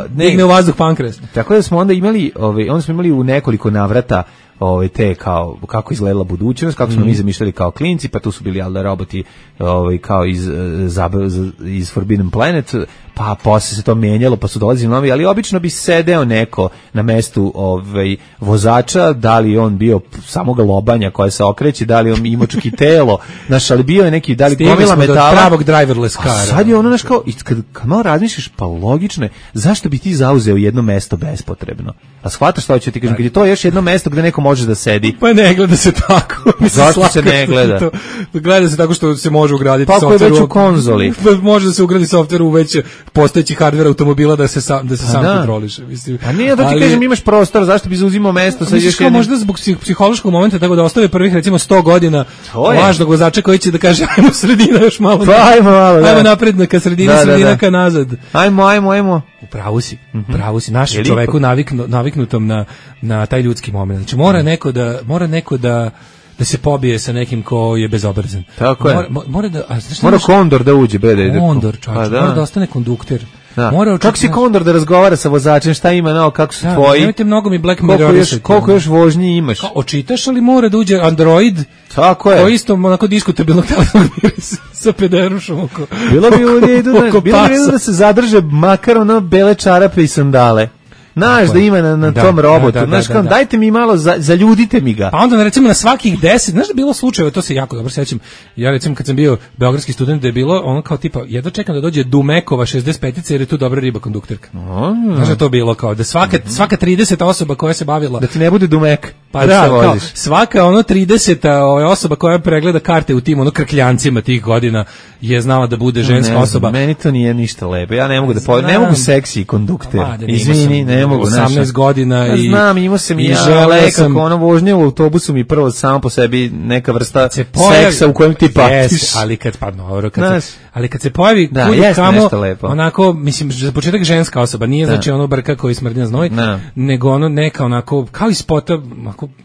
Digne u vazduh pankreas. Tako da smo onda imali, u nekoliko navrata te kao kako izgledala budućnost, kako smo mi zamišljali kao klinci, pa tu su bili roboti kao iz Forbidden Planet, pa posle se to menjalo, pa su dolazili novi, ali obično bi sedeo neko na mestu vozača, da li on bio samog lobanja koja se okreće, da li on imao čak i telo, znaš, ali bio je neki, da li gomila metala. Pravog driverless car. Sad je ono, znaš, kao, kad malo razmišljaš, pa logično je, zašto bi ti zauzeo jedno mesto bespotrebno? A shvataš šta hoću ti kažem, kad je to još jedno mesto gde neko može da sedi. Pa ne gleda se tako. Zašto se ne gleda? Gleda se tako što se može ugraditi softver. Pa ako je već u konzoli. Može da se ugradi softver u već postojeći hardver automobila da se sam kontroliše. Mislim. A nije da ti kažem imaš prostor, zašto bi zauzimao mesto sa još jednim? Možda zbog psihološkog momenta, tako da ostave prvih recimo 100 godina lažnog vozača koji će da kaže ajmo sredina još malo. Pa ajmo malo. Ajmo napred ka sredina, sredina ka nazad. Ajmo. Pravo si, našem čoveku naviknutom na taj ljudski moment. Znači mora neko da se pobije sa nekim ko je bezobrazan. Tako je. Mora kondor da uđe, Kondor, čovječ, mora da ostane kondukter. Kako si kondor da razgovara sa vozačem, šta ima, kako su tvoji? Nemojte mnogo mi Black Mirror. Koliko još vožnji imaš? Očitaš, ali mora da uđe Android. Tako je. To isto onako diskutabilnog telefona sa pederušom oko Bilo bi u redu da se zadrže makar bele čarape i sandale. Znaš da ima na tom robotu, znaš kao, dajte mi malo, zaljudite mi ga. Pa onda recimo na svakih 10, znaš da je bilo slučajeva, to se jako dobro sećam, ja recimo kad sam bio beogradski student da je bilo ono kao tipa, jedva čekam da dođe Dumekova 65-ica jer je tu dobra riba kondukterka. Znaš da to bilo kao, da svaka 30 osoba koja se bavila... Da ti ne bude Dumek. Pa da, kao, svaka 30 osoba koja pregleda karte u tim krkljancima tih godina je znala da bude ženska osoba. Meni to nije ništa lepo, ja ne mogu ne mogu seksi kondukter, izvini, ne mogu, 18 godina i znam, imao sam i ja kako vožnja u autobusu mi prvo samo po sebi neka vrsta seksa u kojem ti patiš. Ali kad se pojavi kamo, onako, mislim, za početak ženska osoba, nije znači ono brka koji smrdi na znoj, nego ono neka onako, kao iz spota,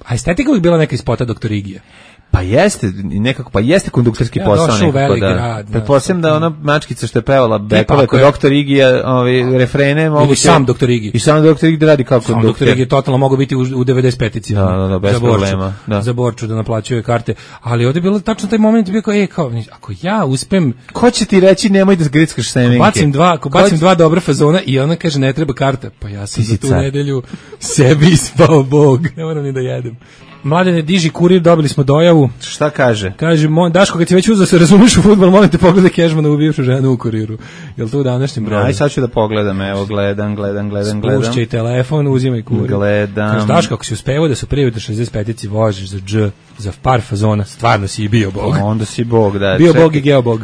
a estetika uvijek bila neka iz spota Dr. Igija. Pa jeste, nekako, pa jeste kondukterski posao nekako, da. Pretpostavljam da ona mačkica što je pevala bekove kod Dr. Igija, refrene, mogu se... Sam Dr. Igi. I sam Dr. Igi radi kao kondukter. Dr. Igi totalno mogu biti u 95-ici. Da, bez problema. Za Borču da naplaćuje karte. Ali ovdje je bilo tačno taj moment, bio kao, ako ja uspem... Ko će ti reći nemoj da grickaš semenke? Bacim dva dobra fazona i ona kaže ne treba karta. Pa ja sam za tu nedelju sebi ispao Bog. Ne moram ni da jedem. Mladene, diži kurir, dobili smo dojavu. Šta kaže? Kaže, Daško, kad si već uzeo se razumiješ u fudbal, molim te pogledaj Kežmana u bivšu ženu u kuriru. Jel to u današnjem broju? Aj, sad ću da pogledam, evo, gledam. Spušćaj telefon, uzimaj kurir. Gledam. Kaže, Daško, ako si uspevao da su prije do 65-ici vožiš za dž, za par fazona, stvarno si i bio Bog. Onda si Bog, da. Bio Bog i geobog.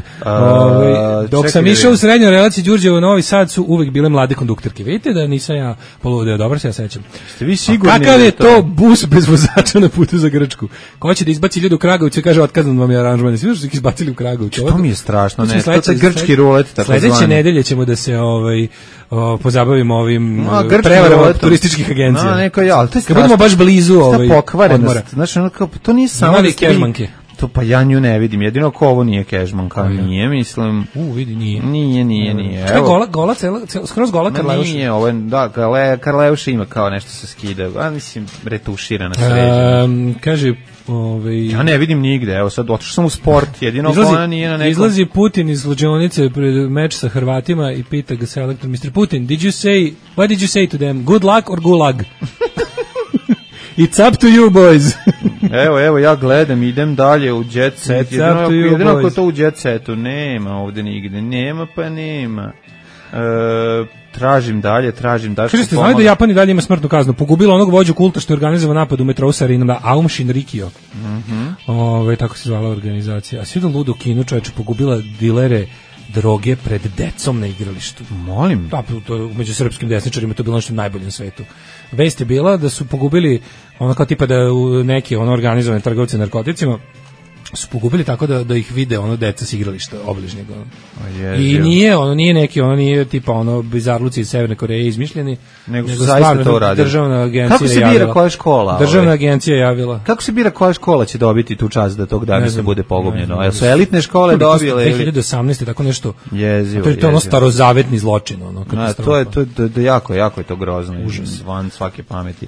Dok sam išao u srednjoj relaciji Đurđevo Novi Sad su uvek bile mlade kondukterke. Vidite da nisam ja poludeo, dobro se ja sećam. Ste vi sigurni? Kakav je to bus bez vozača na putu za Grčku? Ko će da izbaci ljude u Kragovicu i kaže otkazan vam je aranžman. Svi su ih izbacili u Kragovicu. To mi je strašno, ne. To je grčki rulet, tako zvani. Sledeće nedelje ćemo da se pozabavimo ovim prevarama turističkih agencija. Kad budemo baš blizu pokvarenost. Znači, to nije samo Kežmanke. To pa ja nju ne vidim, jedino ako ovo nije Kežmanka, nije, mislim... vidi, nije. Nije. Gola, skroz gola Karleuša. Nije, ovo je, da, Karleuša ima kao nešto se skida, a mislim, retuširana sređena. Kaže, ja ne vidim nigde, evo sad, otišao sam u sport, jedino ona nije na nekom... Izlazi Putin iz slučajnice pred meč sa Hrvatima i pita ga selektor, Mr. Putin, what did you say to them, good luck or gulag? It's up to you, boys. Evo, ja gledam, idem dalje u Jet Set. Jedino ako to u Jet Setu nema ovde nigde. Nema. Tražim dalje. Kaže, ste znali da Japan i dalje ima smrtnu kaznu? Pogubila onog vođu kulta što je organizovao napad u metrou Sarinama, Aum Shinrikyo. Tako se zvala organizacija. A svi da ludo Kinu, čoveče, pogubila dilere droge pred decom na igralištu. Molim. Da, to, među srpskim desničarima to je bilo nešto najbolje na svetu. Vest je bila da su pogubili ono kao tipa da u neke organizovane trgovce narkoticima su pogubili tako da ih vide deca s igrališta obližnjeg. I nije neki nije tipa bizarluci iz Severne Koreje izmišljeni, nego su zaista to uradili. Državna agencija Kako se bira koja škola? Državna agencija javila. Kako se bira koja škola će dobiti tu čast da tog dana se bude pogubljeno? Jel su elitne škole dobile ili 2018 tako nešto? Jezivo. To je starozavetni zločin, to je jako je to grozno. Užas. Van svake pameti.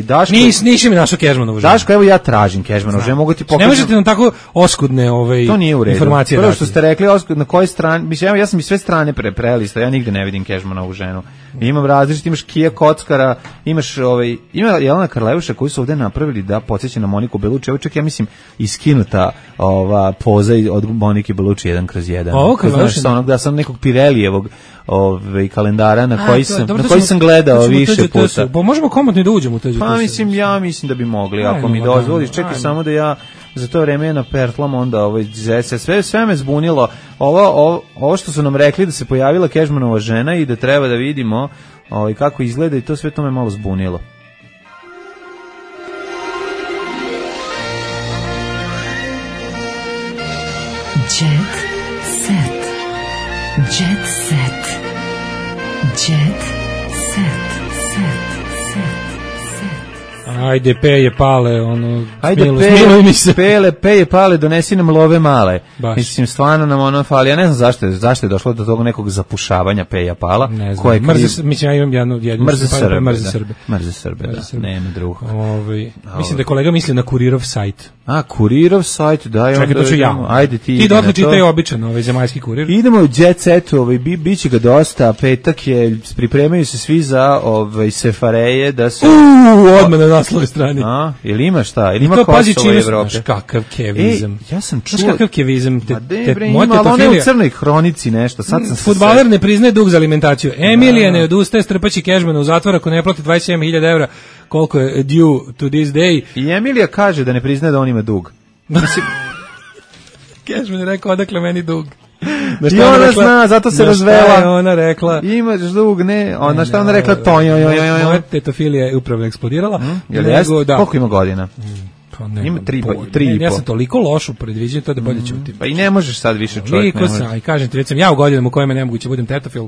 Daško, nisi mi našo Kežmanovu ženu. Daško, evo ja tražim Kežmanovu ženu, mogu ti pokazati. Ne možete nam tako oskudne to nije u redu. Informacije. Prvo što ste rekli, na kojoj strani, mislim, ja sam i sve strane prelista, ja nigde ne vidim Kežmanovu ženu. Imam različite, imaš Kija Kockara, imaš ima Jelena Karleuša koji su ovde napravili da podsjeća na Moniku Belucci. Ovo čak ja mislim iskinuta poza od Monike Belucci 1/1. Znaš sa onog da sam nekog Pirelijevog kalendara na koji sam gledao više puta. Pa možemo komotno da uđemo u to. Pa mislim, ja mislim da bi mogli, ako mi dozvoliš. Čekaj samo da ja za to vreme na pertlam onda sve me zbunilo. Ovo što su nam rekli da se pojavila Kežmanova žena i da treba da vidimo kako izgleda i to sve to me malo zbunilo. Jet set. Jet set. Jet set. Ajde, peje pale, ajde, peje pale, donesi nam love male. Baš. Mislim, stvarno nam fali. Ja ne znam zašto je došlo do tog nekog zapušavanja peja pala. Ne znam, mislim, ja imam jednu Mrze Srbe, da, nema drugo. Mislim da kolega misli na Kurirov sajt. Kurirov sajt, da. Čekaj, to ću ja. Ajde, ti dotle čitaj običan, zemaljski kurir. Idemo u jet setu, biće ga dosta, petak je, pripremaju se svi za sefareje, da su... Odmah na naslovoj strani. Ili ima šta? Ili ima Kosovo u Evropi? Kakav kevizam. Ja sam čuo... Kakav kevizam? Ima, ali ona je u crnoj hronici nešto. Fudbaler ne priznaje dug za alimentaciju. Emilija ne odustaje, strpaći Kežmana u zatvor ako ne plati 27.000 evra, koliko je due to this day. I Emilija kaže da ne priznaje da on ima dug. Kežman je rekao, odakle meni dug. I ona zna, zato se razvela. Je ona rekla? Imaš dug, ne. Ona šta ona rekla? Moja tetofilija je upravo eksplodirala. Koliko ima godina? Ima 3,5. Ja sam toliko loš u predviđenju, to da bolje ćutim. Pa i ne možeš sad više čovjek. I kažem ti, već sam ja u godinama u kojima nemoguće budem tetofil,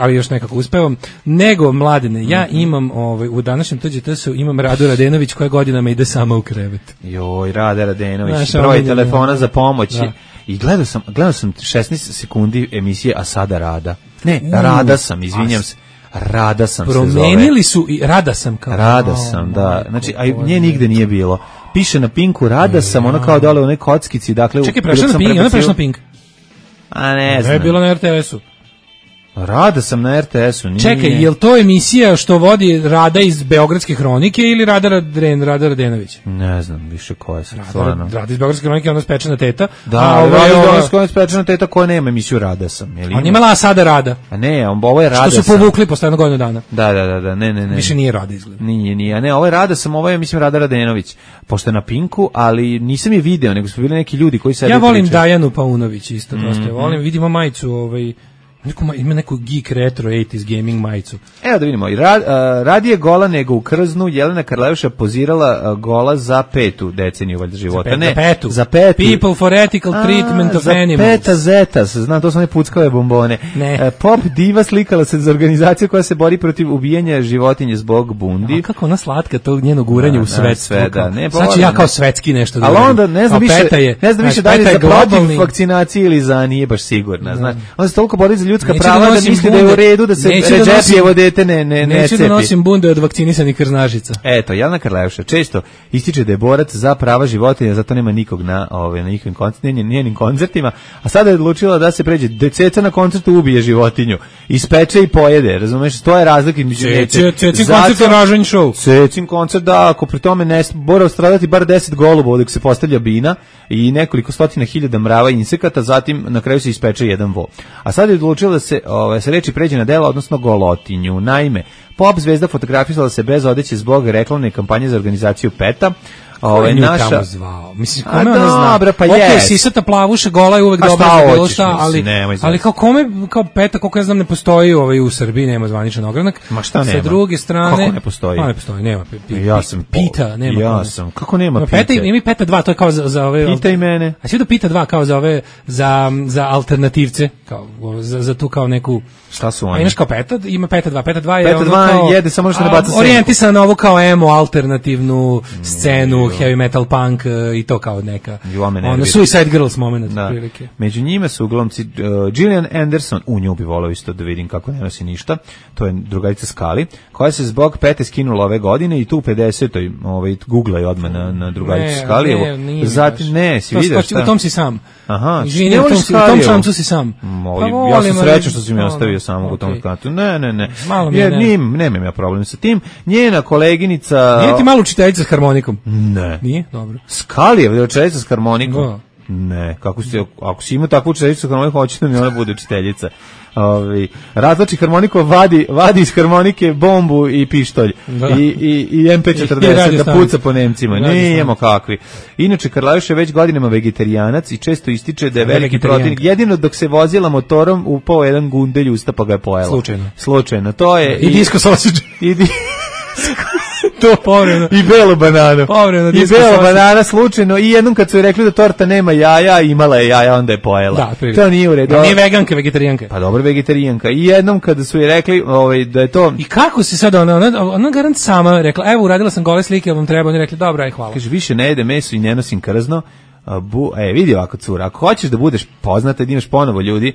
ali još nekako uspevam. Nego, Mladene, ja imam, u današnjem TGT-u imam Radu Radenović koja godinama ide sama u krevet. Joj, Rada Radenović, broj telefona za pomoć. I gledao sam 16 sekundi emisije, a sada Rada. Ne, Rada sam, izvinjam se. Rada sam se zove. Promenili su i Rada sam kao. Rada sam, da. Znači, a nje nigde nije bilo. Piše na Pinku Rada sam, ono kao dole u nekoj kockici, dakle... Čekaj, prešla na Pink, ona prešla na Pink. A ne znam. Je bilo na RTS-u. Rada sam na RTS-u, nije. Čekaj, je li to emisija što vodi Rada iz Beogradske hronike ili Rada Radenović? Ne znam više koja je stvarno. Rada iz Beogradske hronike, ona spečena teta. Da, Rada iz Beogradske spečena teta koja nema emisiju Rada sam. On imala sada Rada. A ne, ovo je Rada sam. Što su povukli posle jednog godinu dana. Da, ne. Više nije Rada izgleda. Nije, a ne, ovo je Rada sam, ovo je, mislim, Rada Radenović. Pošto je na Pinku, ali nisam je video, nego su bili neki ljudi koji sede. Ja volim Dajanu Paunović isto, dosta. Volim, vidimo majicu, ima neku geek retro 80s gaming majicu. Evo da vidimo, radije gola nego u krznu, Jelena Karleuša pozirala gola za 5. deceniju valjda života. Za petu. People for ethical treatment of animals. Za peta zeta, znam, to su one puckave bombone. Pop diva slikala se za organizaciju koja se bori protiv ubijanja životinje zbog bundi. Kako ona slatka tog njenog guranja u svetstvo. Ne, znači ja kao svetski nešto da ali onda ne znam više da li je za protiv vakcinacije ili za nije baš sigurna. Znači, onda se toliko bori za ljudska prava da misli da je u redu da se Redžepijevo dete ne neću da nosim bunde od vakcinisanih krznažica. Eto, Jelena Karleuša često ističe da je borac za prava životinja, zato nema nikog na njenim koncertima, a sada je odlučila da se pređe ceca na koncertu ubije životinju, ispeče i pojede, razumeš, to je razlika između Cecin koncert je ražanj show. Cecin koncert, da, ako pri tome ne mora stradati bar 10 golubova dok se postavlja bina i nekoliko stotina hiljada mrava i insekata, zatim na kraju se ispeče jedan vo. A sad je odlučila da se reči pređe na dela, odnosno golotinju. Naime, Pop zvezda fotografisala se bez odeće zbog reklamne kampanje za organizaciju PETA. Ko je nju naša tamo zvao? Mislim, kome ona zna? Pa ok, sisata plavuša, gola je uvek dobra za bilo šta, ali kao kome, kao PETA, koliko ja znam, ne postoji u Srbiji, nema zvaničan ogranak. Ma šta nema? Sa druge strane... Kako ne postoji? Ne postoji, nema. Ja sam Pita, nema. Ja sam, kako nema Pita? Ima Peta 2, to je kao za ove... Pita i mene. A svi da Pita 2 kao za ove, za alternativce, kao, za tu kao neku... Šta su oni? Imaš kao Peta, ima Peta 2. Peta 2 je Peta 2 jede, samo što ne baca senku. Orijentisan na ovu kao emo, alternativnu scenu, heavy metal punk i to kao neka. Suicide Girls moment, prilike. Među njima su glumci Gillian Anderson, u nju bi volao isto da vidim kako ne nosi ništa, to je drugarica Skali, koja se zbog Pete skinula ove godine i tu u 50-oj googlaj odmah na drugaricu Skalijevu. Zatim, si vidio šta? U tom si sam. Aha, u tom šancu si sam. Ja sam srećan što si mi ostavio samog u tom skatu. Ne. Nemam ja problem sa tim. Njena koleginica... Nije ti malo učiteljica s harmonikom? Ne. Nije? Dobro. Skalijev je učiteljica s harmonikom? Ne. Ako si imao takvu učiteljicu s harmonikom, hoće da mi ona bude učiteljica. Razlači harmoniku, vadi iz harmonike bombu i pištolj i MP40 da puca po Nemcima. Nijemo kakvi. Inače, Karlajuš je već godinama vegetarijanac i često ističe da je veliki protivnik. Jedino dok se vozila motorom upao jedan gundelj usta pa ga je pojela. Slučajno. To je i disco sausage. To povremeno. I belo banano. I belo banana slučajno i jednom kad su joj rekli da torta nema jaja, imala je jaja, onda je pojela. Da, to nije u redu. Nije veganka, vegetarijanka. Pa dobro, vegetarijanka. I jednom kada su joj rekli da je to... I kako se sad ona garant sama rekla, evo uradila sam gole slike, vam treba, oni rekli, dobro, aj hvala. Kaže, više ne jede meso i ne nosim krzno. Vidi ovako, cura, ako hoćeš da budeš poznata i da imaš ponovo ljudi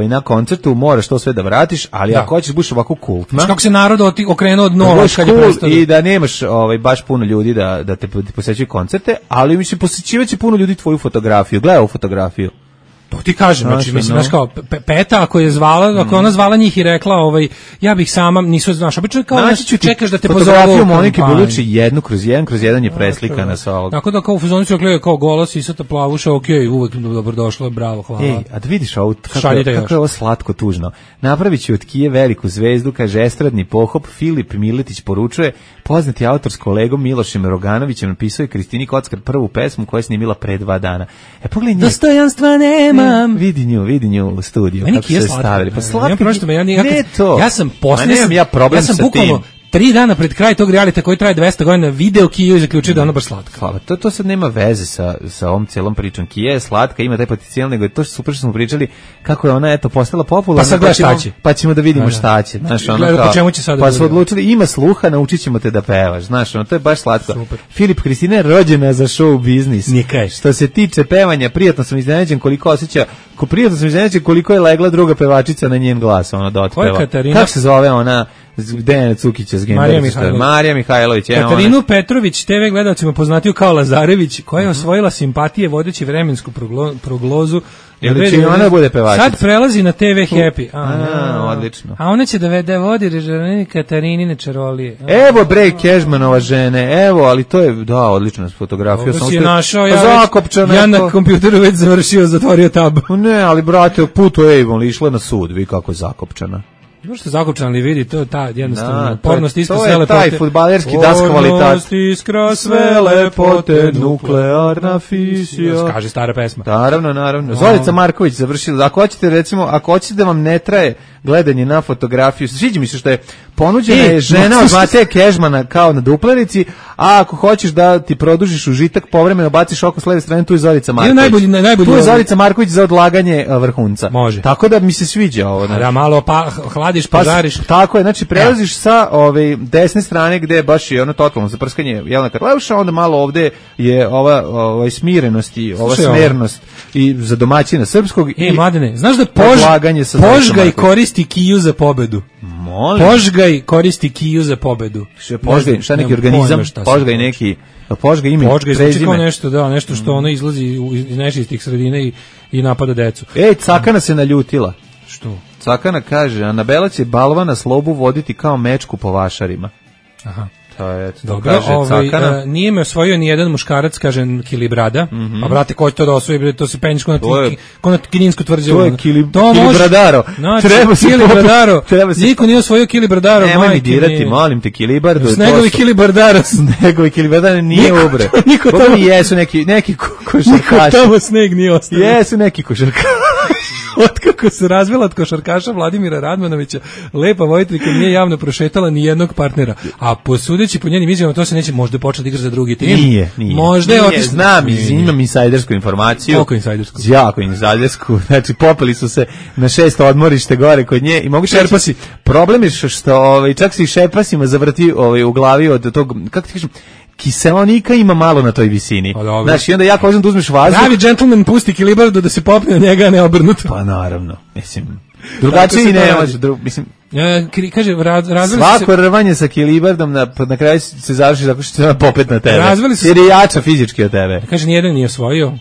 na koncertu, moraš to sve da vratiš, ali ako hoćeš da budeš ovako kultna, kako se narod okrenuo od nova kad je prestao, i da nemaš baš puno ljudi da te posećuju koncerte, ali mislim posećivaće puno ljudi tvoju fotografiju. Gledaj ovu fotografiju. To ti kažem, znači mislim, znaš kao Peta ako je zvala, ako ona zvala njih i rekla, ja bih sama, nisu, znaš, obično kao čekaš da te pozovu. Fotografiju Monike Belucci 1/1 je preslikana sa ovog. Tako da kao u fazonu su rekli, kao golos i sata plavuša, okej, uvek dobrodošlo, bravo, hvala. A da vidiš ovo, kako je ovo slatko tužno. Napravit ću od Kije veliku zvezdu, kaže estradni pohop, Filip Miletić poručuje, poznati autor s kolegom Milošem Roganovićem napisao je Kristini Kockar prvu pesmu koja je snimila pre 2 dana. Pogledaj nje. Dostojanstva nemam. Vidi nju u studiju kako se stavili. Pa slatko. Ja sam bukvalno 3 dana pred kraj tog realita koji traje 200 godina video Kiju i zaključio da je ona baš slatka. Hvala. To sad nema veze sa ovom cijelom pričom. Kija je slatka, ima taj potencijal, nego je to super što smo pričali kako je ona postala popularna. Pa ćemo da vidimo šta će. Pa su odlučili, ima sluha, naučit ćemo te da pevaš. Znaš, to je baš slatko. Super. Filip Kristina je rođena za show biznis. Što se tiče pevanja, prijatno sam iznenađen koliko je legla druga pevačica na njen glas, ona da otpeva. Kako se zove ona Dejana Cukića s Marija Mihajlović. Katarinu Petrović, TV gledalcima poznatiju kao Lazarević, koja je osvojila simpatije vodeći vremensku prognozu. Ona bude pevačica. Sad prelazi na TV Happy. Odlično. A ona će da vodi Katarinine čarolije. Evo bre Kežmanova žene, evo, ali to je, odlična fotografija. Ovo si je našao, ja na kompjuteru već završio, zatvorio tab. Ne, ali brate, putu Avon išla na sud, vi kako je zakopčana. Možete zakopčan li vidi, to je ta jednostavno pornost iskra sve lepote. To je taj fudbalerski das kvalitat. Pornost iskra sve lepote, nuklearna fisija. Kaže stara pesma. Naravno. Zorica Marković završila. Ako hoćete da vam ne traje gledanje na fotografiju, sviđa mi se što je ponuđena je žena od Mateja Kežmana kao na duplerici, a ako hoćeš da ti produžiš užitak, povremeno baciš oko s leve strane, tu je Zorica Marković. Tu je Zorica Marković za odlaganje vrhunca. Može. Tako da mi se sviđa ovo. Da malo hladiš, požariš. Tako je, znači prelaziš sa desne strane gde je baš i ono totalno zaprskanje Jelena Karleuša, onda malo ovde je ova smirenost i ova smernost i za domaćina srpskog. Mladene, znaš da Požgaj koristi Kiju za pobedu? Požgaj koristi Kiju za pobedu. Šta neki organizam? Požgaj neki... Požgaj ime, prezime. Nešto što ono izlazi iz nečistih sredina i napada decu. Cakana se naljutila. Što? Cakana kaže, Anabela će balvana slobu voditi kao mečku po vašarima. Aha. Dobro, nije me osvojio ni jedan muškarac, kaže Kilibrada. Pa brate, ko će to da osvoji? To se penješ ko na Kinjinsku tvrđavu. To je Kilibradaro. Treba se Kilibradaro. Niko nije osvojio Kilibradaro. Nemoj mi dirati, molim te, Kilibardo. Snegovi Kilibardaro. Snegovi Kilibardaro nije ubre. Niko tamo jesu neki košarkaši. Niko tamo sneg nije ostao. Jesu neki košarkaši. Otkako se razvela od košarkaša Vladimira Radmanovića, lepa Vojtrika nije javno prošetala ni jednog partnera. A posudeći po njenim izjavama, to se neće možda početi igrati za drugi tim. Nije. Možda je otišla. Znam, imam insajdersku informaciju. Koliko insajdersku? Jako insajdersku. Znači, popeli su se na 6 odmorište gore kod nje i mogu šerpasi. Problem je što čak se i šerpasima zavrti u glavi od tog, kako ti kažem, kiseonika ima malo na toj visini. Znaš, i onda jako važno da uzmeš vazduh. Pravi džentlmen pusti Kilibardu da se popne na njega, a ne obrnuto. Pa naravno, mislim, drugačije i ne može, mislim. Kaže, svako rvanje sa Kilibardom na kraju se završi tako što će popet na tebe. Jer je jača fizički od tebe. Kaže, nijedan nije osvojio.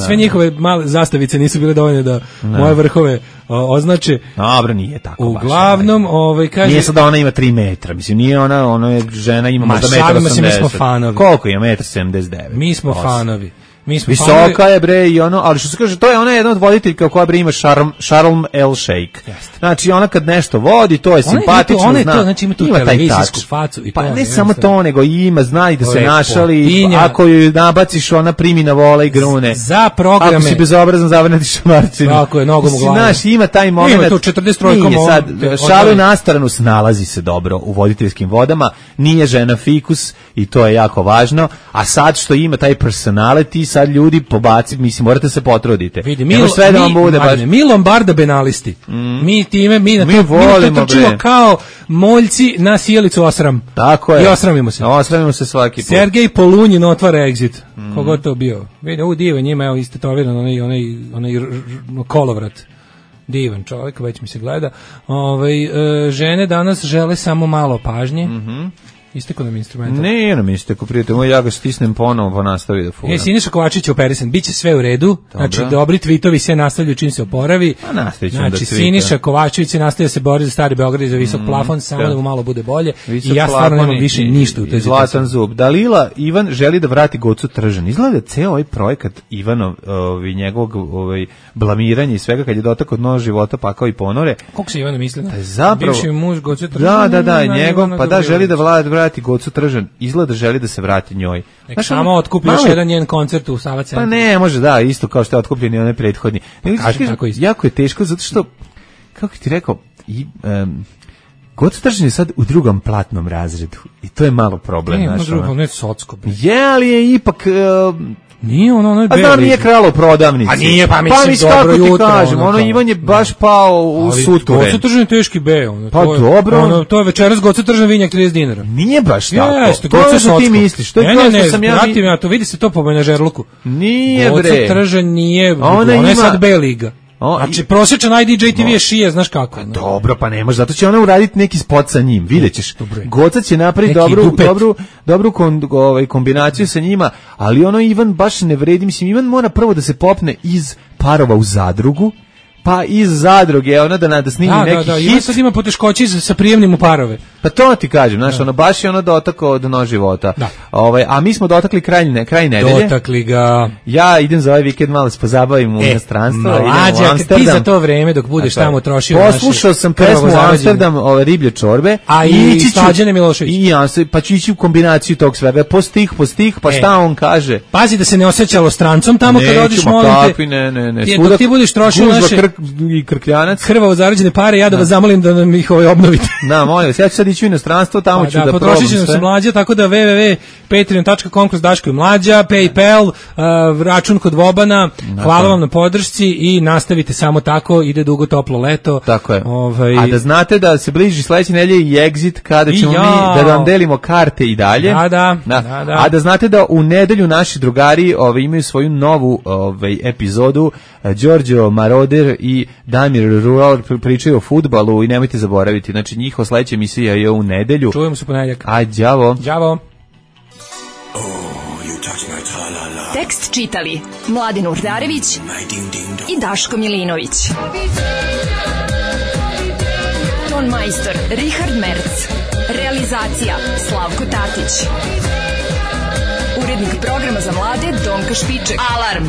Sve njihove male zastavice nisu bile dovoljne da moje vrhove označe. Dobro, nije tako. Uglavnom, kaže... Nije sad da ona ima 3 metra. Mislim, nije ona je žena, ima možda 1,80 m. Mi smo fanovi. Koliko ima? 1,79 m. Mi smo fanovi. Visoka je bre i ali što se kaže, to je ona jedna od voditeljka koja bre ima Sharm El Sheikh. Znači ona kad nešto vodi, to je simpatično, zna. Znači ima tu televizijsku facu i pa ne samo to, nego ima, zna i da se našali, ako ju nabaciš, ona primi na vola i grune. Za programe. Ako si bezobrazan, zavrnetiš šamarcinu. Tako je, nogom u glavu. Znaš, ima taj moment. Ima tu 43. Šalu na stranu, snalazi se dobro u voditeljskim vodama, nije žena fikus i to je jako važno, a sad što ima taj personality, sad ljudi pobaci, mislim, morate se potrudite. Vidi, mi Lombarda benalisti. Mi volimo trčimo kao moljci na sjelicu osram. Tako je. I osramimo se. Osramimo se svaki put. Sergej Polunjin otvara exit. Kogo to bio? Vidi, ovo divan njima, evo istetoviran onaj kolovrat. Divan čovjek, već mi se gleda. Žene danas žele samo malo pažnje. Isteko nam instrumenta. Ne, nam isteko, prijatelj, ja ga stisnem ponovo, pa nastavi da furam. Siniša Kovačić je operisan, bit će sve u redu, znači dobri tvitovi se nastavljaju čim se oporavi. Znači, Siniša Kovačević se nastavlja se bori za Stari Beograd i za visok plafon, samo da mu malo bude bolje. I ja stvarno nemam više ništa u toj zlatan zub. Dalila Ivan želi da vrati Gocu Tržan. Izgleda ceo ovaj projekat Ivanov, njegovog blamiranja i svega, kad je dotakao dno života, pakao i ponore. Koliko se Ivana misli? Zapravo, bivši muž Goce Tržan. Da, njegov, pa da, želi da vrati Gocu Tržan, izgleda želi da se vrati njoj. Nek samo otkupi još jedan njen koncert u Sava centru. Pa ne, može da, isto kao što je otkupljen i onaj prethodni. Jako je teško, zato što, kako ti rekao, Gocu Tržan je sad u drugom platnom razredu i to je malo problem. Ne socko. Ali je ipak... Nije ono je beli. A da nije kralo u prodavnici. A nije, pa mislim dobro jutro. Kažem, Ivan je baš pao u suture. Goca Tržan je teški B. Pa dobro. To je večeras Goca Tržan vinjak 30 dinara. Nije baš tako. To je što ti misliš. Ne, vratim ja to, vidi se to po menažerluku. Nije bre. Goca Tržan nije, ona je sad B liga. Znači, prosječan IDJ-TV je šije, znaš kako. Dobro, pa ne može, zato će ona uraditi neki spot sa njim, vidjet ćeš. Goca će napraviti dobru kombinaciju sa njima, ali Ivan baš ne vredi, mislim, Ivan mora prvo da se popne iz Parova u Zadrugu, pa iz Zadruge, da snimi neki hit. Ivan sad ima poteškoće sa prijemnim u Parove. Pa to ti kažem, znaš, baš je dotakao dno života. A mi smo dotakli kraj nedelje. Dotakli ga. Ja idem za ovaj vikend malo se pozabavim u inostranstvo. Mlađa, ti za to vreme dok budeš tamo trošio poslušao sam pesmu Amsterdam, riblje čorbe. A i Slađane Milošević. Pa ću ići u kombinaciju tog svega. Po stih, pa šta on kaže? Pazi da se ne osjećalo strancom tamo kad odiš, molim te. Ne. Dok ti budeš trošio naše i Krkljanac. Krvavo zarađene pare, ja da vas zamolim da nam ih obnovite. Da, molim vas, ja ću sad ići u inostranstvo, tamo ću da probam sve. Potrošit će se Mlađa, tako da www.patreon.com kroz Daško i Mlađa, PayPal, račun kod Vobana, hvala vam na podršci i nastavite samo tako, ide dugo toplo leto. Tako je. A da znate da se bliži sledeće nedelje i Exit, kada ćemo mi da vam delimo karte i dalje. Da. A da znate da u nedelju naši drugari imaju svoju novu epizodu, Đorđo Maroder i Damir Rural pričaju o fudbalu i nemojte zaboraviti, znači njihova sledeća emisija je u nedelju. Čujemo se ponedjeljak. Đavo. Tekst čitali Mladin Urdarević i Daško Milinović. Ton majstor Richard Merc. realizacija Slavko Tatić. Urednik programa za mlade Donka Špiček. Alarm!